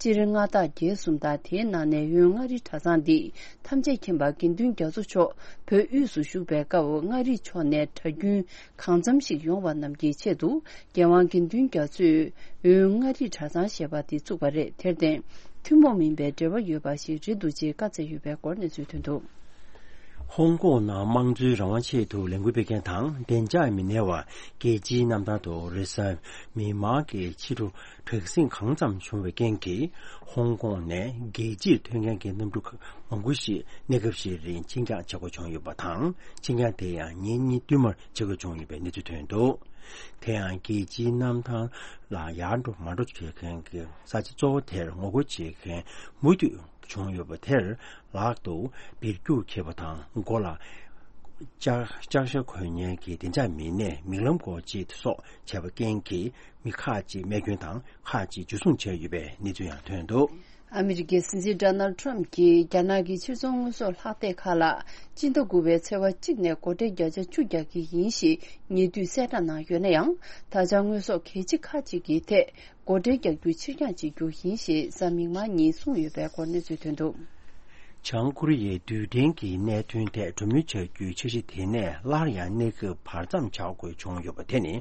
སྤྱིར་མངའ་བདག་བརྒྱད་གསུམ་དང་དེའི་ནང་ནས་འོན་མངའ་རིས་གྲྭ་ཚང་འདི་ཐམས་ཅད་མཁྱེན་པ་དགེ་འདུན་རྒྱ་མཚོ་མཆོག་བོད་དབུས་སུ་བཞུགས་པའི་སྐབས་མངའ་རིས་ཕྱོགས་ནས་གྲྭ་རྒྱུན་གང་འཚམ་ཞིག་ཡོང་བ་རྣམས་ཀྱི་ཆེད་དུ། རྒྱལ་དབང་དགེ་འདུན་རྒྱ་མཚོས་འོན་མངའ་རིས་གྲྭ་ཚང་ཞེས་པ་འདི་བཙུགས་པ་རེད། དེར་བརྟེན། ཐུན་མོང་མིན་པའི་འབྲེལ་བ་ཡོད་པ་ཞིག་རེད་འདུག་ཅེས་བཀའ་སྩལ་ཡོད་པའི་སྐོར་གནས་ཚུལ་ཐོན་འདུག་ཧོང་ཀོང་ནང་དམངས་གཙོའི་རང་དབང་ཆེད་དུ་ལས་འགུལ་སྤེལ་མཁན་དང་བདེ་འཇགས་མི་སྣའི་བར་རྒྱལ་སྤྱིའི་གནམ་ཐང་དུ་རེས་གཟའ་མིག་དམར་གྱི་ཕྱི་དྲོ་དྲག་ཟིང་གང་འཚམ་བྱུང་བའི་རྐྱེན་གྱིས། ཧོང་ཀོང་ནས་རྒྱལ་སྤྱིར་ཐོན་མཁན་གྱི་གནམ་གྲུ་མང་པོ་ཞིག་གནས་སྐབས་ཤིག་རིང་ཕྱིར་འགྱངས་བྱེད་དགོས་བྱུང་ཡོད་པ་དང་། ཕྱིར་འགྱངས་དེ་ཡང་ཉིན་གཉིས་བསྟུད་མར་བྱེད་དགོས་བྱུང་ཡོད་པའི་གནས་ཚུལ་ཐོན་འདུག་དེ་ཡང་རྒྱལ་སྤྱིའི་གནམ་ཐང་ལ་ཡར་འགྲོ་མར་འགྲོ་བྱེད་མཁན་གྱི་ས་ཆ་གཙོ་བོ་དེར་ངོ་རྒོལ་བྱེད་མཁན་མུ་མཐུད་བྱུང་ཡོད་པ་དེར་ལག་ཏུ་སྦིར་རྒྱུག་འཁྱེར་བ་དང་། མགོ་ལ་ལྕགས་ལྕགས་ཤ་གོན་མཁན་གྱི་བདེ་འཇགས་མི་སྣས་མིག་ལམ་སྒོ་འབྱེད་སོགས་བྱས་པའི་རྐྱེན་གྱིས། མི་ཁག་ཅིག་རྨས་སྐྱོན་དང་། ཁག་ཅིག་འཇུ་བཟུང་བྱས་ཡོད་པའི་གནས་ཚུལ་ཡང་ཐོན་འདུག་ཨ་མི་རི་ཀའི་སྲིད་འཛིན་ཌོ་ནལ་ཌི་ཊརམ་གྱིས་རྒྱ་ནག་གི་ཕྱིར་ཚོང་དངོས་ཟོག་ལྷག་སྟེགས་ཁག་ལ་སྤྱི་ཟླ་དགུ་པའི་ཚེས་པ་གཅིག་ནས་སྒོ་ཁྲལ་བརྒྱ་ཆ་བཅུ་རྒྱག་གི་ཡིན་ཞེས་ཉེ་དུས་གསལ་བསྒྲགས་གནང་ཡོད་ན་ཡང་། ད་ཆ་དངོས་ཟོག་གལ་ཆེ་ཁག་ཅིག་གི་ཐད། སྒོ་ཁྲལ་རྒྱག་རྒྱུ་ཕྱིར་འགྱངས་བྱེད་རྒྱུ་ཡིན་ཞེས་གཟའ་མིག་དམར་ཉིན་གསུངས་ཡོད་པའི་སྐོར་གནས་ཚུལ་ཐོན་འདུག་བྱང་ཀོ་རི་ཡའི་རྡུལ་ཕྲན་གྱི་གནད་དོན་ཐད་གྲོས་མོལ་བྱ་རྒྱུའི་འཆར་གཞི་དེ་ནས་སླར་ཡང་གནས་སྐབས་བར་མཚམས་བྱ་དགོས་བྱུང་ཡོད་པ་དེ་ནི།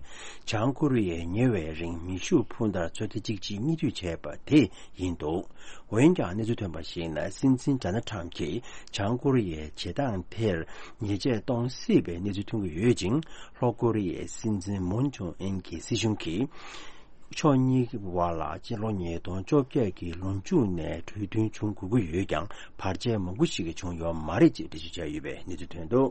བྱང་ཀོ་རི་ཡས་ཉེ་བའི་རིང་མེ་ཤུགས་འཕུར་མདའ་ཚོད་ལྟ་གཅིག་གཅིག་གཉིས་མཐུད་བྱས་པ་དེ་ཡིན་འདུག་འོན་ཀྱང་གནས་ཚུལ་ཐོན་པར་གཞིགས་ན། སྲིད་འཛིན་ཌོ་ནལ་ཌི་ཊརམ་གྱིས་བྱང་ཀོ་རི་ཡའི་བྱེད་སྟངས་དེར་ཉེས་ཆད་གཏོང་སྲིད་པའི་གནས་ཚུལ་ཐོན་གྱི་ཡོད་ཅིང་། ལྷོ་ཀོ་རི་ཡའི་སྲིད་འཛིན་མུན་ཇོང་ཨིན་གྱི་སྲིད་གཞུང་གིས། ཕྱོགས་གཉིས་ཀྱི་བར་ལ་སྤྱི་ལོ་ཉིས་སྟོང་བཅོ་བརྒྱད་ཀྱི་ལོ་མཇུག་ནས་གྲོས་མཐུན་བྱུང་དགོས་ཀྱི་ཡོད་ཀྱང་། བར་ཆད་མང་པོ་ཞིག་བྱུང་ཡོད་མ་རེད་ཅེས་འགྲེལ་བརྗོད་བྱས་ཡོད་པའི་གནས་ཚུལ་ཐོན་འདུག་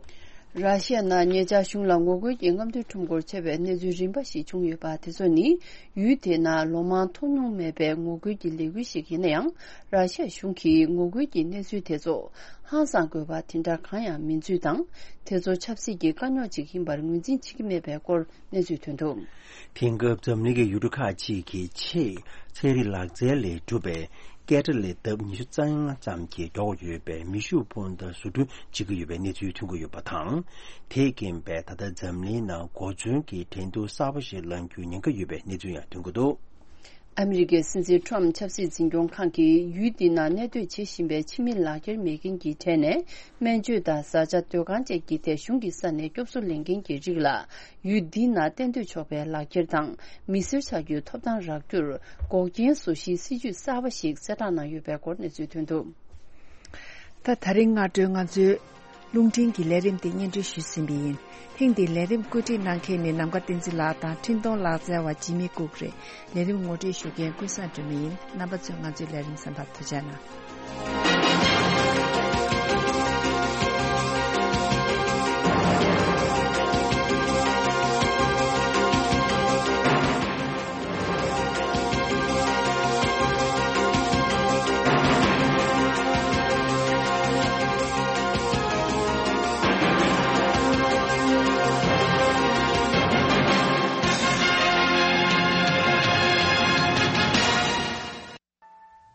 ར་ཤི་ཡ་ནང་ཉེ་ཆར་གཞུང་ལ་ངོ་རྒོལ་གྱི་རྔམ་སྟོན་ཁྲོམ་སྐོར་བྱས་པའི་གནས་ཚུལ་རིམ་པ་ཞིག་བྱུང་ཡོད་པ་དེ་ཚོ་ནི། ཡུལ་དེ་ནང་ལོ་མང་མཐོང་མྱོང་མེད་པའི་ངོ་རྒོལ་གྱི་ལས་འགུལ་ཞིག་ཡིན་ན་ཡང་། ར་ཤི་ཡ་གཞུང་གིས་ངོ་རྒོལ་གྱི་གནས་ཚུལ་དེ་ཚོ་ཧང་སང་དགོས་པ་དེ་འདྲ་གང་ཡང་མིན་ཚུལ་དང་། དེ་ཚོ་ཆབ་སྲིད་ཀྱི་དཀའ་རྙོག་ཅིག་ཡིན་པར་ངོས་འཛིན་བྱེད་ཀྱི་མེད་པའི་སྐོར། གནས་ཚུལ་ཐོན་འདུག་དེང་སྐབས་འཛམ་གླིང་གི་ཡུལ་གྲུ་ཁག་ཅིག་གིས་ཆེས་ཚན་རིག་ལག་རྩལ་ལས་གྲུབ་པའི་སྐད་སྒྲ་ལས་ལྡབ་ཉི་ཤུ་རྩ་ལྔ་ཙམ་གྱིས་མགྱོགས་ཡོད་པའི་མེ་ཤུགས་འཕུར་མདའ་བཟོ་སྐྲུན་བྱེད་ཀྱི་ཡོད་པའི་གནས་ཚུལ་ཐོན་གྱི་ཡོད་པ་དང་། དེས་རྐྱེན་པས་ད་ལྟ་འཛམ་གླིང་ནང་གོ་མཚོན་གྱི་འགྲན་བསྡུར་གསར་པ་ཞིག་ལངས་རྒྱུའི་ཉེན་ཁ་ཡོད་པའི་གནས་ཚུལ་ཡང་ཐོན་གྱི་འདུག་ཨ་མི་རི་ཀའི་སྲིད་འཛིན་ཊརམ་ཆབ་སྲིད་འཛིན་སྐྱོང་ཁང་གིས་ཡུལ་འདི་ནང་གནས་སྡོད་བྱེད་བཞིན་པའི་ཕྱི་མི་ལག་འཁྱེར་མེད་མཁན་གྱི་གྲས་ནས། སྨན་བཅོས་དང་བཟའ་བཅའ་སྡོད་ཁང་བཅས་ཀྱི་ཐད་གཞུང་གི་ས་ནས་སྐྱོབ་གསོ་ལེན་མཁན་གྱི་རིགས་ལ། ཡུལ་འདི་ནང་གཏན་སྡོད་ཆོག་པའི་ལག་འཁྱེར་དང་། མི་སེར་ཆགས་རྒྱུའི་ཐོབ་ཐང་རག་རྒྱུར། འགོག་རྐྱེན་བཟོ་གཞིའི་སྲིད་ཇུས་གསར་པ་ཞིག་གསལ་བསྒྲགས་གནང་ཡོད་པའི་སྐོར་གནས་ཚུལ་ཐོན་འདུག་ད་ད་རིང་སྔ་དྲོའི་ང་ཚོའི་རླུང་འཕྲིན་གྱི་ལས་རིམ་དེ་སྙན་སྒྲོན་ཞུས་ཟིན་པ་ཡིན། ཐེངས་འདིའི་ལས་རིམ་བཀོད་སྒྲིག་གནང་མཁན་ནི་ནམ་མཁའ་བསྟན་འཛིན་ལགས་དང་འཕྲིན་གཏོང་ལག་རྩལ་བ་འཇིགས་མེད་སྐུགས་རེད། ལས་རིམ་ངོ་སྤྲོད་ཞུ་མཁན་ཀུན་བཟང་སྒྲོལ་མ་ཡིན། རྣམ་པ་ཚོས་ང་ཚོའི་ལས་རིམ་གསན་པར་ཐུགས་རྗེ་གནང་།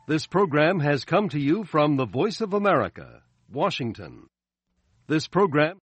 This program has come to you from the Voice of America, Washington. This program